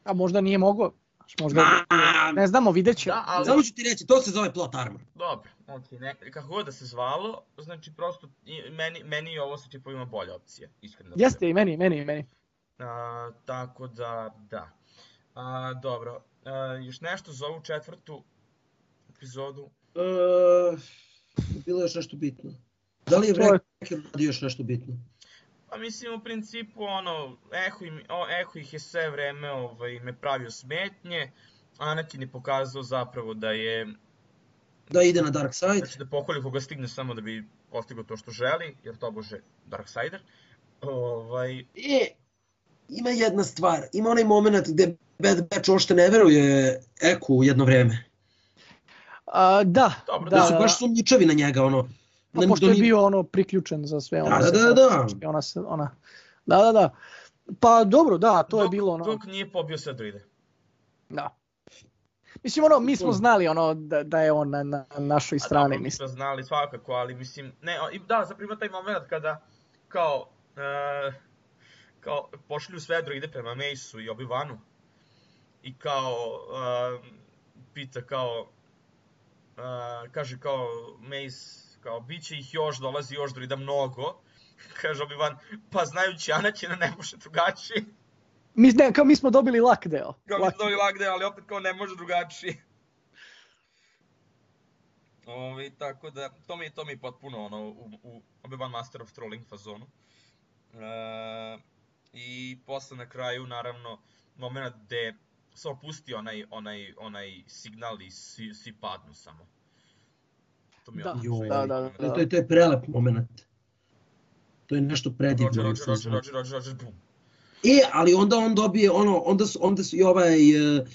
[SPEAKER 2] A možda nije mogao. Znaš, Možda,
[SPEAKER 3] Ma,
[SPEAKER 2] ne znamo, vidjet ćemo.
[SPEAKER 1] Da, ali...
[SPEAKER 3] Samo ću ti reći, to se zove plot armor.
[SPEAKER 1] Dobro, ok, ne, kako god da se zvalo, znači prosto i meni, meni je ovo sa čipovima bolja opcija, iskreno. da
[SPEAKER 2] Jeste i meni, meni, i meni.
[SPEAKER 1] A, tako da, da. A, dobro, a, još nešto za ovu četvrtu epizodu?
[SPEAKER 3] E, bilo je još nešto bitno. Da li je
[SPEAKER 2] To je-
[SPEAKER 3] Wrecker radio još nešto bitno?
[SPEAKER 1] Pa mislim u principu ono, Eho, im, o, Eho ih je sve vreme ovaj, me pravio smetnje, Anakin je pokazao zapravo da je,
[SPEAKER 3] Da ide na Dark Side?
[SPEAKER 1] da će da pokolje koga stigne samo da bi postigao to što želi, jer to bože Darksider. Ovaj,
[SPEAKER 3] E, ima jedna stvar, ima onaj moment gde Bad Batch uopšte ne veruje Eku u jedno vreme.
[SPEAKER 2] A, da,
[SPEAKER 1] Dobro,
[SPEAKER 2] da,
[SPEAKER 3] Da su
[SPEAKER 2] da,
[SPEAKER 3] baš sumnjičavi na njega, ono.
[SPEAKER 2] Pa
[SPEAKER 3] Na-
[SPEAKER 2] pošto
[SPEAKER 3] do
[SPEAKER 2] je
[SPEAKER 3] njih-
[SPEAKER 2] bio ono priključen za sve ono.
[SPEAKER 3] Da,
[SPEAKER 2] sve-
[SPEAKER 3] da, da.
[SPEAKER 2] Ona, se- ona, da, da, da. Pa dobro, da, to je
[SPEAKER 1] dok,
[SPEAKER 2] bilo ono.
[SPEAKER 1] Dok nije pobio sve druide.
[SPEAKER 2] Da. Mislim, ono, mi smo znali ono da, da je on na, na našoj
[SPEAKER 1] A
[SPEAKER 2] strani,
[SPEAKER 1] dobro, mi
[SPEAKER 2] mislim.
[SPEAKER 1] smo znali svakako, ali mislim, ne, o, i da, zapravo ima taj moment kada, kao, uh, kao, pošalju sve droide prema Maceu i Obi-Wanu i kao, uh, pita kao, uh, kaže kao, Mace, kao, bit će ih još, dolazi još droida mnogo, kaže Obi-Wan, pa znajući Anakin ne može drugačije.
[SPEAKER 2] Mi, ne, kao mi smo dobili lak deo.
[SPEAKER 1] Kao mi smo dobili lak deo, ali opet kao ne može drugačije. Ovi, tako da, to mi, to mi je potpuno ono, u, u Obi-Wan Master of Trolling fazonu. E, I posle na kraju, naravno, moment gde se opusti onaj, onaj, onaj signal i svi, svi padnu samo. To mi je
[SPEAKER 2] Da,
[SPEAKER 1] ono,
[SPEAKER 2] da, da, da.
[SPEAKER 3] To je, to je prelep moment. To je nešto predivno.
[SPEAKER 1] Roger, Roger, Roger, Roger, Roger, Roger, bum.
[SPEAKER 3] E, ali onda on dobije ono, onda su, onda su i ovaj, uh,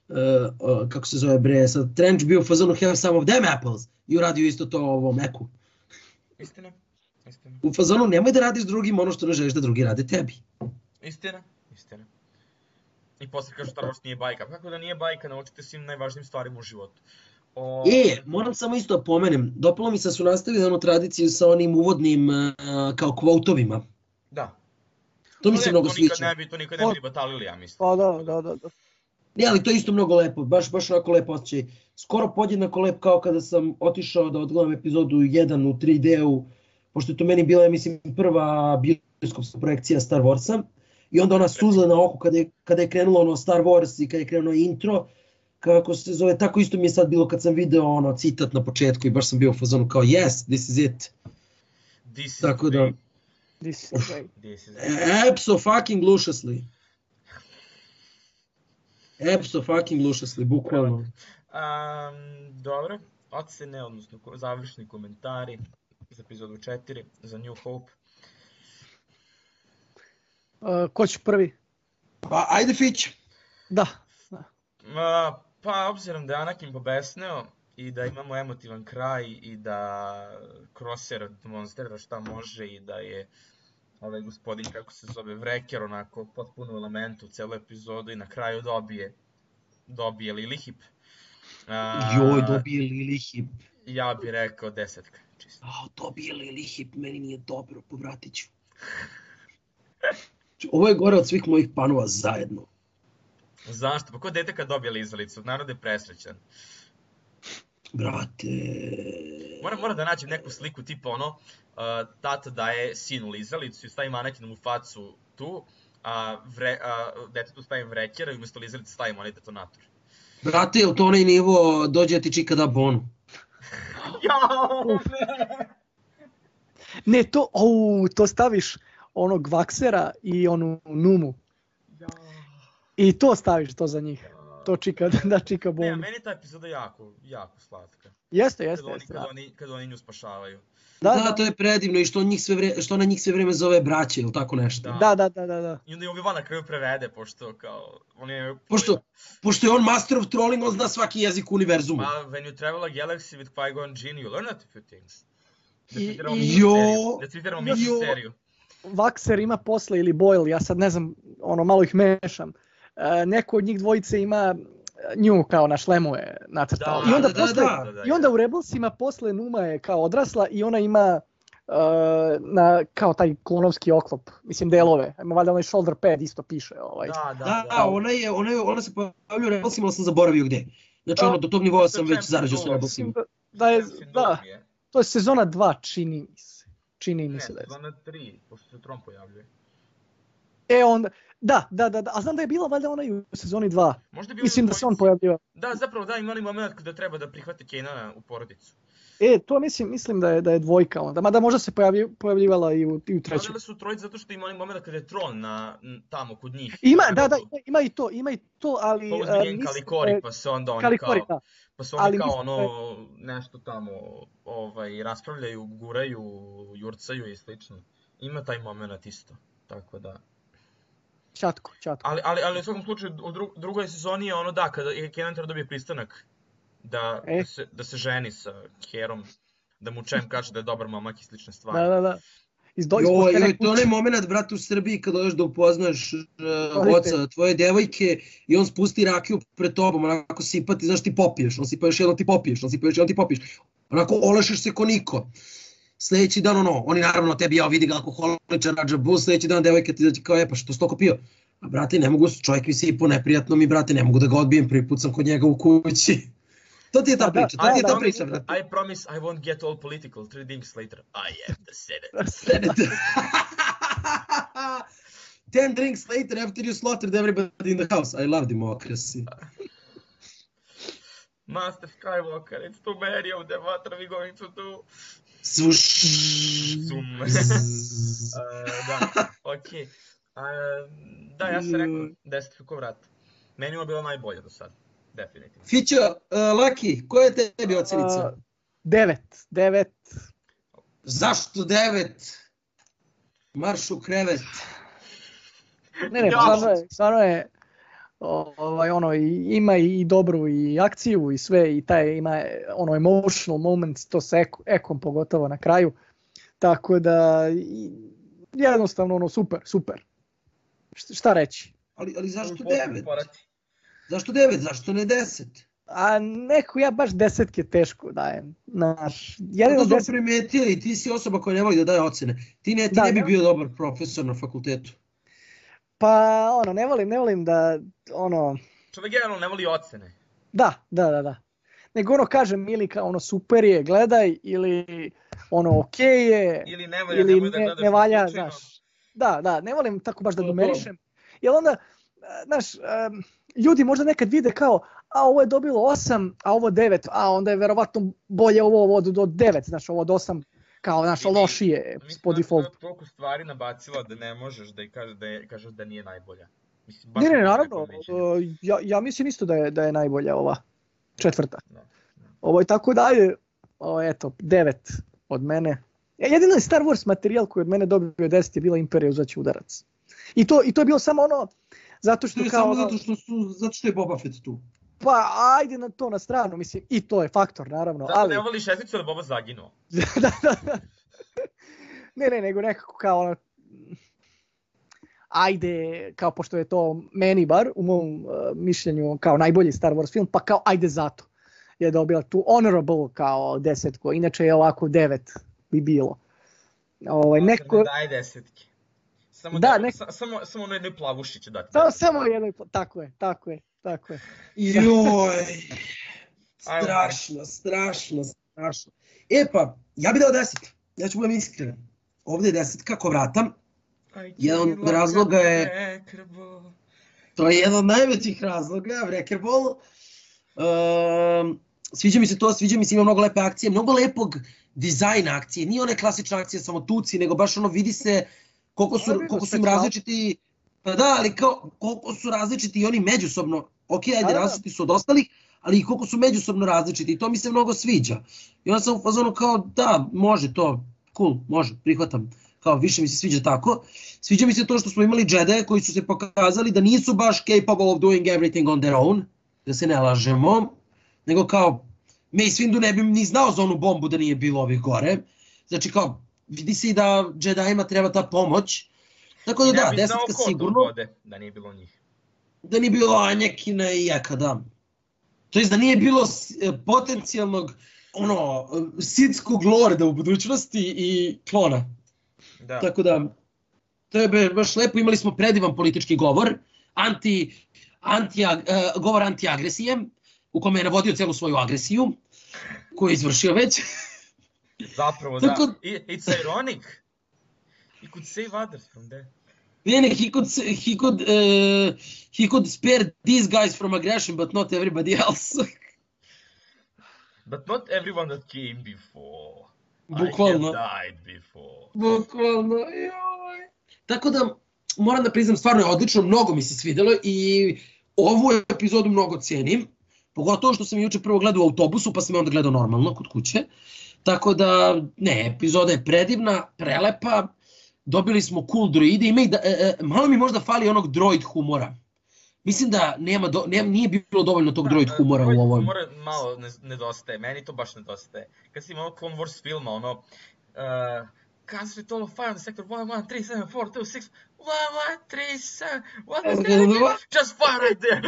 [SPEAKER 3] uh, uh, kako se zove bre, sad Trench bio u fazonu have some of them apples i uradio isto to ovom Eku.
[SPEAKER 1] Istina, istina.
[SPEAKER 3] U fazonu nemoj da radiš drugim ono što ne želiš da drugi rade tebi.
[SPEAKER 1] Istina, istina. I posle kažu Star Wars nije bajka. Kako da nije bajka, naučite svim najvažnijim stvarima u životu. O...
[SPEAKER 3] E, moram samo isto da pomenem, dopalo mi se da su nastavili onu tradiciju sa onim uvodnim uh, kao kvotovima.
[SPEAKER 1] Da.
[SPEAKER 3] To mi se mnogo
[SPEAKER 1] to nikad
[SPEAKER 3] sviđa.
[SPEAKER 1] ne bi, to nikad ne bi batalili, ja mislim.
[SPEAKER 2] Pa da, da, da, da.
[SPEAKER 3] Ne, ali to je isto mnogo lepo, baš, baš onako lepo osjećaj. Skoro podjednako lep kao kada sam otišao da odgledam epizodu jedan u tri D-u, pošto je to meni bila, ja mislim, prva bioskopska projekcija Star Warsa. I onda ona suza na oku kada je, kada je krenulo ono Star Wars i kada je krenulo intro, kako se zove, tako isto mi je sad bilo kad sam video ono citat na početku i baš sam bio u fazonu kao yes, this is it.
[SPEAKER 1] This is
[SPEAKER 3] tako da,
[SPEAKER 2] This is great.
[SPEAKER 1] This is
[SPEAKER 3] abso-fucking-lušasli. Abso-fucking-lušasli, bukvalno.
[SPEAKER 1] Um, dobro, ocene, odnosno završni komentari za epizodu četiri, za New Hope.
[SPEAKER 2] Uh, ko će prvi?
[SPEAKER 3] Pa, ajde Fić.
[SPEAKER 2] Da.
[SPEAKER 1] Uh, pa, obzirom da je Anakin pobesneo i da imamo emotivan kraj i da Crosshair demonstrira šta može i da je ovaj gospodin, kako se zove, Wrecker, onako potpuno elementu u celu epizodu i na kraju dobije dobije Lilihip. Uh,
[SPEAKER 3] Joj, dobije Lilihip.
[SPEAKER 1] Ja bih rekao desetka, čisto.
[SPEAKER 3] A, dobije Lilihip, meni nije dobro, povratit ću. Ovo je gore od svih mojih panova zajedno.
[SPEAKER 1] Zašto? Pa ko dete kad dobije lizalicu? Narod je presrećan.
[SPEAKER 3] Brate...
[SPEAKER 1] Moram, moram da nađem neku sliku tipa ono, uh, tata daje sinu lizalicu i stavim Anakinu u facu tu, a, vre, a detetu stavim Wreckera i umjesto lizalice stavim onaj detonator.
[SPEAKER 3] Brate, je li to onaj nivo dođe ti čika da bonu?
[SPEAKER 1] Jao, ne!
[SPEAKER 2] Ne, to, ou, to staviš onog Vaxera i onu Numu.
[SPEAKER 1] Jao.
[SPEAKER 2] I to staviš to za njih. To čika, da čika bonu.
[SPEAKER 1] Ne, meni ta epizoda jako, jako slatka.
[SPEAKER 2] Jeste, jeste,
[SPEAKER 1] Kad oni,
[SPEAKER 2] jeste.
[SPEAKER 1] kad
[SPEAKER 2] Da,
[SPEAKER 1] oni, kad oni nju spašavaju.
[SPEAKER 2] da,
[SPEAKER 3] Da,
[SPEAKER 2] da,
[SPEAKER 3] to je predivno i što, on njih sve vre, što ona njih sve vreme zove braće ili tako nešto.
[SPEAKER 1] Da.
[SPEAKER 2] da, da, da, da.
[SPEAKER 1] I onda je Obi-Wan na kraju prevede, pošto kao, on je...
[SPEAKER 3] Pošto, pošto je on master of trolling, on zna svaki jezik univerzuma.
[SPEAKER 1] Pa, when you travel a galaxy with Qui-Gon Jinn, you learn a few things. Da
[SPEAKER 2] I-
[SPEAKER 1] citiramo
[SPEAKER 2] i-
[SPEAKER 1] mi
[SPEAKER 3] Jo,
[SPEAKER 1] seriju. Da citiramo mi
[SPEAKER 3] jo.
[SPEAKER 1] seriju.
[SPEAKER 2] Vaxer ima posle ili Boyle, ja sad ne znam, ono malo ih mešam. E, neko od njih dvojice ima nju kao na šlemu je nacrtao.
[SPEAKER 1] Da,
[SPEAKER 2] I onda
[SPEAKER 3] da, da,
[SPEAKER 2] posle,
[SPEAKER 3] da,
[SPEAKER 1] da,
[SPEAKER 2] i onda u Rebelsima posle Numa je kao odrasla i ona ima uh, na kao taj klonovski oklop, mislim delove. Ima valjda onaj shoulder pad isto piše ovaj.
[SPEAKER 1] Da, da,
[SPEAKER 3] Da,
[SPEAKER 1] da.
[SPEAKER 3] ona, je, ona, je, ona se pojavlja u Rebelsima, ali sam zaboravio gde. Znači ono, do tog nivoa sam već zarađao sa Rebelsima.
[SPEAKER 2] Da, da je,
[SPEAKER 1] Sindrom
[SPEAKER 2] da,
[SPEAKER 1] je.
[SPEAKER 2] to je sezona dva, čini mi se. Čini mi
[SPEAKER 1] Ne,
[SPEAKER 2] se da je.
[SPEAKER 1] sezona tri, pošto se Tron pojavljuje.
[SPEAKER 2] E onda, da, da, da, da, a znam da je bila valjda ona i u sezoni dva.
[SPEAKER 1] Možda bi
[SPEAKER 2] Mislim da se on pojavljivao.
[SPEAKER 1] Da, zapravo da, ima onaj moment kada treba da prihvate Kanana u porodicu.
[SPEAKER 2] E, to mislim, mislim da je da je dvojka onda, mada možda se pojavljiv, pojavljivala i u, i u trećem.
[SPEAKER 1] Pojavljali su trojice zato što ima onaj moment kada je Tron na, n- tamo kod njih.
[SPEAKER 2] Ima,
[SPEAKER 1] Na
[SPEAKER 2] da, da,
[SPEAKER 1] Rebelu.
[SPEAKER 2] ima, ima i to, ima i to, ali...
[SPEAKER 1] Pa
[SPEAKER 2] uh,
[SPEAKER 1] uzme njen
[SPEAKER 2] mislim
[SPEAKER 1] Kalikori,
[SPEAKER 2] da je-
[SPEAKER 1] pa se onda oni
[SPEAKER 2] Kalikori,
[SPEAKER 1] kao...
[SPEAKER 2] da.
[SPEAKER 1] Pa se oni
[SPEAKER 2] Ali
[SPEAKER 1] kao
[SPEAKER 2] mislim da
[SPEAKER 1] ono, nešto tamo, ovaj, raspravljaju, guraju, jurcaju i slično. Ima taj moment isto, tako da...
[SPEAKER 2] Čatko, čatko.
[SPEAKER 1] Ali, ali, ali u svakom slučaju, u dru, drugoj sezoni je ono da, kada je Kanan treba dobije pristanak da,
[SPEAKER 2] E.
[SPEAKER 1] da, se, da se ženi sa Herom, da mu Čem kaže da je dobar momak i slične stvari.
[SPEAKER 2] Da, da, da. Iz do, iz
[SPEAKER 3] Joj,
[SPEAKER 2] poštene
[SPEAKER 3] joj, to je onaj
[SPEAKER 2] kuće.
[SPEAKER 3] moment, brate, u Srbiji kad dođeš da upoznaš uh,
[SPEAKER 2] Roditelj.
[SPEAKER 3] oca tvoje devojke i on spusti rakiju pred tobom, onako sipa ti, znaš, ti popiješ, on sipa još jedno ti popiješ, on sipa još jedno ti popiješ. Onako olešeš se ko niko. Sljedeći dan, ono, oni naravno tebi, ja vidi ga alkoholičar, rađa bus, sljedeći dan devojka ti da ti kao, e, pa što si toliko pio? A brate, ne mogu, čovjek mi se i po neprijatno mi, brate, ne mogu da ga odbijem, prvi put sam kod njega u kući. To ti je ta priča, to ti je ta priča, brate.
[SPEAKER 1] I promise I won't get all political, three drinks later, I am the Senate.
[SPEAKER 3] Senate. Ten drinks later after you slaughtered everybody in the house. I love democracy.
[SPEAKER 1] Master Skywalker, it's too many of them, what are we going to do?
[SPEAKER 3] Svuš.
[SPEAKER 1] Zoom. uh, da, okej. Okay. Uh, da, ja sam rekao deset ko vrat. Meni je bilo najbolje do sad, definitivno.
[SPEAKER 3] Fićo, uh, Laki, koja je tebi ocenica?
[SPEAKER 2] Uh, devet, devet.
[SPEAKER 3] Zašto devet? Marš u krevet.
[SPEAKER 2] Ne, ne, stvarno je, stvarno je ovaj, ono, ima i dobru i akciju i sve, i taj ima ono emotional moments, to sa eko, ekom pogotovo na kraju, tako da jednostavno ono super, super. Šta reći?
[SPEAKER 3] Ali, ali zašto devet? Zašto devet? Zašto ne deset?
[SPEAKER 2] A neko, ja baš desetke teško dajem. Naš,
[SPEAKER 3] jedino deset... smo primetili, ti si osoba koja ne voli da daje ocene. Ti ne, ti da, ne bi bio dobar profesor na fakultetu.
[SPEAKER 2] Pa ono, ne volim, ne volim da, ono...
[SPEAKER 1] Čovjek generalno ne voli ocene.
[SPEAKER 2] Da, da, da, da. Nego ono kažem, ili kao ono super je, gledaj, ili ono okej je,
[SPEAKER 1] ili ne valja,
[SPEAKER 2] ili
[SPEAKER 1] ne, da
[SPEAKER 2] ne, ne valja, znaš. Da, da, ne volim tako baš da numerišem. Jer onda, znaš, um, ljudi možda nekad vide kao, a ovo je dobilo osam, a ovo devet, a onda je verovatno bolje ovo, ovo od, od devet, znaš, ovo od osam. Kao naša lošije po defaultu.
[SPEAKER 1] Mislim da je toliko stvari nabacila da ne možeš da, kaže, da je, kažeš da nije najbolja. Mislim,
[SPEAKER 2] ne, ne, naravno, uh, ja, ja mislim isto da je, da je najbolja ova četvrta. No, no. Ovo je tako dalje, o, eto, devet od mene. Jedino je Star Wars materijal koji od mene dobio deset je bila Imperija uzaće udarac. I to, i to je bilo samo ono, zato što
[SPEAKER 3] to
[SPEAKER 2] kao...
[SPEAKER 3] Samo zato što, su, zato što je Boba Fett tu.
[SPEAKER 2] Pa ajde na to na stranu, mislim, i to je faktor, naravno.
[SPEAKER 1] Zato
[SPEAKER 2] ali...
[SPEAKER 1] ne voliš šesticu da Boba zaginuo.
[SPEAKER 2] da, da, da. Ne, ne, nego nekako kao ono, ajde, kao pošto je to meni bar, u mom uh, mišljenju, kao najbolji Star Wars film, pa kao ajde zato je dobila tu honorable kao desetko, inače je ovako devet bi bilo. Ovaj, neko...
[SPEAKER 1] Daj desetke. Samo,
[SPEAKER 2] da,
[SPEAKER 1] da,
[SPEAKER 2] nek...
[SPEAKER 1] sa, samo, samo ono jednoj plavuši će dati.
[SPEAKER 2] Samo, samo jednoj, tako je, tako je, tako je.
[SPEAKER 3] Joj, strašno, strašno, strašno. E pa, ja bih dao deset, ja ću budem iskren. Ovdje je deset kako vratam. Jedan od razloga je... To je jedan od najvećih razloga, Wreckerball. Um, sviđa mi se to, sviđa mi se, ima mnogo lepe akcije, mnogo lepog dizajna akcije. Nije one klasične akcije samo tuci, nego baš ono vidi se koliko su, koliko su im različiti... Pa da, ali kao, koliko su različiti i oni međusobno. Ok, ajde, različiti su od ostalih, ali i koliko su međusobno različiti i to mi se mnogo sviđa. I onda sam u fazonu kao, da, može to, cool, može, prihvatam. Kao, više mi se sviđa tako. Sviđa mi se to što smo imali Jedi koji su se pokazali da nisu baš capable of doing everything on their own, da se ne lažemo, nego kao, Mace Windu ne bi ni znao za onu bombu da nije bilo ovih gore. Znači kao, vidi se i da Jedijima treba ta pomoć. Tako da da, desetka sigurno.
[SPEAKER 1] Vode, da nije bilo njih.
[SPEAKER 3] Da nije bilo Anjakina i Jeka, da. To jest da nije bilo potencijalnog, ono, sidskog lorda u budućnosti i klona.
[SPEAKER 1] Da.
[SPEAKER 3] Tako da, to je baš lepo, imali smo predivan politički govor, anti, anti, uh, govor anti-agresije, u kome je navodio celu svoju agresiju, koju je izvršio već.
[SPEAKER 1] Zapravo, Tako... da. It's ironic. He could save others from that.
[SPEAKER 3] Ne, ne, he could, he could, uh, he could spare these guys from aggression, but not everybody else.
[SPEAKER 1] But not everyone that came before.
[SPEAKER 3] Bukvalno.
[SPEAKER 1] I have died before.
[SPEAKER 3] Bukvalno, joj. Tako da, moram da priznam, stvarno je odlično, mnogo mi se svidelo i ovu epizodu mnogo cijenim. Pogotovo što sam juče prvo gledao u autobusu, pa sam je onda gledao normalno kod kuće. Tako da, ne, epizoda je predivna, prelepa. Dobili smo cool droide, ima i da, e, e, malo mi možda fali onog droid humora. Mislim da nema do, nema, nije bilo dovoljno tog da, droid humora droid u ovom.
[SPEAKER 1] Humora malo nedostaje, meni to baš nedostaje. Kad si imao Clone Wars filma, ono... Uh, Concentrate all of fire on the sector one one three seven four two six one one three seven one one three just fire right there.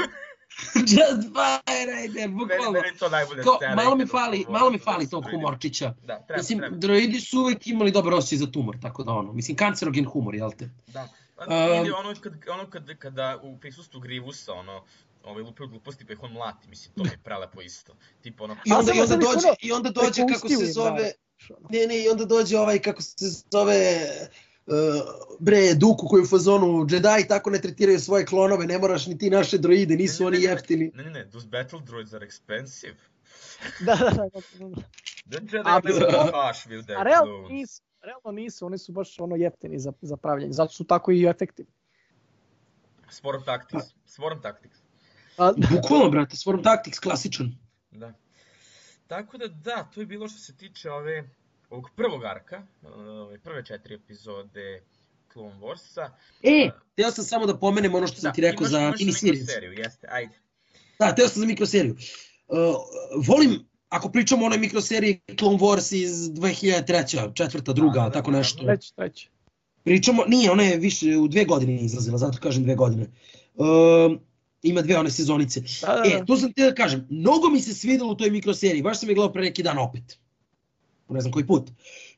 [SPEAKER 3] Just fire Raider, bukvalno.
[SPEAKER 1] Meni, meni to najbolje
[SPEAKER 3] Kao,
[SPEAKER 1] scena.
[SPEAKER 3] malo mi
[SPEAKER 1] ikad u
[SPEAKER 3] fali,
[SPEAKER 1] Clone
[SPEAKER 3] malo mi
[SPEAKER 1] Warsu,
[SPEAKER 3] fali
[SPEAKER 1] da
[SPEAKER 3] tog
[SPEAKER 1] su
[SPEAKER 3] humorčića.
[SPEAKER 1] Da, treba,
[SPEAKER 3] Mislim,
[SPEAKER 1] treba.
[SPEAKER 3] droidi su uvek imali dobar osjećaj za tumor, tako da ono, mislim, kancerogen humor, jel te?
[SPEAKER 1] Da. A,
[SPEAKER 3] Um,
[SPEAKER 1] ili ono, kad, ono kad, kada u prisustvu Grievousa, ono, ovaj lupio gluposti pa ih on mlati, mislim, to mi je prelepo isto. Tipo ono,
[SPEAKER 3] I onda,
[SPEAKER 2] A
[SPEAKER 3] i onda
[SPEAKER 2] samo sad
[SPEAKER 3] dođe,
[SPEAKER 2] ono,
[SPEAKER 3] i onda dođe kako
[SPEAKER 2] prepustio
[SPEAKER 3] se
[SPEAKER 2] im,
[SPEAKER 3] zove,
[SPEAKER 2] naravno.
[SPEAKER 3] ne, ne, i onda dođe ovaj, kako se zove, uh, bre, Duku koji je u fazonu Jedi tako ne tretiraju svoje klonove, ne moraš ni ti naše droide, nisu
[SPEAKER 1] Ne, ne,
[SPEAKER 3] oni
[SPEAKER 1] ne, ne.
[SPEAKER 3] jeftini.
[SPEAKER 1] Ne, ne, ne, those battle droids are expensive.
[SPEAKER 2] Da, da, da, da, da.
[SPEAKER 1] The Jedi
[SPEAKER 2] A,
[SPEAKER 1] never
[SPEAKER 2] to-
[SPEAKER 1] cash with their
[SPEAKER 2] A realno
[SPEAKER 1] clones.
[SPEAKER 2] nisu, realno nisu, oni su baš ono jeftini za, za pravljanje, zato su tako i efektivni.
[SPEAKER 1] Swarm Tactics. Swarm Tactics.
[SPEAKER 2] A,
[SPEAKER 3] Bukvalno, brate, Swarm Tactics, klasičan.
[SPEAKER 1] Da. Tako da, da, to je bilo što se tiče ove, ovog prvog arka, ove prve četiri epizode Clone Warsa.
[SPEAKER 3] E, teo sam samo da pomenem ono što sam
[SPEAKER 1] Da,
[SPEAKER 3] ti rekao
[SPEAKER 1] imaš,
[SPEAKER 3] za
[SPEAKER 1] imaš
[SPEAKER 3] miniseries.
[SPEAKER 1] mikroseriju, jeste, ajde.
[SPEAKER 3] Da, teo sam za mikroseriju. Uh, volim, ako pričamo o onoj mikroseriji Clone Wars iz dve hiljade treće, četvrta, druga,
[SPEAKER 1] Da, da,
[SPEAKER 3] tako
[SPEAKER 1] naravno.
[SPEAKER 3] nešto.
[SPEAKER 2] treći, treći.
[SPEAKER 3] Pričamo, nije, ona je više u dve godine izlazila, zato kažem dve godine. Um, ima dve one sezonice.
[SPEAKER 2] Da, da,
[SPEAKER 3] E,
[SPEAKER 2] da.
[SPEAKER 3] to sam te da kažem, mnogo mi se svidelo u toj mikroseriji, baš sam je gledao pre neki dan opet. Ne znam koji put.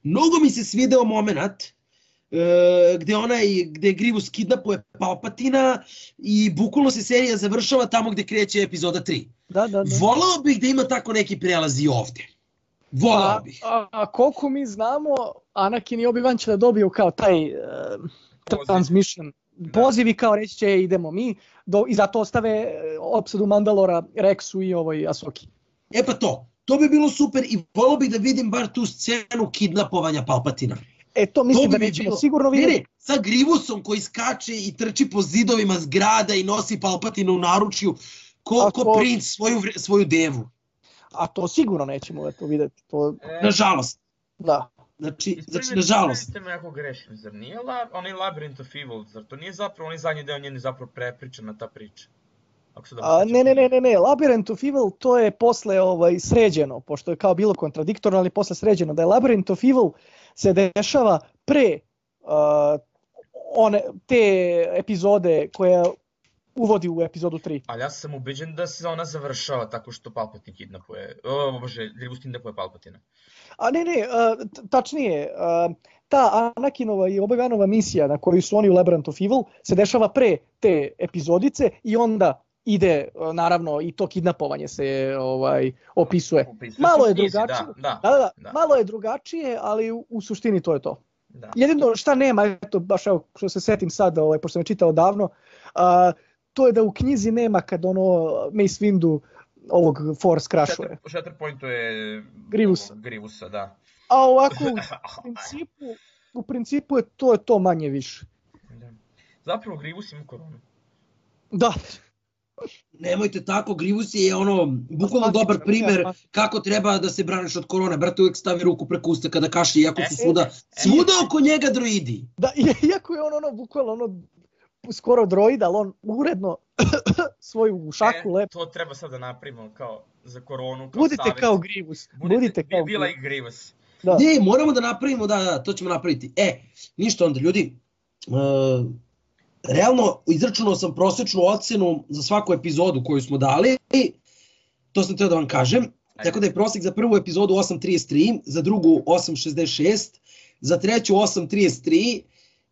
[SPEAKER 3] Mnogo mi se svideo moment uh, gde onaj, gde Grievous kidnapuje Palpatina i bukvalno se serija završava tamo gde kreće epizoda tri.
[SPEAKER 2] Da, da, da.
[SPEAKER 3] Volao bih da ima tako neki prelaz i ovde. Volao
[SPEAKER 2] A,
[SPEAKER 3] bih.
[SPEAKER 2] a, a koliko mi znamo, Anakin i Obi-Wan će da dobiju kao taj uh,
[SPEAKER 1] Poziv.
[SPEAKER 2] transmission,
[SPEAKER 1] Da.
[SPEAKER 2] poziv i kao reći će idemo mi, do, i zato ostave e, opsadu Mandalora, Rexu i ovoj Ahsoki.
[SPEAKER 3] E pa to, to bi bilo super i volao bih da vidim bar tu scenu kidnapovanja Palpatina.
[SPEAKER 2] E to mislim
[SPEAKER 3] To
[SPEAKER 2] da
[SPEAKER 3] bi mi
[SPEAKER 2] nećemo
[SPEAKER 3] bilo-
[SPEAKER 2] sigurno
[SPEAKER 3] Ne,
[SPEAKER 2] vidjeti.
[SPEAKER 3] ne, sa Grievousom koji skače i trči po zidovima zgrada i nosi Palpatina u naručju, ko,
[SPEAKER 2] A
[SPEAKER 3] ko
[SPEAKER 2] ko-
[SPEAKER 3] princ svoju, vre- svoju devu.
[SPEAKER 2] A to sigurno nećemo eto vidjeti. To,
[SPEAKER 1] E,
[SPEAKER 3] Nažalost.
[SPEAKER 2] da.
[SPEAKER 3] Znači,
[SPEAKER 1] ispravite-
[SPEAKER 3] znači nažalost.
[SPEAKER 1] ispravite me ako grešim, zar nije la, onaj Labyrinth of Evil, zar to nije zapravo onaj zadnji deo njeni zapravo prepričana ta priča? Ako se dobro
[SPEAKER 2] A,
[SPEAKER 1] sećam.
[SPEAKER 2] ne, ne, ne, ne, ne, Labyrinth of Evil to je posle ovaj, sređeno, pošto je kao bilo kontradiktorno, ali posle sređeno, da je Labyrinth of Evil se dešava pre uh, one, te epizode koje uvodi u epizodu tri.
[SPEAKER 1] Ali ja sam ubeđen da se ona završava tako što Palpatine kidnapuje, o bože, Grievous kidnapuje Palpatina.
[SPEAKER 2] A ne, ne, uh, t- tačnije, uh, ta Anakinova i Obi-Wanova misija na koju su oni u Labyrinth of Evil se dešava pre te epizodice i onda ide, uh, naravno, i to kidnapovanje se ovaj opisuje.
[SPEAKER 1] Opisuje
[SPEAKER 2] Malo
[SPEAKER 1] se
[SPEAKER 2] je
[SPEAKER 1] u knjizi,
[SPEAKER 2] drugačije.
[SPEAKER 1] Da, da,
[SPEAKER 2] Da, da,
[SPEAKER 1] da.
[SPEAKER 2] malo je drugačije, ali u, u suštini to je to.
[SPEAKER 1] da.
[SPEAKER 2] Jedino šta nema, eto, baš evo, što se setim sad, ovaj, pošto sam je čitao davno, a, to je da u knjizi nema kad ono Mace Windu ovog Force crashuje.
[SPEAKER 1] Shatter, Shatterpointu je
[SPEAKER 2] Grievousa.
[SPEAKER 1] ovog Grievousa, da.
[SPEAKER 2] A ovako, u principu, u principu je to, je to manje više.
[SPEAKER 1] Da. Zapravo Grievous ima koronu.
[SPEAKER 2] Da,
[SPEAKER 3] Nemojte tako, Grievous je ono, bukvalno
[SPEAKER 2] Asmatičan,
[SPEAKER 3] dobar primer
[SPEAKER 2] ne,
[SPEAKER 3] kako treba da se braniš od korone. Brate, uvek stavi ruku preko usta kada kaši, iako su
[SPEAKER 1] E,
[SPEAKER 3] svuda,
[SPEAKER 1] e,
[SPEAKER 3] svuda oko njega droidi.
[SPEAKER 2] da, iako je on ono, bukvalno ono, skoro droid, ali on uredno svoju šaku
[SPEAKER 1] E,
[SPEAKER 2] lepo.
[SPEAKER 1] to treba sad da napravimo kao za koronu, kao
[SPEAKER 2] Budite
[SPEAKER 1] savjet.
[SPEAKER 2] kao Grievous,
[SPEAKER 1] Budite,
[SPEAKER 2] budite kao
[SPEAKER 1] be, be
[SPEAKER 2] Grievous.
[SPEAKER 1] like Grievous.
[SPEAKER 2] Da.
[SPEAKER 3] Ne, moramo da napravimo, da, da, to ćemo napraviti. E, ništa onda, ljudi, uh, realno izračunao sam prosječnu ocenu za svaku epizodu koju smo dali, to sam teo da vam kažem, tako da je prosjek za prvu epizodu osam zarez trideset tri, za drugu osam zarez šezdeset šest, za treću osam zarez trideset tri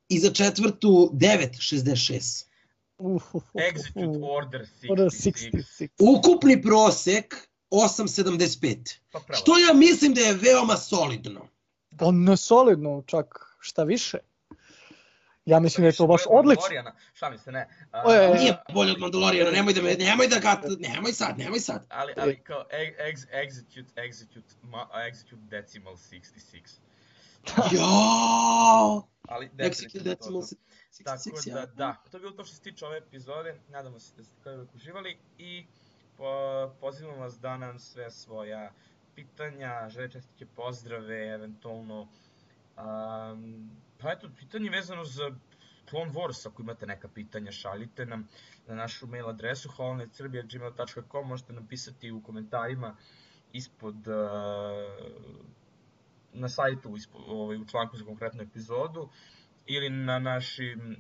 [SPEAKER 3] i za četvrtu devet zarez šezdeset šest.
[SPEAKER 2] Uf, uf, uf,
[SPEAKER 1] Execute
[SPEAKER 2] uf.
[SPEAKER 1] Order
[SPEAKER 2] Order
[SPEAKER 1] šezdeset šest.
[SPEAKER 2] šezdeset šest.
[SPEAKER 3] Ukupni prosek osam zarez sedamdeset pet,
[SPEAKER 1] Pa pravo.
[SPEAKER 3] što ja mislim da je veoma solidno.
[SPEAKER 2] Pa ne solidno, čak šta više. Ja mislim da je to baš
[SPEAKER 1] Bolje od
[SPEAKER 2] odlično.
[SPEAKER 1] Mandaloriana. Šalim se, ne. A,
[SPEAKER 2] O, je, je.
[SPEAKER 3] Nije bolje od Mandaloriana, nemoj da me, nemoj da ga, nemoj sad, nemoj sad.
[SPEAKER 1] Ali, ali kao ex, execute, execute, ma, execute decimal šezdeset šest.
[SPEAKER 3] Jao!
[SPEAKER 1] Ali
[SPEAKER 3] Execute
[SPEAKER 1] definitivno to.
[SPEAKER 3] Decimal
[SPEAKER 1] Tako
[SPEAKER 3] šezdeset šest,
[SPEAKER 1] da,
[SPEAKER 3] ja.
[SPEAKER 1] da, to je bilo to što se tiče ove epizode, nadamo se da ste kao uvijek uživali i po, pozivamo vas da nam sve svoja pitanja, žele čestitke, pozdrave, eventualno, um, pa eto, pitanje vezano za Clone Wars, ako imate neka pitanja, šaljite nam na našu mail adresu holonet srbija at gmail dot com, možete napisati u komentarima ispod, uh, na sajtu, ispod, ovaj, u članku za konkretnu epizodu, ili na našim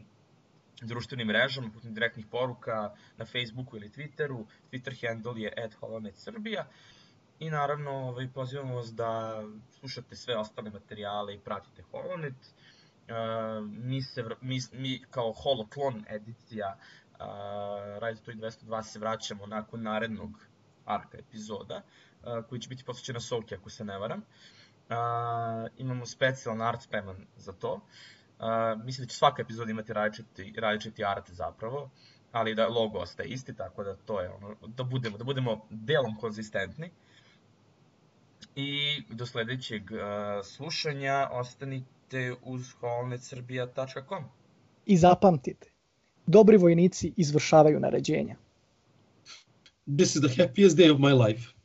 [SPEAKER 1] društvenim mrežama, putem direktnih poruka na Facebooku ili Twitteru. Twitter handle je at holonet srbija. I naravno ovaj, pozivamo vas da slušate sve ostale materijale i pratite Holonet. Uh, mi, se, mi, mi kao holoklon edicija uh, Radio Twin dvesta dva se vraćamo nakon narednog arka epizoda, uh, koji će biti posvećena Soulki, ako se ne varam. Uh, imamo specijalan art spreman za to. Uh, mislim da će svaka epizoda imati različiti, različiti art zapravo, ali da logo ostaje isti, tako da to je ono, da budemo, da budemo delom konzistentni. I do sledećeg uh, slušanja ostanite uz holonet srbija tačka com.
[SPEAKER 2] I zapamtite, dobri vojnici izvršavaju naređenja.
[SPEAKER 3] This is the happiest day of my life.